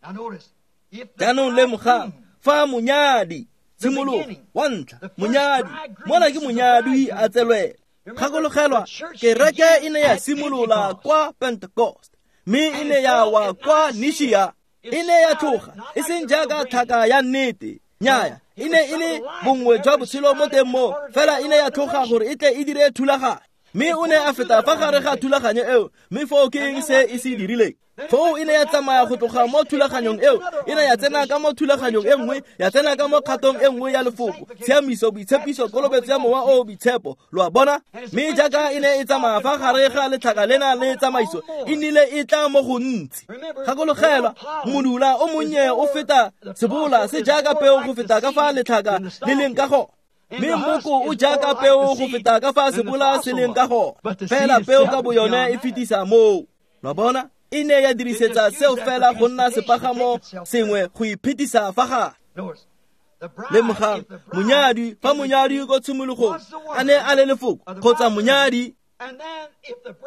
A: Jaanong lemogang, fa monyadi, tshimologo wa ntlha, monyadi, mona ke monyadi a tselwela. Gakologelwa, kereke e ne ya simolola kwa Pentecost, mme e ne ya wa kwa Nishia. E ne ya tloga, e seng jaaka tlhaka ya nnete, nnyaya, e ne e le bongwe jwa botshelo mo teng moo, fela e ne ya tloga gore e tle e dire thulaganyo. Mme o ne a feta fa gare ga thulaganyo eo, mme foo ke eng se e se dirileng? Foo e ne ya tsamaya go tloga mo thulaganyong eo, e ne ya tsena ka mo thulaganyong e nngwe, ya tsena ka mo kgatong e nngwe ya lefoko, tshiamiso, boitshepiso, kolobetso ya mowa o boitshepo. Lo a bona? Mme jaaka e ne e tsamaya fa gare ga letlhaka lena le tsamaiso, e nnile e tla mo gontsi. Gakologelwa, modula o monnye o feta sebola se jaaka peo go feta ka fa letlhaka le leng ka gone. Mme mmoko o jaaka peo go feta ka fa sebola se leng ka gone, fela peo ka boyone e fetisa moo. Lo bona? E ne ya dirisetsa seo fela go nna sepagamo sengwe go iphetisa fa gare. Lemogang, monyadi, fa monyadi ko tshimologong a ne a le lefoko kgotsa monyadi,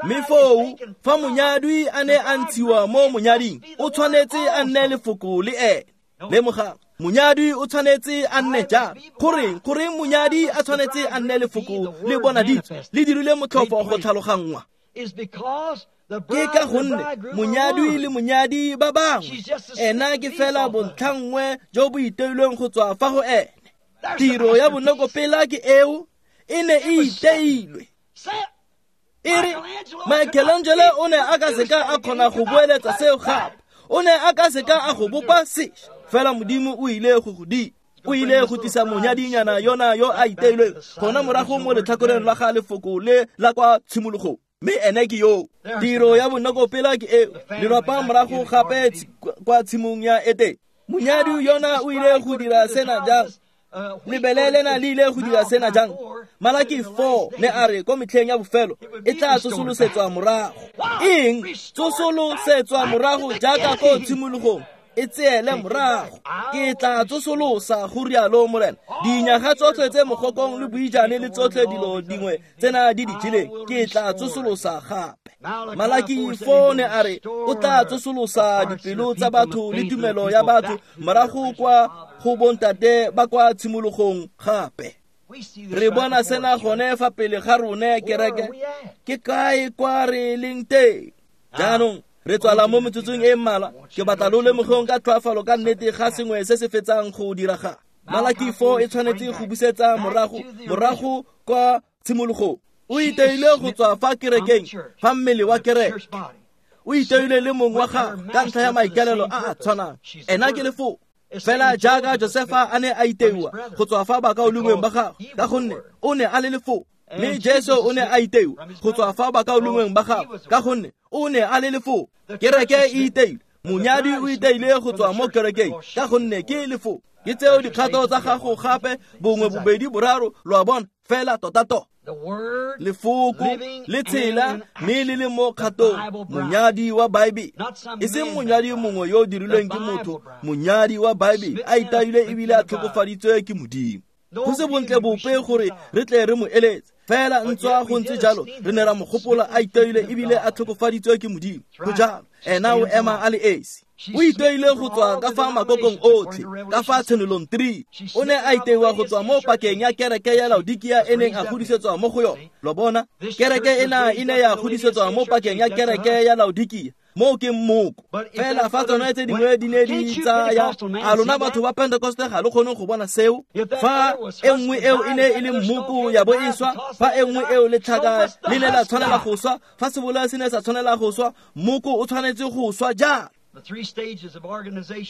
A: mme foo fa monyadi a ne a ntshiwa mo monyading, o tshwanetse a nne lefoko le ene. Lemogang, monyadi o tshwanetse a nne jang? Goreng monyadi a tshwanetse a nne lefoko le bonaditswe le dirile motlhofo go tlhaloganngwa? Ke ka gonne monyadi le monyadi ba bangwe, ena ke fela bontlhanngwe jo bo iteilweng go tswa fa go ene. Tiro ya bonokopela ke eo, e ne e iteilwe. E re Michelangelo o ne a ka seka a kgona go boeletsa seo gape, o ne a ka seka a go bopa sešwa, fela Modimo o ile go go dira. O ile go tlisa monyadinyana yona yo a iteilweng gona morago mo letlhakoreng la ga lefoko le la kwa tshimologong. Mme ene ke yo. Tiro ya bonokopela ke eo, lelwapa morago gape kwa tshimong ya Etene. Monyadi yona o ile go dira sena jang? Lebele lena le ile go dira sena jang? Malaki 4 ne a re ko metlheng ya bofelo e tla tsosolosetswa morago. Eng? Tsosolosetswa morago jaaka ko tshimologong, e tseele morago. Ke tla tsosolosa, go rialo Morena, dinyaga tsotlhe tse mogokong le boijane le tsotlhe dilo dingwe tsena di di jeleng, ke tla tsosolosa gape. Malaki 4 ne a re o tla tsosolosa dipelo tsa batho le tumelo ya batho morago kwa go bontate ba kwa tshimologong gape. Re bona sena gone fa pele ga rone kereke. Ke kae kwa re leng teng? Jaanong re tswala mo metsotsong e mmalwa. Ke batla lo lemogeng ka tlhoafalo ka nnete ga sengwe se se fetsang go diragala. Malaki 4 e tshwanetse go busetsa morago kwa tshimologong. O iteile go tswa fa kerekeng, fa mmele wa kereke. O iteile le mongwe wa gagwe ka ntlha ya maikaelelo a a tshwanang. Ena ke lefoko. Fela jaaka Josefa a ne a iteiwa go tswa fa bakaulengweng ba gagwe, ka gonne o ne a le lefoko. Mme Jesu o ne a iteiwa go tswa fa bakaulengweng ba gagwe, ka gonne o ne a le lefoko. Kereke e iteile, monyadi o iteile go tswa mo kerekeng, ka gonne ke lefoko. Ke tseo dikgato tsa gago gape, bongwe, bobedi, boraro, lo a bona, fela tota-tota. Lefoko le tshela mme le le mo kgatong, monyadi wa Baebele, e seng monyadi mongwe yo o dirilweng ke motho, monyadi wa Baebele a itaile ebile a tlhokofaditswe ke Modimo. Go se bontle bope gore re tle re mo eletse, fela ntswa go ntse jalo re ne ra mo gopola a iteile ebile a tlhokofaditswe ke Modimo. Go jalo, ena o ema a le esi. O iteile go tswa ka fa makokong otlhe, ka fa tshenolong 3. O ne a iteiwa go tswa mo pakeng ya kereke ya Laodikia e neng a godisetswa mo go yone. Lo bona, kereke ena e ne ya godisetswa mo pakeng ya kereke ya Laodikia. Moo ke mmoko. Fela fa tsone tse dingwe di ne di tsaya, a lona batho ba Pentecoste ga lo kgone go bona seo? Fa e nngwe eo e ne e le mmoko ya bo e swa, fa e nngwe eo letlhaka le ne la tshwanela go swa, fa sebola se ne sa tshwanela go swa, mmoko o tshwanetse go swa jang?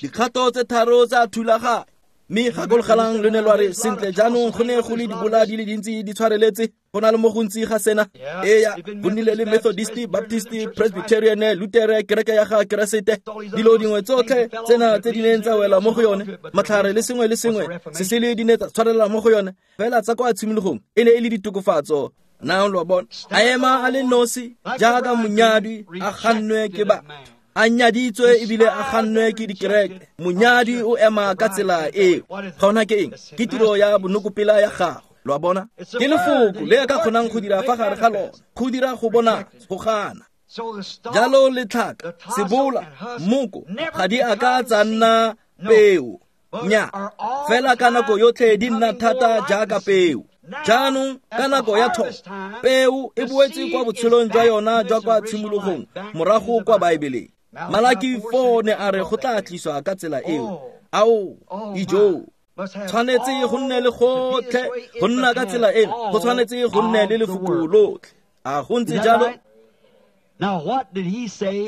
A: Dikgato tse tharo tsa thulaganyo. Mme gakologelang lo ne lwa re sentle jaanong go ne go le dibola di le dintsi di tshwareletse, go na le mo gontsi ga sena. Eya, go nnile le Methodist, Baptist, Presbyterian, Lutere, kereke ya ga Keresete, dilo dingwe tsotlhe tsena tse di neng tsa wela mo go yone, matlhare le sengwe le sengwe se sele di ne tsa tshwarelela mo go yone, fela tsa kwa tshimologong e ne e le ditokofatso. Now lo bona, a ema a le nosi jaaka monyadi a gannwe ke batho, a nyaditswe ebile a gannwe ke dikereke. Monyadi o ema ka tsela eo. Ga ona ke eng? Ke tiro ya bonokopela ya gagwe. Lo a bona? Ke lefoko le a ka kgonang go dira fa gare ga lona, go dira go bona, go gana. Jalo letlhaka, sebola, mmoko ga di a ka tsa nna peo. Nya, fela ka nako yotlhe di nna thata jaaka peo. Jaanong ka nako ya thobo, peo e boetse kwa botshelong jwa yona jwa kwa tshimologong, morago kwa Baebeleng. Malaki 4 ne a re go tla tliswa ka tsela eo. Ao, ijo, tshwanetse go nne le gotlhe, go nna ka tsela eno, go tshwanetse go nne le lefoko lotlhe. A go ntse jalo?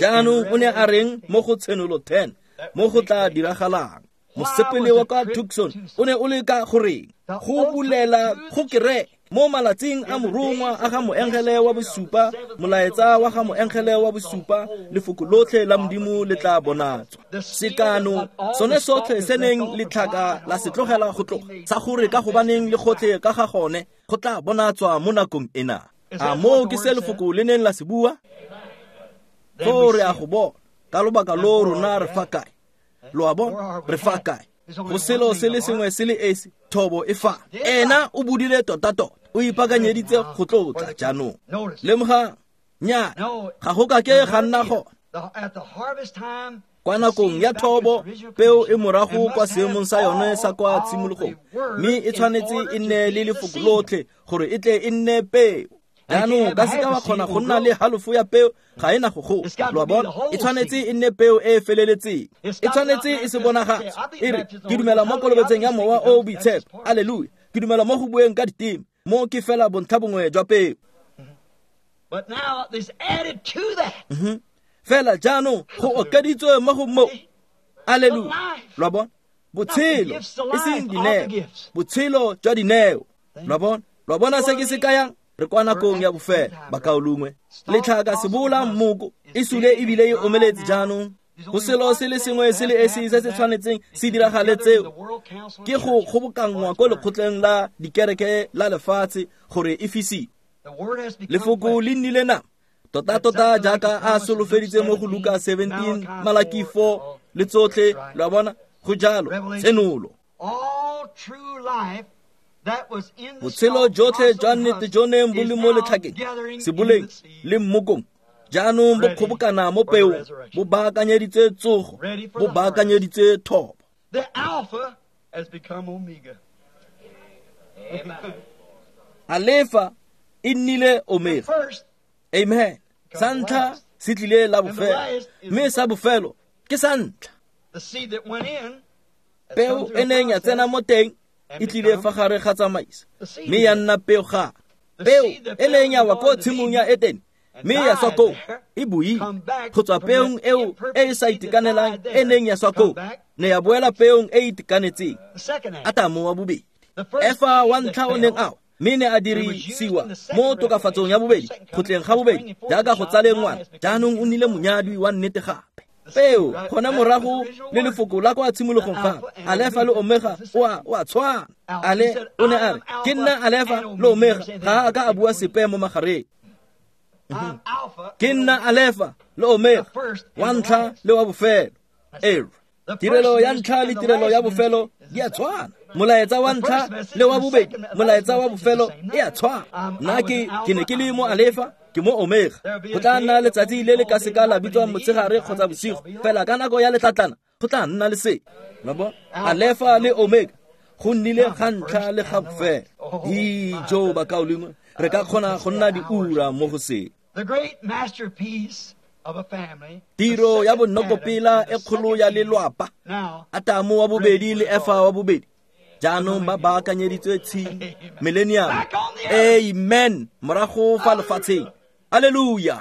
A: Jaanong o ne a reng mo go Tshenolo 10, mo go tla diragalang? Mosepele wa kwa Tucson o ne o le ka goreng? Go bulela go kereke. Mo malatsing a morongwa a ga moengele wa bosupa, molaetsa wa ga moengele wa bosupa, lefoko lotlhe la Modimo le tla bonatswa. Sekano sone sotlhe se neng letlhaka la se tlogela go tloga, sa gore ka gobaneng le gotlhe ka ga gone go tla bonatswa mo nakong ena. A moo ke se lefoko le neng la se bua? Foo re a go bona. Ka lobaka lo rona re fa kae? Lo a bona? Re fa kae? Go selo se le sengwe se le esi, thobo e fa. Ena o bodile tota-tota, o ipaakanyeditse go tlotla jaanong. Lemogang, nnyaa, ga go ka ke ga nna gone. Kwa nakong ya thobo, peo e morago kwa seemong sa yone sa kwa tshimologong, mme e tshwanetse e nne le lefoko lotlhe gore e tle e nne peo. Jaanong ka seka wa kgona go nna le halofo ya peo, ga e na go gola. Lo a bona? E tshwanetse e nne peo e e feleletseng. E tshwanetse e se bonagatse. E re, ke dumela mo kolobetseng ya Mowa o o Boitshepo. Aleluya. Ke dumela mo go bueng ka diteme. Mo ke fela bontlha bongwe jwa peo.
B: But now there's added to that.
A: Fela jaanong go okeditswe mo go mo. Aleluya. Lo a bona? Botshelo, e seng dineo. Botshelo jwa dineo. Lo a bona? Lo a bona se ke se kayang? Re kwa nakong ya bofelo, bakaulengwe. Letlhaka sebola mmoko e sule ebile e omeletse jaanong. Go selo se le sengwe se le esi se se tshwanetseng se diragale tseo ke go kgobokanngwa ko lekgotleng la dikereke la lefatshe gore e fisiwe. Lefoko le nnile nama tota-tota jaaka a solofeditse mo go Luka 17, Malaki 4 le tsotlhe. Lo a bona? Go jalo, tshenolo. Botshelo jotlhe jwa nnete jo neng bo le mo letlhakeng, seboleng le mmokong, jaanong bo kgobokana mo peong, bo baakanyeditse tsogo, bo baakanyeditse thobo.
B: The Alpha has become Omega.
A: Alefa e nnile Omega. Amen. Sa ntlha se tlile la bofelo, mme sa bofelo ke sa ntlha.
B: The seed that went in
A: Peo e neng ya tsena mo teng e tlile fa gare ga tsamaiso, mme ya nna peo gape. Peo e neng ya wa ko tshimong ya Etene, mme ya swa koo, e boile go tswa peong eo e e sa itekanelang e neng ya swa koo, ne ya boela peong e e itekanetseng. Atamo wa bobedi, Efa wa ntlha o neng a wa, mme ne a dirisiwa mo tokafatsong ya bobedi, go tleng ga bobedi, jaaka go tsaleng ngwana, jaanong o nnile monyadwi wa nnete gape. Peo gone morago le lefoko la kwa tshimologong gape. Alefa le Omega o a tshwana. Ale o ne a re, ke nna Alefa le Omega, ga a ka a bua sepe mo magareng. Ke nna Alefa le Omega, wa ntlha le wa bofelo. Ee, tirelo ya ntlha le tirelo ya bofelo di a tshwana. Molaetsa wa ntlha le wa bobedi, molaetsa wa bofelo e a tshwana. Nna ke ne ke le mo Alefa, ke mo Omega. Go tla nna letsatsi le le ka seka la bitswang motshegare kgotsa bosigo, fela ka nako ya letlatlana go tla nna le se. Lo bona? Alefa le Omega go nnile ga ntlha le ga bofelo. Dijo bakaulengwe, re ka kgona go nna diura mo go se.
B: The great masterpiece of a family.
A: Tiro ya bonokopela e kgolo ya lelwapa. Atamo wa bobedi le Efa wa bobedi jaanong ba baakanyeditswe tshimo, millennium. Amen. Morago fa lefatsheng. Alleluia.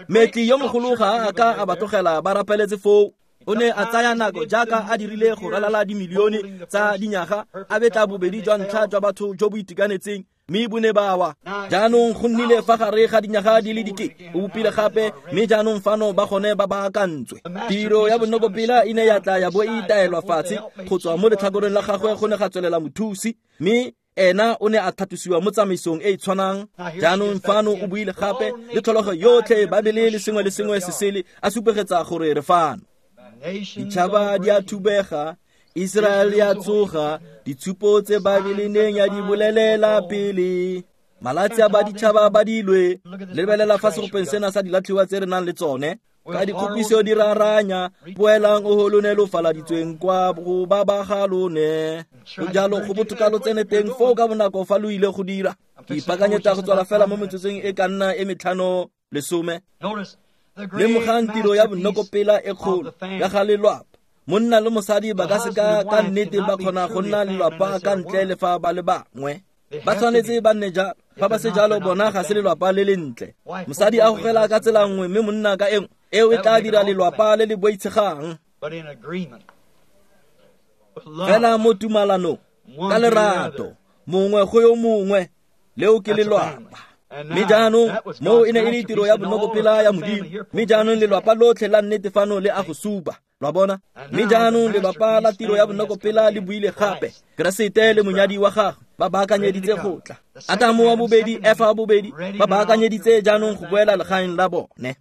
A: Metli yo mogolo ga a ka a ba tlogela ba rapeletse foo. O ne a tsaya nako jaaka a dirile go ralala dimilione tsa dinyaga, a betla bobedi jwa ntlha jwa batho jo bo itekanetseng, mme bo ne ba wa. Jaanong go nnile fa gare ga dinyaga di le dikete, o bopile gape, mme jaanong fano ba gone ba baakantswe. Tiro ya bonokopela e ne ya tla ya bo e itaelwa fatshe go tswa mo letlhakoreng la gagwe go ne ga tswelela mothusi, mme ena o ne a tlhatlosiwa mo tsamaisong e e tshwanang. Jaanong fano o buile gape le tlholego yotlhe, Babele le sengwe le sengwe se sele, a supegetsa gore re fano. Ditšhaba di a thubega, Israel ya tsoga, ditshupo tse Babele neng ya di bolelela pele. Malatsi a baditšhaba ba dilwe. Lebelela fa segopeng sena sa dilatlhiwa tse re nang le tsone. Ka dikgopiso di raranya, boelang o ho lone lo faladitsweng kwa go ba ba ga lone. Go jalo go botoka lo tsene teng foo ka bonako fa lo ile go dira. Ke ipaakanyetsa go tswala fela mo metsotsong e ka nna e metlhano lesome. Lemogang tiro ya bonokopela e kgolo ya ga lelwapa. Monna le mosadi ba ka seka ka nnete ba kgona go nna lelwapa ka ntle le fa ba le bangwe. Ba tshwanetse ba nne jalo. Fa ba se jalo, bona ga se lelwapa le lentle. Mosadi a gogela ka tsela nngwe mme monna ka engwe, eo e tla dira lelwapa le le boitshegang. Fela mo tumalanong, ka lerato, mongwe go yo mongwe, Leo ke lelwapa. Mme jaanong moo e ne e le tiro ya bonokopela ya Modimo. Mme jaanong lelwapa lotlhe la nnete fano le a go supa. Lwa bona? Mme jaanong lelwapa la tiro ya bonokopela le buile gape. Keresete le monyadi wa gagwe ba baakanyeditse go tla. Atamo wa bobedi, Efa wa bobedi, ba baakanyeditse jaanong go boela legaeng la bone.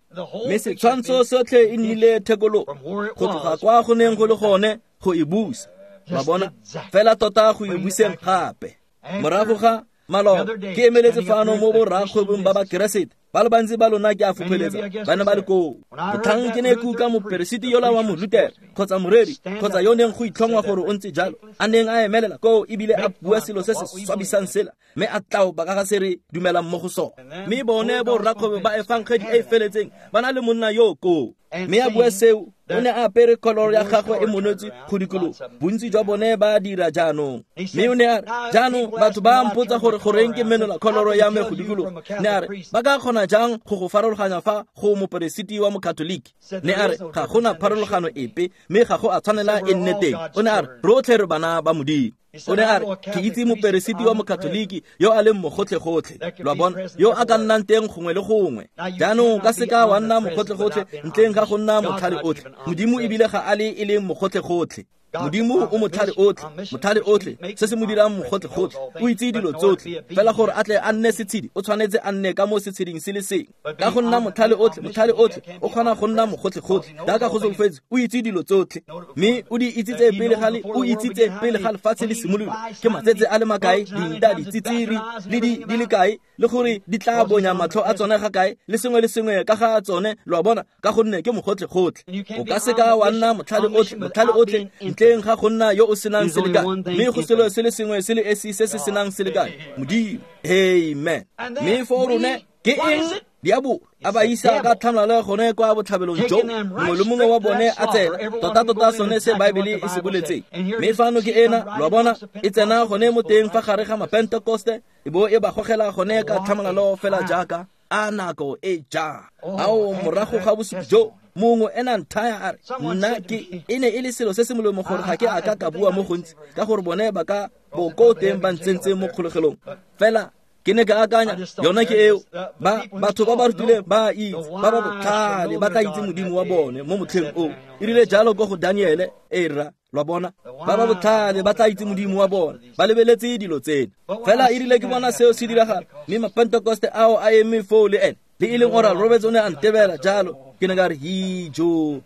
A: Mme setshwantsho sotlhe e nnile thekologo go tloga kwa go neng go le gone go e busa. Lwa bona? Fela tota go e buseng gape. Morago ga maloba ke emeletse fano mo borrakgwebong ba Bakeresete ba le bantsi ba lona ke a fopheletsa ba ne ba le koo. Motlhang ke ne ke utlwa moperesiti yola wa Molutere kgotsa moreri kgotsa yo neng go itlhongwa gore o ntse jalo a neng a emelela koo ebile a bua selo se se swabisang sela mme a tlaopa ka ga se re dumelang mo go sone. Mme bone borrakgwebo ba efangedi e e feletseng ba na le monna yo koo. Mme a bua seo, o ne a apere koloro ya gagwe e monotse go dikologa. Bontsi jwa bone ba dira jaanong. Mme o ne a re, jaanong batho ba mpotsa gore goreng ke menola koloro ya me go dikologa. Ne a re, ba ka kgona jang go go farologanya fa go moperesiti wa Mokatoliki? Ne a re, ga gona pharologano epe, mme ga go a tshwanela e nne teng. O ne a re, rotlhe re bana ba Modimo. O ne a re, ke itse moperesiti wa Mokatoliki yo a leng mogotlhe-gotlhe, lwa bona, yo a ka nnang teng gongwe le gongwe. Jaanong ka seka wa nna mogotlhe-gotlhe ntleng ga go nna motlhale otlhe. Modimo ebile ga a le e leng mogotlhe-gotlhe. Modimo o motlhale otlhe, motlhale otlhe, se se mo dirang mogotlhe-gotlhe. O itse dilo tsotlhe, fela gore a tle a nne setshedi, o tshwanetse a nne ka mo setsheding se le sengwe. Ka go nna motlhale otlhe, motlhale otlhe, o kgona go nna mogotlhe-gotlhe. Jaaka go solofetse, o itse dilo tsotlhe. Mme o di itsitse pele ga le, o itsitse pele ga lefatshe le simolola. Ke matsetse a le makae, dinta, ditsitsiri, le di le kae, le gore di tla bonya matlho a tsone ga kae, le sengwe le sengwe ka ga tsone, lo a bona, ka gonne ke mogotlhe-gotlhe. O ka seka wa nna motlhale otlhe, motlhale otlhe, ntleng ga go nna yo o senang selekane. Mme go selo se le sengwe se le esi se se senang selekane, Modimo. Amen. Mme foo rone ke eng? Diabolo a ba isa ka tlhamalalo gone kwa botlhabelong jo mongwe le mongwe wa bone a tsena tota-tota sone se Baebele e se boletseng. Mme fano ke ena, lo a bona, e tsena gone mo teng fa gare ga Mapentekoste e bo e ba gogela gone ka tlhamalalo fela jaaka a nako e jang. Ao morago ga bosupi jo mongwe ena nthaya a re nna ke e ne e le selo se se molemo gore ga ke a ka ka bua mo gontsi ka gore bone ba ka bo ko teng ba ntsentse mo kgolegelong. Fela ke ne ka akanya yona ke eo, ba batho ba ba rutileng ba itse, ba ba botlhale ba tla itse Modimo wa bone mo motlheng o. E rile jalo ko go Daniele, e rra, lwa bona, ba ba botlhale ba tla itse Modimo wa bone, ba lebeletse dilo tsena. Fela e rile ke bona seo se diragala, mme Mapentekoste ao a eme foo le ene, le e leng Oral Roberts o ne a ntebela jalo, ke ne ka re hijo.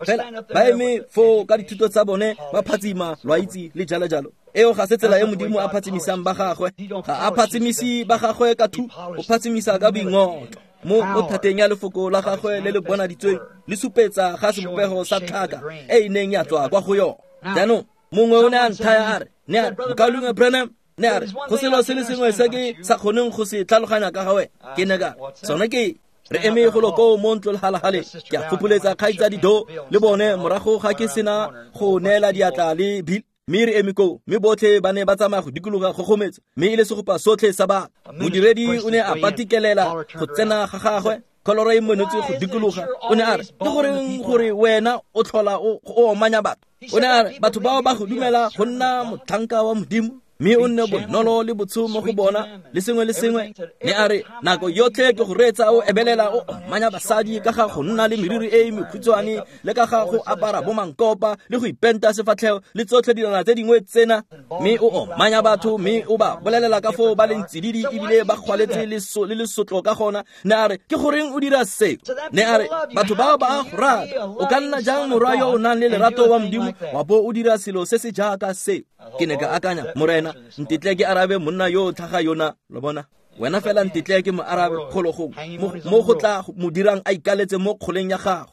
A: Fela ba eme foo ka dithuto tsa bone ba phatsima, lwa itse, le jalo jalo. Eo ga se tsela e Modimo a phatsimisang ba gagwe. Ga a phatsimise ba gagwe ka thu, o phatsimisa ka boingotlo. Mo o thateng ya lefoko la gagwe le le bonaditsweng le supetsa ga sebopego sa tlhaka e e neng ya tswa kwa go yone. Jaanong mongwe o ne a nthaya a re, ne a re, Mokaulengwe Branham, ne a re, go selo se le sengwe se ke sa kgoneng go se tlhaloganya ka ga wena. Ke ne ka sone ke re eme golo koo mo ntlo legalagale, ke a fopholetsa kgaitsadi Do le bone morago ga ke sena go neela diatla le Bill. Mme re eme koo, mme botlhe ba ne ba tsamaya go dikologa kgogometso, mme e le segopa sotlhe sa batho. Modiredi o ne a patikelela go tsena ga gagwe, kholoro e monotse go dikologa. O ne a re, ke goreng gore wena o tlhola o omanya batho? O ne a re, batho bao ba go dumela go nna motlhanka wa Modimo, mme o nne bonolo le botsho mo go bona le sengwe le sengwe. Ne a re, nako yotlhe ke go reetsa o ebelela o omanya basadi ka ga go nna le meriri e e mekhutshwane le ka ga go apara bo mankopa le go ipenta sefatlhego le tsotlhe dilwana tse dingwe tsena, mme o omanya batho mme o ba bolelela ka foo ba leng tsididi ebile ba kgwaletse le lesotlo ka gona. Ne a re, ke goreng o dira seo? Ne a re, batho bao ba a go rata. O ka nna jang morwa yo o nang le lerato wa Modimo wa bo o dira selo se se jaaka seo? Ke ne ka akanya, Morena, ntetle ke arabe monna yo o tlhaga yona, lo bona. Wena fela ntetle ke mo arabe golo gongwe mo go tla mo dirang a ikaletse mo kgoleng ya gago.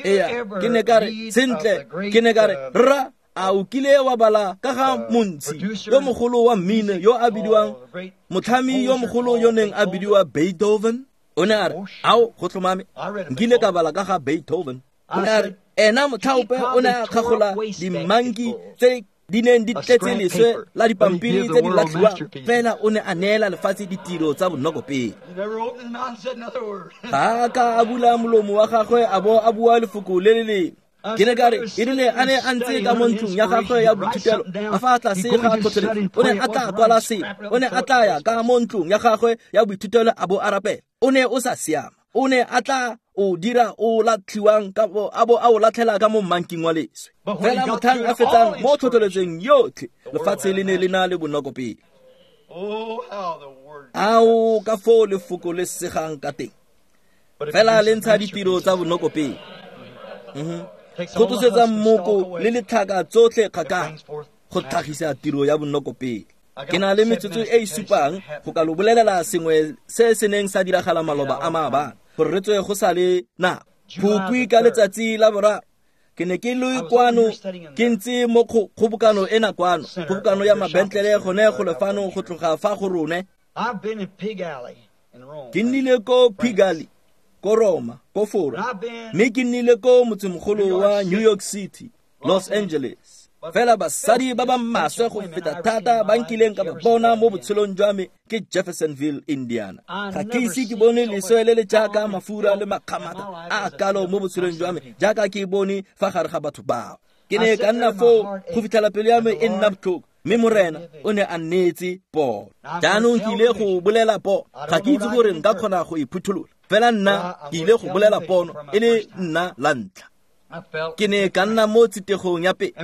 A: Eya, ke ne ka re, sentle, ke ne ka re, rra, a o kile wa bala ka ga montshi yo mogolo wa mmino yo a bidiwang motlhami yo mogolo yo neng a bidiwa Beethoven? O ne a re, ao, go tlhomame, nkile ka bala ka ga Beethoven. O ne a re, ena motlhaope o ne a kgagola dimanki tse di neng di tletse leswe la dipampiri tse di latlhiwang, fela o ne a neela lefatshe ditiro tsa bonokopele. Ga a ka a bula molomo wa gagwe a bo a bua lefoko le le lengwe. Ke ne ka re e rile a ne a ntse ka mo ntlong ya gagwe ya boithutelo a fa tlase ga tlhotlheletso, o ne a tla kwala sengwe, o ne a tla ya ka mo ntlong ya gagwe ya boithutelo a bo a rapela. O ne o sa siama, o ne a tla o dira o latlhiwang ka a bo a o latlhela ka mo mmanking wa leswe. Fela motlhang a fetsang mo tlhotlheletsong yotlhe, lefatshe le ne le na le bonoko pele. Ao ka foo lefoko le segang ka teng, fela le ntsha ditiro tsa bonoko pele. Go tlosetsa mmoko le letlhaka tsotlhe kgakala go tlhagisa tiro ya bonoko pele. Ke na le metsotso e e supang go ka lo bolelela sengwe se se neng sa diragala maloba a maabane, gore re tswe go sa le nako. Phukwi ka letsatsi la boraro ke ne ke le kwano, ke ntse mo kgobokano ena kwano, kgobokano ya mabentlele gone go lefano go tloga fa go rone. Ke nnile ko Pigalle, ko Roma, ko Fora, mme ke nnile ko motsemogolo wa New York City, Los Angeles. Fela basadi ba ba maswe go feta thata ba nkileng ka ba bona mo botshelong jwa me ke Jeffersonville, Indiana. Ga ke ise ke bone leswe le le jaaka mafura le makgamata a a kalo mo botshelong jwa me jaaka ke bone fa gare ga batho bao. Ke ne ka nna foo go fitlhela pelo ya me e nna botlhoko, mme Morena o ne a nneetse pono. Jaanong ke ile go bolela pono, ga ke itse gore nka kgona go e phutholola, fela nna ke ile go bolela pono e le nna la ntlha. Ke ne ka nna mo tsitegong ya pele,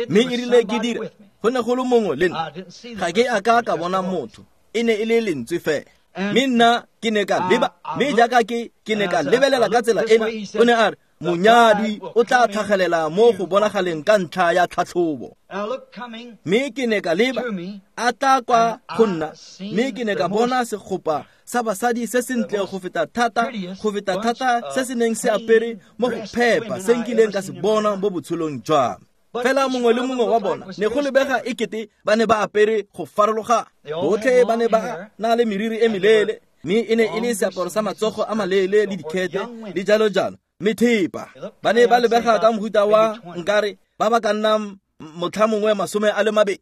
A: mme e rile ke dira, go ne go le mongwe le nna. Ga ke a ka ka bona motho, e ne e le lentswe fela. Mme nna ke ne ka leba, mme jaaka ke ne ka lebelela ka tsela ena, o ne a re, monyadi o tla tlhagelela mo go bonagaleng ka ntlha ya tlhatlhobo. Mme ke ne ka leba, a tla kwa go nna, mme ke ne ka bona segopa sa basadi se sentle go feta thata, go feta thata se se neng se apere mo go phepa se nkileng ka se bona mo botshelong jwa me. Fela mongwe le mongwe wa bona ne go lebega ekete ba ne ba apere go farologana. Botlhe ba ne ba na le meriri e meleele, mme e ne e le seaparo sa matsogo a maleele le dikhete le jalo jalo. Methepa ba ne ba lebega ka mohuta wa nkare ba ba ka nnang motlha mongwe 22.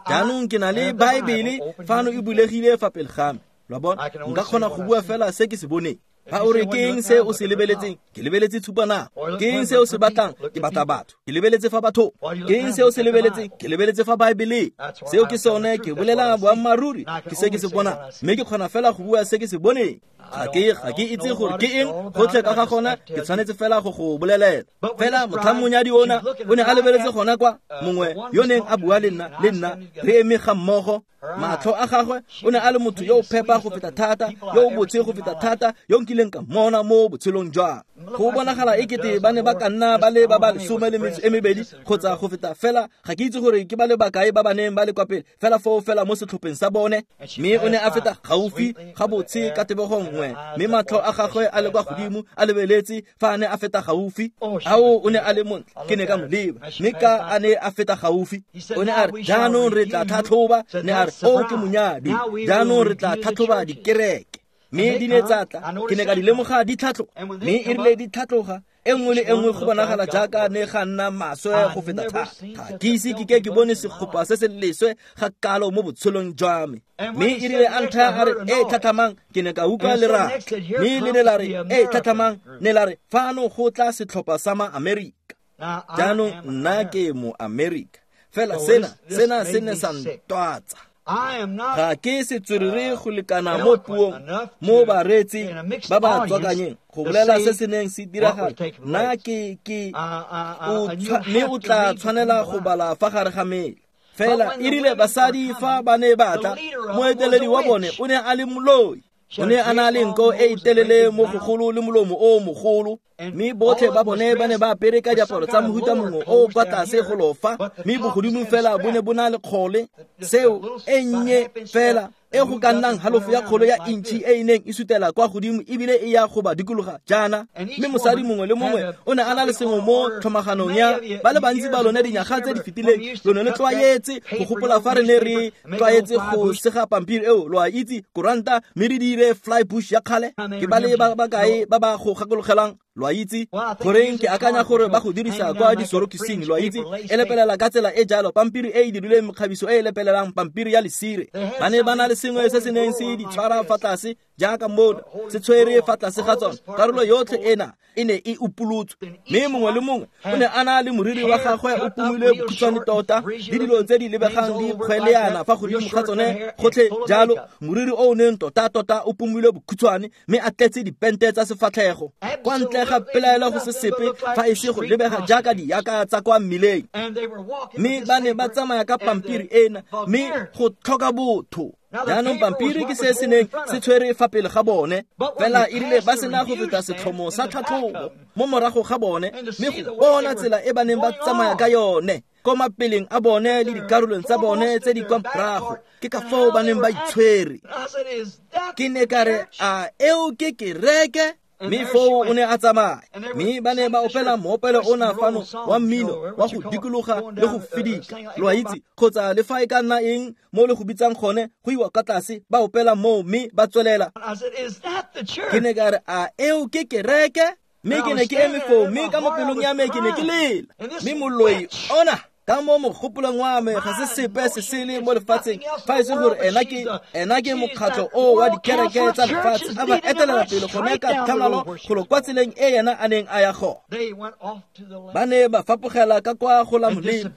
A: Jaanong ke na le Baebele fano e bulegile fa pele ga me. Lo a bona, nka kgona go bua fela se ke se boneng. Fa o re ke eng se o se lebeletseng, ke lebeletse tshupanako. Ke eng se o se batlang, ke batla batho, ke lebeletse fa bathong. Ke eng se o se lebeletseng, ke lebeletse fa Baebeleng. Seo ke sone, ke bolela boammaaruri, ke se ke se bonang, mme ke kgona fela go bua se ke se boneng. Ga ke itse gore ke eng gotlhe ka ga gona, ke tshwanetse fela go go bolelela. Fela motlhang monyadi ona o ne a lebeletse gona kwa, mongwe yo neng a bua le nna re eme ga mmogo. Matlho a gagwe o ne a le motho yo o phepa go feta thata, yo o botse go feta thata, yo nkileng ka mmona mo botshelong jwa. Go bonagala ekete ba ne ba ka nna ba le ba ba 12 kgotsa go feta, fela ga ke itse gore ke ba le bakae ba ba neng ba le kwa pele, fela foo fela mo setlhopheng sa bone. Mme o ne a feta gaufi ga botse ka tebogo nngwe, mme matlho a gagwe a le kwa godimo a lebeletse fa a ne a feta gaufi. Ao, o ne a le montle, ke ne ka mo leba, mme ka a ne a feta gaufi, o ne a re, jaanong re tla tlhatlhoba. Ne a re, o ke monyadi, jaanong re tla tlhatlhoba dikereke. Mme di ne tsa tla, ke ne ka di lemoga di tlhatloga, mme e rile di tlhatloga, e nngwe le e nngwe go bonagala jaaka ne ga nna maswe go feta thata. Ga ke ise ke ke ke bone segopa se se leswe ga kalo mo botshelong jwa me. Mme e rile a ntlha a re, e tlhatlhamang, ke ne ka utlwa lerata. Mme le ne la re, e tlhatlhamang, ne la re, fano go tla setlhopha sa ma-Amerika. Jaanong nna ke mo-Amerika, fela sena se ne sa ntwatsa. Ga ke setswerere go lekana mo puong mo bareetsi ba ba tswakanyeng go bolela se se neng se diragala. Nna ke mme o tla tshwanela go bala fa gare ga mela. Fela e rile basadi fa ba ne ba tla, moeteledi wa bone o ne a le moloi. O ne a na le nko e e telele mo gogolo le molomo o mogolo, mme botlhe ba bone ba ne ba apere ka diaparo tsa mohuta mongwe o kwa tlase go lofa, mme bogodimo fela bo ne bo na le kgole, seo e nnye fela e go ka nnang halofo ya kgolo ya intšhi e e neng e sutela kwa godimo ebile e ya go ba dikologa jaana. Mme mosadi mongwe le mongwe o ne a na le sengwe mo tlhomaganong ya ba le bantsi ba lone dinyaga tse di fetileng. Lo ne le tlwaetse go gopola fa re ne re tlwaetse go sega pampiri eo, lo a itse, koranta, mme re dire fly bush ya kgale. Ke ba le ba bakae ba ba go gakologelang, lo a itse? Goreng ke akanya gore ba go dirisa kwa disorokising, lo a itse, e lepelela ka tsela e jalo, pampiri e e dirilweng mekgabiso e e lepelelang, pampiri ya lesire. Ba ne ba na le sengwe se se neng se di tshwara fa tlase jaaka mona se tshwere fa tlase ga tsone. Karolo yotlhe ena e ne e upolotswe, mme mongwe le mongwe o ne a na le moriri wa gagwe o pomilwe bokhutshwane tota le dilo tse di lebegang di kgweleana fa godimo ga tsone gotlhe jalo, moriri o o neng tota-tota o pomilwe bokhutshwane mme a tletse dipente tsa sefatlhego. Kwa ntle ga pelaelo go se sepe fa e se go lebega jaaka diaka tsa kwa mmileng. Mme ba ne ba tsamaya ka pampiri ena, mme go tlhoka botho. Jaanong pampiri ke se se neng se tshwere fa pele ga bone, fela e rile ba sena go feta setlhomo sa tlhatlhobo mo morago ga bone, mme go bona tsela e ba neng ba tsamaya ka yone ko mapeleng a bone le dikarolong tsa bone tse di kwa morago, ke ka foo ba neng ba itshwere. Ke ne ka re, a eo ke kereke? Mme foo o ne a tsamaya, mme ba ne ba opela moopelo ona fano wa mmino wa go dikologa le go fidika, lo a itse, kgotsa le fa e ka nna eng mo le go bitsang gone, go iwa ka tlase ba opela moo mme ba tswelela. Ke ne ka re, a eo ke kereke? Mme ke ne ke eme foo, mme ka mo pelong ya me ke ne ke lela. Mme moloi ona ka mo mogopolong wa me ga se sepe se sele mo lefatsheng fa e se gore ena ke mokgatlho o wa dikereke tsa lefatshe a ba etelela pele gone ka tlhamalalo golo kwa tseleng e yena a neng a ya gone. Ba ne ba fapogela ka kwa go la molemo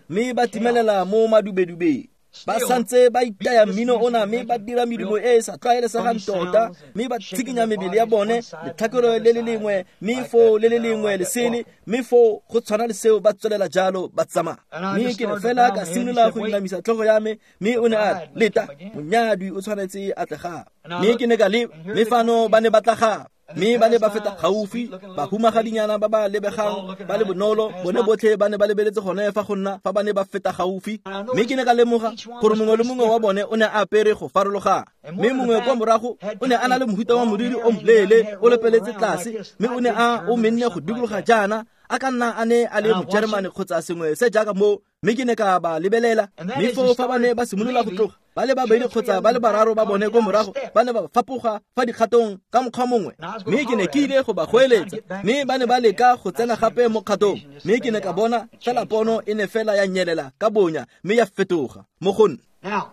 A: mme ba timelela mo madubedubeng. Ba santse ba itaya mmino ona mme ba dira medumo e e sa tlwaelesegang tota, mme ba tshikinya mebele ya bone letlhakore le le lengwe, mme foo le le lengwe lesele, mme foo go tshwana le seo ba tswelela jalo ba tsamaya. Mme ke ne fela ka simolola go inamisa tlhogo ya me, mme o ne a re, leta, monyadwi o tshwanetse a tle gape. Mme ke ne ka leba, mme fano ba ne ba tla gape. Mme ba ne ba feta gaufi, bahumagadinyana ba ba lebegang ba le bonolo, bone botlhe ba ne ba lebeletse gone fa go nna fa ba ne ba feta gaufi. Mme ke ne ka lemoga gore mongwe le mongwe wa bone o ne a apere go farologana, mme mongwe kwa morago o ne a na le mohuta wa moriri o moleele o lepeletse tlase, mme o ne a o menne go dikologa jaana, a ka nna a ne a le Mojeremane kgotsa sengwe se jaaka moo. Mme ke ne ka ba lebelela, mme foo fa ba ne ba simolola go tloga, ba le babedi kgotsa ba le bararo ba bone ko morago ba ne ba fapoga fa dikgatong ka mokgwa mongwe. Mme ke ne ke ile go ba goeletsa, mme ba ne ba leka go tsena gape mo kgatong, mme ke ne ka bona fela pono e ne fela ya nyelela ka bonya mme ya fetoga mo go nna.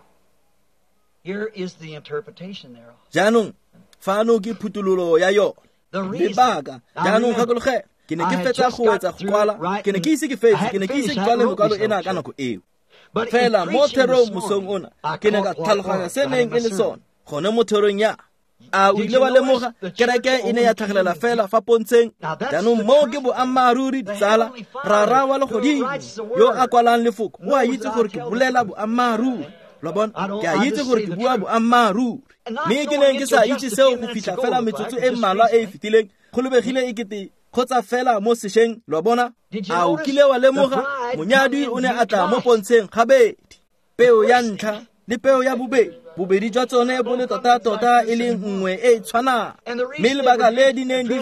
A: Jaanong fano ke phuthololo ya yone. Lebaka jaanong gakologela, ke ne ke fetsa go wetsa go kwala, ke ne ke ise ke fetse, ke ne ke ise ke kwale mokwalo ena ka nako eo. Fela mo therong mosong ona ke ne ka tlhaloganya se neng e le sone gone mo therong ya. A o ile wa lemoga kereke e ne ya tlhagelela fela fa pontsheng? Jaanong moo ke boammaaruri, ditsala. Rara wa legodimo yo a kwalang lefoko o a itse gore ke bolela boammaaruri. Lo bona, ke a itse gore ke bua boammaaruri. Mme ke neng ke sa itse seo go fitlha fela metsotso e mmalwa e e fetileng, go lebegile e kete kgotsa fela mo sešweng. Lo bona, a o kile wa lemoga monyadwi o ne a tla mo pontsheng gabedi, peo ya ntlha le peo ya bobedi, bobedi jwa tsone bo le tota-tota e leng nngwe e e tshwanang. Mme lebaka le di neng di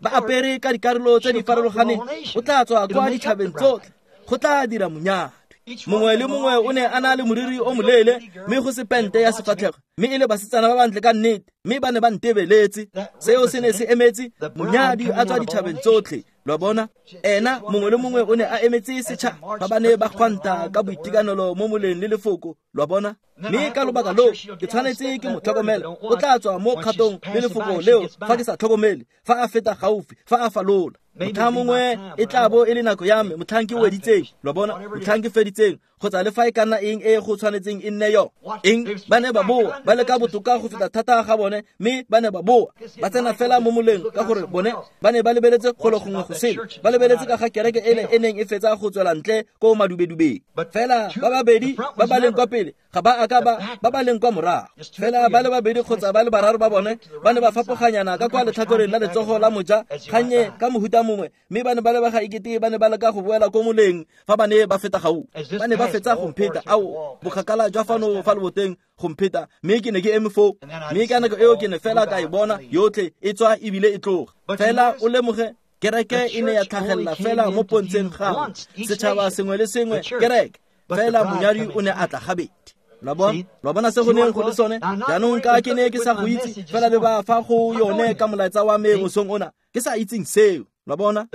A: ba apere ka dikarolo tse di farologaneng, o tla tswa kwa ditšhabeng tsotlhe, go tla dira monyadwi. Mongwe le mongwe o ne a na le moriri o moleele mme go se pente ya sefatlhego, mme e le basetsana ba bantle ka nnete, mme ba ne ba ntebeletse. Seo se ne se emetse monyadi a tswa ditšhabeng tsotlhe. Lo bona, ena mongwe le mongwe o ne a emetse setšhaba fa ba ne ba kgwanta ka boitekanelo mo moleng le lefoko. Lo bona, mme ka lobaka loo ke tshwanetse ke mo tlhokomela. O tla tswa mo kgatong le lefoko leo fa ke sa tlhokomele, fa a feta gaufi, fa a falola. Motlha mongwe e tla bo e le nako ya me, motlhang ke weditseng, lo bona, motlhang ke feditseng, kgotsa le fa e ka nna eng e go tshwanetseng e nne yo. Eng ba ne ba boa, ba leka botoka go feta thata ga bone, mme ba ne ba boa, ba tsena fela mo moleng ka gore bone ba ne ba lebeletse golo gongwe go sele, ba lebeletse ka ga kereke ele e neng e fetsa go tswela ntle ko madubedubeng. Fela ba babedi ba ba leng kwa pele ga ba a ka ba ba leng kwa morago, fela ba le babedi kgotsa ba le bararo ba bone ba ne ba fapoganyana ka kwa letlhakoreng la letsogo la moja gannye ka mohuta mongwe, mme ba ne ba lebega ekete ba ne ba leka go boela ko moleng fa ba ne ba feta gaufi. Ba ne ba fetsa go mpheta, ao bokgakala jwa fano fa leboteng go mpheta, mme ke ne ke eme foo. Mme ka nako eo ke ne fela ka e bona yotlhe e tswa ebile e tloga. Fela o lemoge, kereke e ne ya tlhagelela fela mo pontsheng gangwe, setšhaba sengwe le sengwe kereke, fela monyadi o ne a tla gabedi. Lo bona se go neng go le sone? Jaanong ka ke ne ke sa go itse, fela le ba fa go yone ka molaetsa wa me mosong ona, ke sa itseng seo. Lo bona,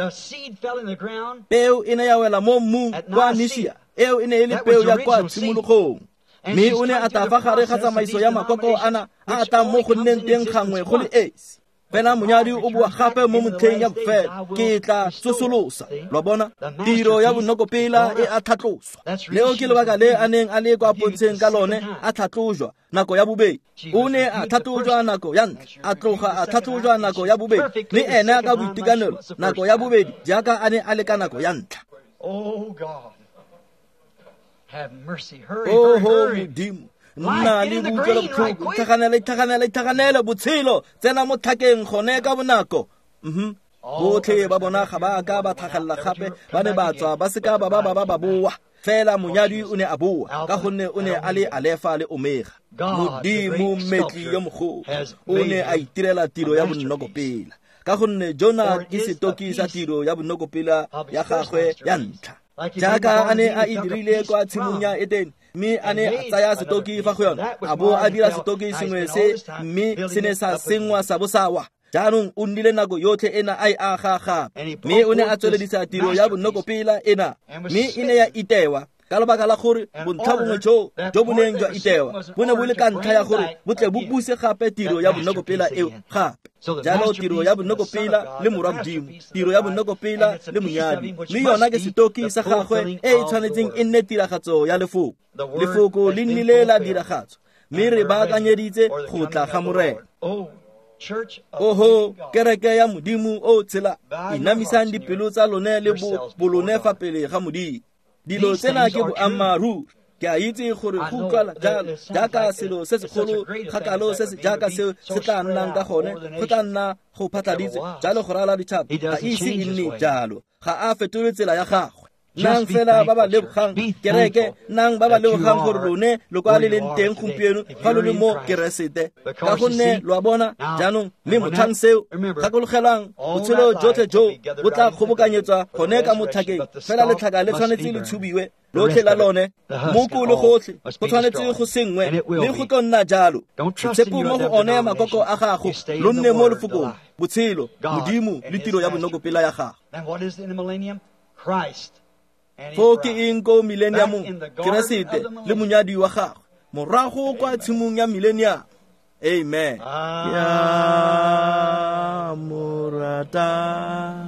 A: peo e ne ya wela mo mmung kwa Nishia, eo e ne e le peo ya kwa tshimologong. Mme o ne a tla fa gare ga tsamaiso ya makoko ana a tlang mo go nneng teng gangwe go le esi. Fela monyadi o boa gape mo motlheng ya bofelo, ke tla tsosolosa. Lo bona, tiro ya bonokopela e a tlhatloswa. Leo ke lebaka le a neng a le kwa pontsheng ka lone, a tlhatlojwa nako ya bobedi. O ne a tlhatlojwa nako ya ntlha, a tloga a tlhatlojwa nako ya bobedi, mme ene ka boitekanelo nako ya bobedi jaaka a ne a le ka nako ya ntlha. Oho Modimo, nna le boutlwelobotlhoko, itlhaganele botshelo, tsena mo tlhakeng gone ka bonako. Botlhe ba bona ga ba ka ba tlhagelela gape, ba ne ba tswa ba seka ba ba boa. Fela monyadi o ne a boa ka gonne o ne a le Alefa le Omega. Modimo mmetli yo mogolo o ne a itirela tiro ya bonokopela, ka gonne Jona ke setoki sa tiro ya bonokopela ya gagwe ya ntlha. Jaaka a ne a e dirile kwa tshimong ya Etene, mme a ne a tsaya setoki fa go yona, a bo a dira setoki sengwe se, mme se ne sa sengwa sa bo sa wa. Jaanong o nnile nako yotlhe ena a e aga gape, mme o ne a tsweledisa tiro ya bonokopela ena, mme e ne ya itewa ka lebaka la gore bontlha bongwe jo bo neng jwa itewa bo ne bo le ka ntlha ya gore bo tle bo buse gape tiro ya bonokopela eo gape. Jalo tiro ya bonokopela le morwa Modimo, tiro ya bonokopela le monyadi, mme yona ke setoki sa gagwe e e tshwanetseng e nne tiragatso ya lefoko. Lefoko le nnile la diragatswa, mme re baakanyeditse go tla ga Morena. Oho kereke ya Modimo o tshela, inamisang dipelo tsa lone le bolone fa pele ga Modimo. Dilo tsena ke boammaaruri. Ke a itse gore go utlwala jalo jaaka selo se segolo kgakalo se se jaaka seo se tla nnang ka gone, go tla nna go phatladitswe jalo go rala ditšhaba. Ga ise e nne jalo, ga a fetole tsela ya gagwe. Nang fela ba ba lebogang kereke, nang ba ba lebogang gore lone lo kwa le leng teng gompieno fa lo le mo Keresete, ka gonne lo a bona jaanong. Mme motlhang seo, gakologelang botshelo jotlhe jo bo tla kgobokanyetswa gone ka motlhakeng. Fela letlhaka le tshwanetse le tshubiwe lotlhe la lone, moko le gotlhe go tshwanetse go sengwe, mme go tlo nna jalo. Tshepo mo go one makoko a gago, lo nne mo lefokong, botshelo, Modimo le tiro ya bonokopela ya gago. Foo ke eng ko millenniumong? Keresete le monyadi wa gagwe morago kwa tshimong ya millennium. Amen. Ke a mo rata,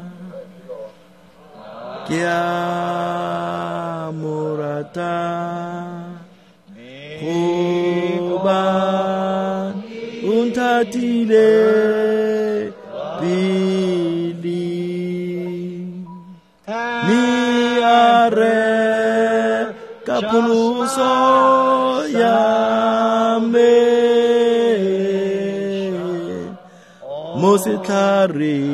A: ke a mo rata, gobane o nthatile pele, mme a reka pholoso ya me mo setlhareng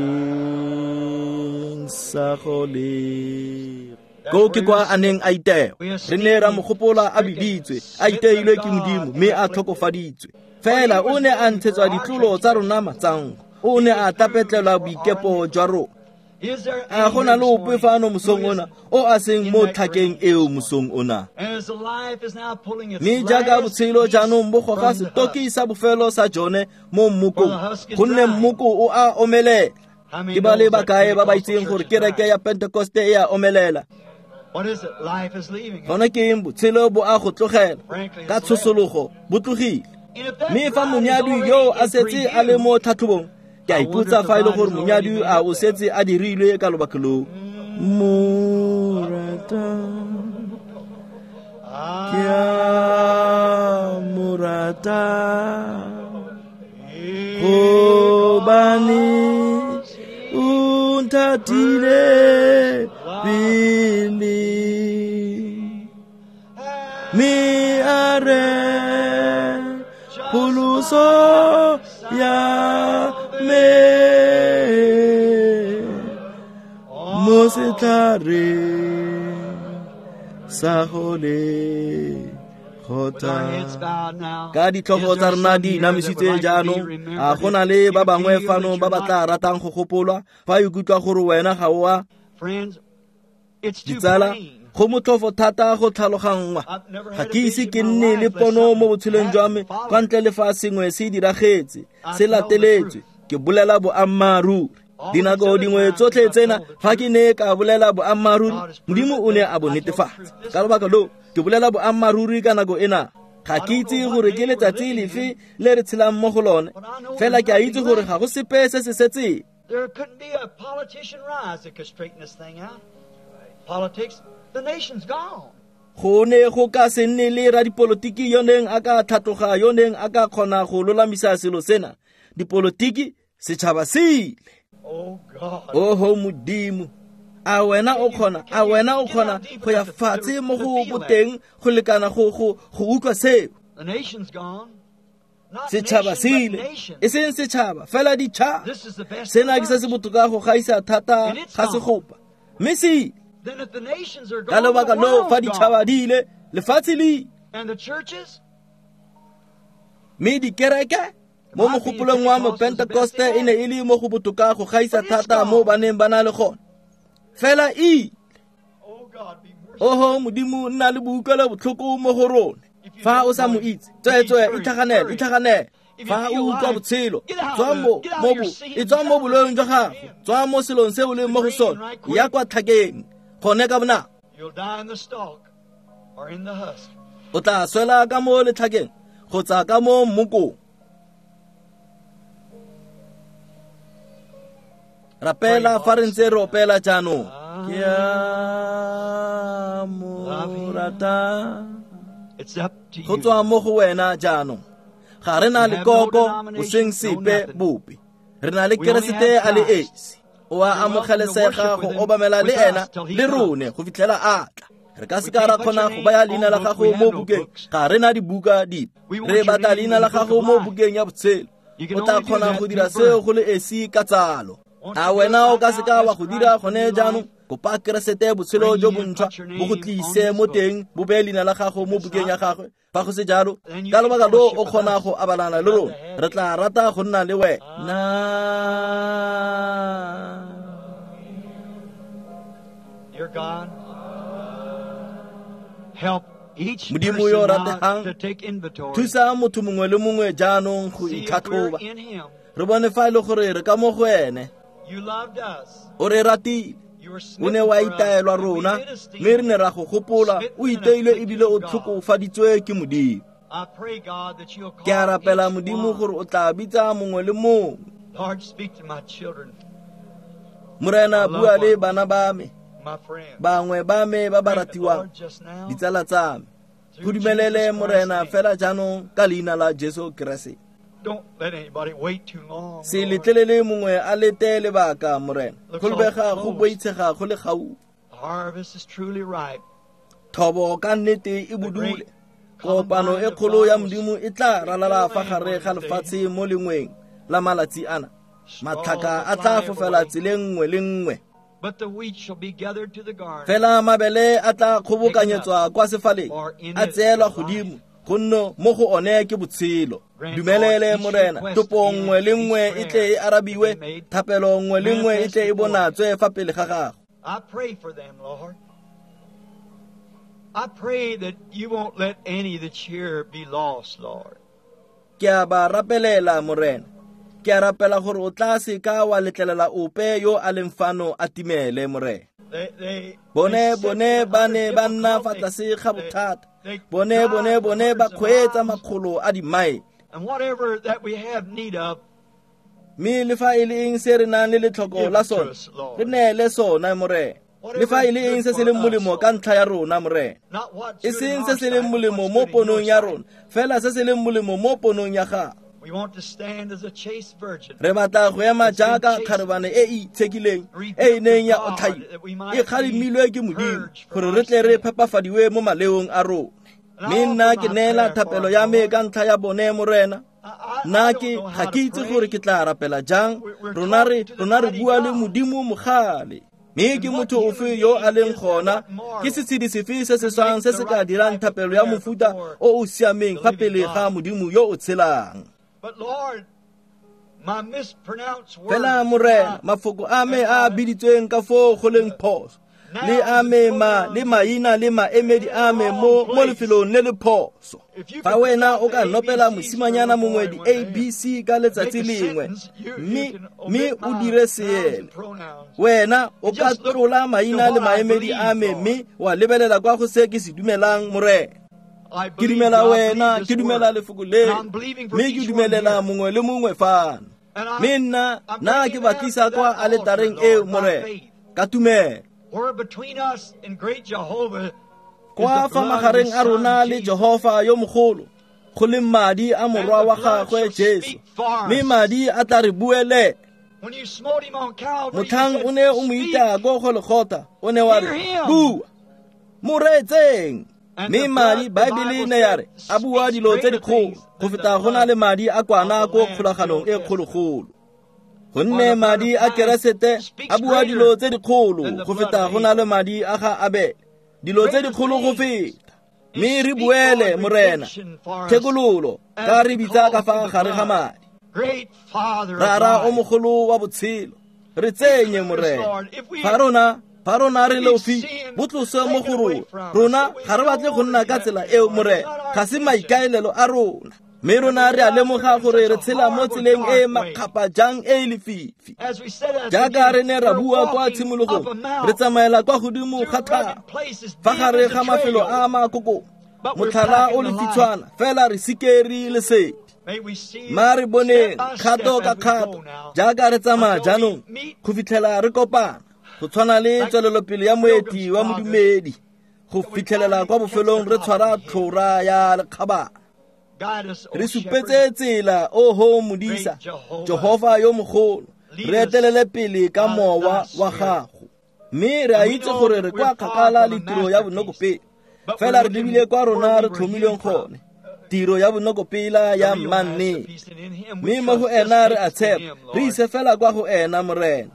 A: sa go le. Ko ke kwa a neng a itewa, re ne ra mo gopola a biditswe, a iteilwe ke Modimo, mme a tlhokofaditswe. Fela o ne a ntshetswa ditlolo tsa rona matsango, o ne a tapetlelwa boikepo jwa rona. A go na le ope fano mosong ona o a seng mo tlhakeng eo mosong ona? Mme jaaka botshelo jaanong bo goga setoki sa bofelo sa jone mo mmokong, gonne mmoko o a omelela. Ke ba le bakae ba ba itseng gore kereke ya Pentekoste e a omelela? Gone ke eng? Botshelo bo a go tlogela ka tshosologo, bo tlogile. Mme fa monyadi yo a setse a le mo tlhatlhobong, ke a ipotsa fa e le gore monyadi a o setse a dirilwe ka lobaka loo. Morata, ke a mo rata, gobane o nthatile pele, mme a re pholoso ya me mo setlhareng sa go le kgotha. Ka ditlhogo tsa rona di inamisitswe jaanong, a go na le ba bangwe fano ba ba tla ratang go gopolwa fa ikutlwa gore wena ga o a? Ditsala, go motlhofo thata go tlhaloganngwa. Ga ke ise ke nne le pono mo botshelong jwa me kwa ntle le fa sengwe se diragetse, se lateletswe. Ke bolela boammaaruri. Dinako dingwe tsotlhe tsena fa ke ne ka bolela boammaaruri, Modimo o ne a bo netefatsa. Ka lobaka loo, ke bolela boammaaruri ka nako ena. Ga ke itse gore ke letsatsi lefe le re tshelang mo go lone, fela ke a itse gore ga go sepe se se setseng.
B: There couldn't be a politician rise that could straighten this thing out. Politics, the nation's gone.
A: Go ne go ka se nne le radipolotiki yo neng a ka tlhatloga yo neng a ka kgona go lolamisa selo sena. Dipolotiki, setšhaba se ile.
B: Oh God.
A: Oho Modimo, a wena o kgona, a wena o kgona go ya fatshe mo go boteng go lekana go utlwa seo.
B: The nation's gone. Not
A: Setšhaba se
B: nation, but
A: ile,
B: nations.
A: e seng setšhaba, fela ditšhaba.
B: This is the best
A: Sena ke se se
B: of the bunch.
A: botoka go gaisa thata ga segopa, mme se ile.
B: Then if the nations are
A: Ka
B: gone, the
A: lebaka leo fa
B: world's gone.
A: ditšhaba di ile, lefatshe le ile.
B: And the churches?
A: Mme dikereke mo mogopolong wa mopentekoste e ne e le mo go botoka go gaisa thata mo ba neng ba na le gone, fela e ile.
B: Oh God, be merciful.
A: Oho Modimo, nna le boutlwelo botlhoko mo go rona. Fa o sa mo itse, tsweetswe itlhaganele, itlhaganele. Fa o utlwa botshelo, tswa mo boloeng jwa gago, tswa mo selong se o leng mo go sone, ya kwa tlhakeng gone ka bonako.
B: You'll die in the stalk or in the husk.
A: O tla swela ka mo letlhakeng kgotsa ka mo mmokong. Rapela fa re ntse re opela jaanong. Ke a mo rata.
B: It's up to
A: Go
B: you.
A: tswa mo go wena jaanong. Ga re na lekoko, bosweng sepe bope. Re na le Keresete a le esi. O a amogelesega go obamela le ena le rone go fitlhela a tla. Re ka seka ra kgona go baya leina la gago mo bukeng, ga re na dibuka dipe. Re batla leina la gago mo bukeng ya botshelo. O tla kgona go dira seo go le esi ka tsalo. A wena o ka seka wa go dira gone jaanong? Kopa Keresete botshelo jo bontšhwa bo go tlise mo teng, bo beye leina la gago mo bukeng ya gagwe. Fa go se jalo, ka lobaka lo o kgona go abalana le rona. Re tla rata go nna le wena.
B: Dear God, help each
A: Modimo yo
B: person now
A: rategang,
B: to take inventory.
A: Thusa motho mongwe le mongwe jaanong go
B: See if we're
A: itlhatlhoba.
B: in Him.
A: Re bone fa e le gore re ka mo go ene.
B: You loved us.
A: O re ratile.
B: You were
A: O
B: smitten
A: ne wa
B: for us,
A: itaelwa
B: and we
A: rona,
B: did esteem
A: mme re ne ra go gopola. O iteilwe ebile o tlhokofaditswe ke Modimo.
B: I pray, God, that you'll
A: Ke a
B: call
A: rapela
B: each
A: Modimo
B: one.
A: gore o tla bitsa mongwe le mongwe.
B: Lord, speak to my children,
A: Morena, bua le bana ba me,
B: my friends.
A: bangwe ba me ba ba
B: Grant it,
A: ratiwang,
B: Lord, just now,
A: ditsala tsa me.
B: through
A: Go dumelele
B: Jesus Christ's
A: Morena
B: name.
A: fela jaanong ka leina la Jesu Keresete.
B: Don't let anybody wait too long.
A: Se
B: Lord.
A: letlelele mongwe a lete lebaka, Morena.
B: Looks
A: Go lebega
B: awful
A: go
B: close.
A: boitshega go le gaufi.
B: The harvest is truly ripe.
A: Thobo ka nnete e bodule. Kopano e kgolo ya Modimo e tla ralala fa gare ga lefatshe mo lengweng la malatsi ana. Matlhaka a tla fofela tseleng nngwe le nngwe.
B: But the wheat shall be gathered to the garner.
A: Fela mabele a tla kgobokanyetswa kwa sefaleng, a tseelwa godimo, gonne mo go one ke botshelo. Dumelele Morena, topo nngwe le nngwe e tle e arabiwe, thapelo nngwe le nngwe e tle e bonatswe fa pele ga gago.
B: I pray for them, Lord. I pray that you won't let any that's here be lost, Lord.
A: Ke a ba rapelela, Morena. Ke a rapela gore o tla seka wa letlelela ope yo a leng fano a timele, Morena.
B: They
A: Bone
B: they sit
A: bone
B: under
A: ba ne ba nna fa
B: difficulty.
A: tlase ga bothata.
B: They
A: Bone
B: drive
A: bone bone ba
B: hundreds of
A: kgweetsa
B: miles.
A: makgolo a dimaele.
B: And whatever that we have need of,
A: Mme le fa e le eng se re nang le letlhoko
B: Give
A: la
B: it to
A: sone,
B: us, Lord.
A: re neele sona, Morena. Le fa e le eng se se leng molemo ka ntlha ya rona, Morena.
B: not what's
A: E
B: good in
A: seng
B: our
A: se se leng
B: sight, but
A: molemo
B: what's
A: mo
B: good in your
A: ponong ya
B: sight.
A: rona, fela se se leng molemo mo ponong ya gago.
B: We want to stand as a chaste virgin.
A: Re batla go ema jaaka kgarebane e e itshekileng, e e neng ya otlhaiwa, e kgalemilwe ke Modimo, gore re tle re phepafadiwe mo maleong a rona. Mme nna ke neela thapelo ya me ka ntlha ya bone, Morena. Nna ke ga ke itse gore ke tla rapela jang. Rona re bua le Modimo mogale. Mme ke motho ofe yo a leng gona? Ke setshedi sefe se se swang se se ka dirang thapelo ya mofuta o o siameng fa pele ga Modimo yo o tshelang?
B: But Lord, my mispronounced words,
A: Fela Morena, mafoko a me a a biditsweng ka foo go leng phoso, le a me ma le maina le maemedi a me mo lefelong le le phoso. Fa wena o ka nopela mosimanyana mongwe di-ABC ka letsatsi lengwe, mme o dire seele, wena o ka tlola maina le maemedi a me mme wa lebelela kwa go se ke se dumelang, Morena. Ke dumela wena, ke dumela lefoko le, mme ke dumelela mongwe le mongwe fano. Mme nna ke ba tlisa kwa aletareng eo, Morena, ka tumelo. Kwa fa magareng a rona le Jehofa yo mogolo, go le madi a morwa wa gagwe Jesu, mme madi a tla re buelela. Motlhang o ne o mo itaya ko Golgotha, o ne wa re, bua, mo reetseng. Mme madi, Baebele ne ya re, a bua dilo tse dikgolo go feta go na le madi a kwana ko kgolaganong e kgologolo. Gonne madi a Keresete a bua dilo tse dikgolo go feta go na le madi a ga Abele, dilo tse dikgolo go feta. Mme re buele, Morena, thekololo ka re bitsa ka fa gare ga madi. Rara o mogolo wa botshelo, re tsenye, Morena. Fa rona re leofi, bo tlose mo go rona. Rona ga re batle go nna ka tsela eo, Morena, ga se maikaelelo a rona. Mme rona re a lemoga gore re tshela mo tseleng e makgapa jang e lefifi. Jaaka re ne ra bua kwa tshimologong, re tsamaela kwa godimo ga thaba, fa gare ga mafelo a makoko, motlhala o lefitshwana, fela re sikere lesedi. Ma re boneng kgato ka kgato jaaka re tsamaya jaanong go fitlhela re kopana, go tshwana le tswelelopele ya moeti wa modumedi, go fitlhelela kwa bofelong re tshwara tlhora ya lekgabana. Re supetse tsela, oho modisa, Jehofa yo mogolo, re etelele pele ka mowa wa gago. Mme re a itse gore re kwa kgakala le tiro ya bonokopele, fela re lebile kwa rona re tlhomilweng gone, tiro ya bonokopela ya mannete. Mme mo go ena re a tshepa, re ise fela kwa go ena, Morena.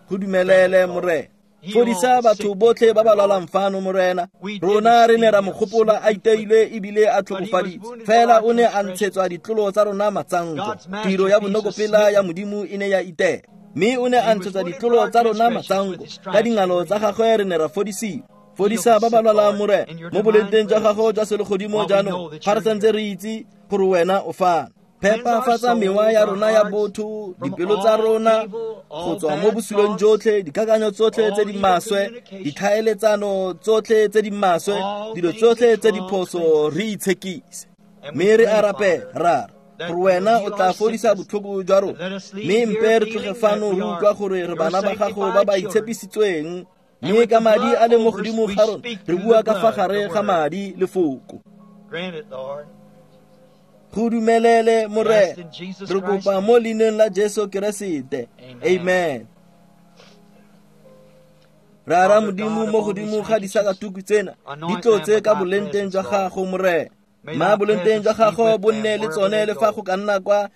A: Go dumelele, Morena. Fodisa batho botlhe ba ba lwalang fano, Morena. Rona re ne ra mo gopola a iteilwe ebile a tlhokofaditswe, fela o ne a ntshetswa ditlolo tsa rona matsanko. Tiro ya bonokopela ya Modimo e ne ya itela, mme o ne a ntshetswa ditlolo tsa rona matsanko. Ka dingalo tsa gagwe re ne ra fodisiwa. Fodisa ba ba lwalang, Morena, mo bolenteng jwa gago jwa selegodimo jaanong, fa re santse re itse gore wena o fano. Phepafatsa mewa ya rona ya botho, dipelo tsa rona, go tswa mo bosulong jotlhe, dikakanyo tsotlhe tse di maswe, ditlhaeletsano tsotlhe tse di maswe, dilo tsotlhe tse di phoso, re itshekise. Mme re a rapela, Rara, gore wena o tla fodisa botlhoko jwa rona. Mme mpe re tloge fano re utlwa gore re bana ba gago ba ba itshepisitsweng, mme ka madi a le mo godimo ga rona, re bua ka fa gare ga madi lefoko. Go dumelele, Morena, re kopa mo leineng la Jesu Keresete. Amen. Rara Modimo, mo godimo ga disakatuku tsena, di tlotse ka bolenteng jwa gago, Morena. Ma bolenteng jwa gago bo nne le tsone le fa go ka nna kwa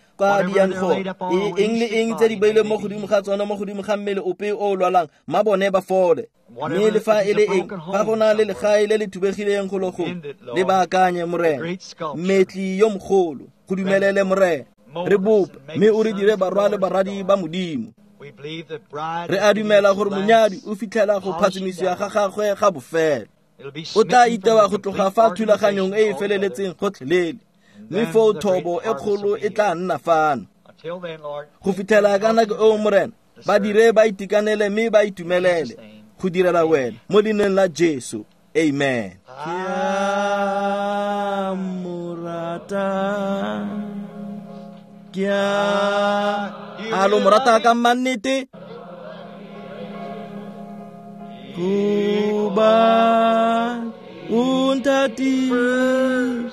A: di yang gone. Eng le eng tse di beilweng mo godimo ga tsone, mo godimo ga mmele ope o o lwalang, ma bone ba fole. Mme le fa e le eng, fa go na le legae le le thubegileng go lo gongwe, le baakanye, Morena. Mmetli yo mogolo, go dumelele, Morena. Re bope, mme o re dire barwa le baradi ba Modimo. Re a dumela gore monyadi o fitlhela go phatsimisiwa ga gagwe ga bofelo. O tla itewa go tloga fa thulaganyong e e feleletseng gotlhelele, mme foo thobo e kgolo e tla nna fano. Go fitlhela ka nako eo, Morena, ba dire ba itekanele mme ba itumelele go direla wena, mo leineng la Jesu. Amen.
C: Ke a mo rata, ke
A: a lo mo rata ka mannete.
C: Kuba o nthatile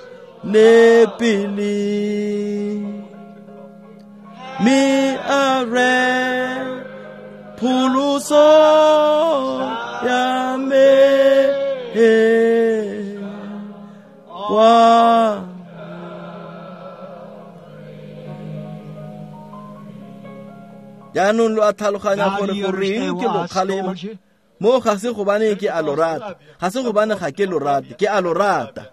C: pele, mme a re pholoso ya me kwa.
A: Jaanong lo a tlhaloganya gore goreng ke lo kgalema. Mo ga se gobane ke a lo rata, ga se gobane ga ke lo rate, ke a lo rata.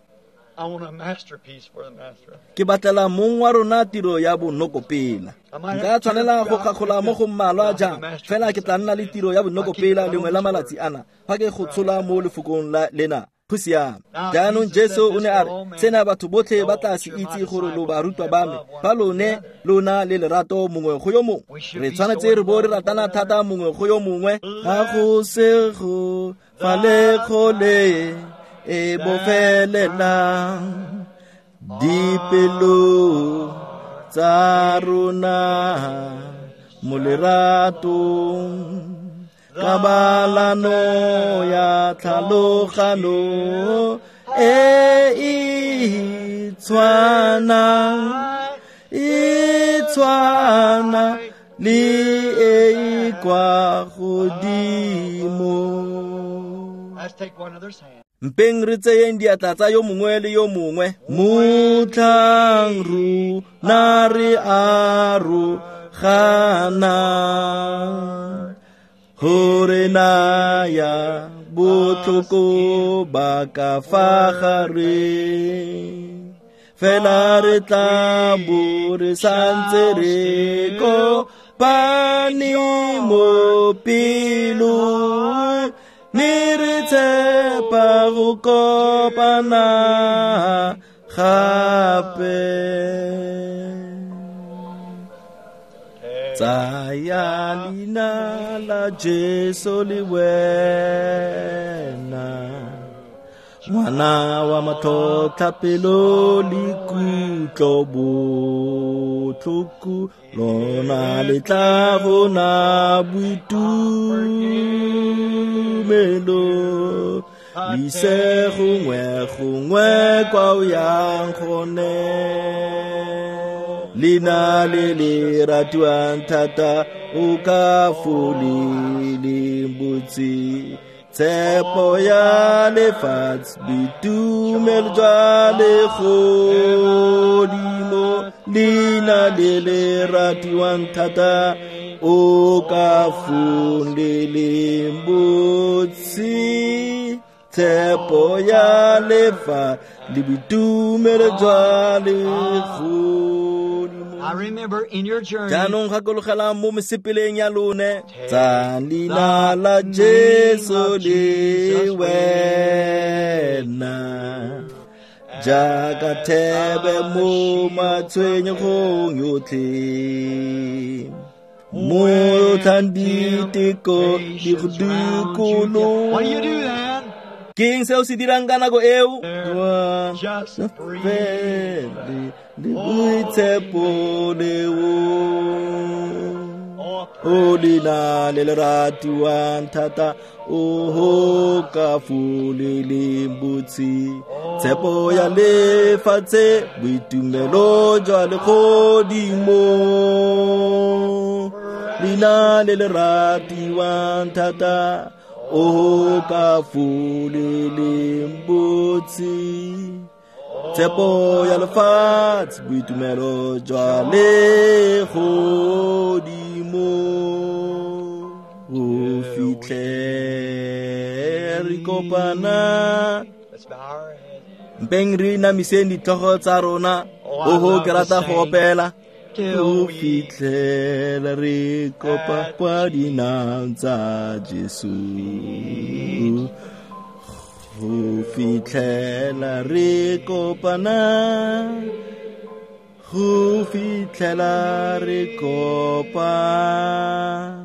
A: Ke batlela mong wa rona tiro ya bonokopela. Nka tshwanela go kgagola mo go mmalwa jang, fela ke tla nna le tiro ya bonokopela lengwe la malatsi ana, fa ke go tshola mo lefokong la lena. Go siame. Jaanong Jesu o ne a re, sena batho botlhe ba tla se itse gore lo barutwa ba me, fa lone lona le lerato mongwe go yo mongwe. Re tshwanetse re bo re ratana thata mongwe go yo mongwe.
C: Ga go se go fa le kgole
A: e bofelelang dipelo tsa rona mo leratong kabalano ya tlhalogano e e tshwanang e tshwana le e e kwa godimo. Mpeng re tseyeng diatla tsa yo mongwe le yo mongwe. Motlhang rona re aroganang gore naya botlhoko ba ka fa gare, fela re tla bo re santse re kopane mo pelong, mme re tshepa go kopana gape. Tsaya leina la Jesu le wena, ngwana wa matlhotlhapelo le kutlo botlhoko, lona le tla bona boitumelo, le ise gongwe gongwe kwa o yang gone. Leina le le ratiwang thata o ka folileng botse, tshepo ya lefatshe, boitumelo jwa legodimo. Leina le le ratiwang thata o ka folileng botse, tshepo ya lefatshe le boitumelo jwa legodimo. Jaanong gakologelang mo mesepeleng ya lone, tsa leina la Jesu le wena, jaaka thebe mo matshwenyegong yotlhe, motlhang diteko di go dikologa. Ke eng seo se dirang ka nako eo? Le boitshepo leo, o leina le le ratiwang thata, o ho ka foleleng botse, tshepo ya lefatshe, boitumelo jwa legodimo. Leina le le ratiwang thata, o ka foleleng botse, tshepo ya lefatshe, boitumelo jwa legodimo. Go fitlhe re kopana. Mpeng re inamiseng ditlhogo tsa rona. Oho, ke rata go opela. Go fitlhela re kopa kwa dinaong tsa Jesu, go fitlhela re kopana, go fitlhela re kopana.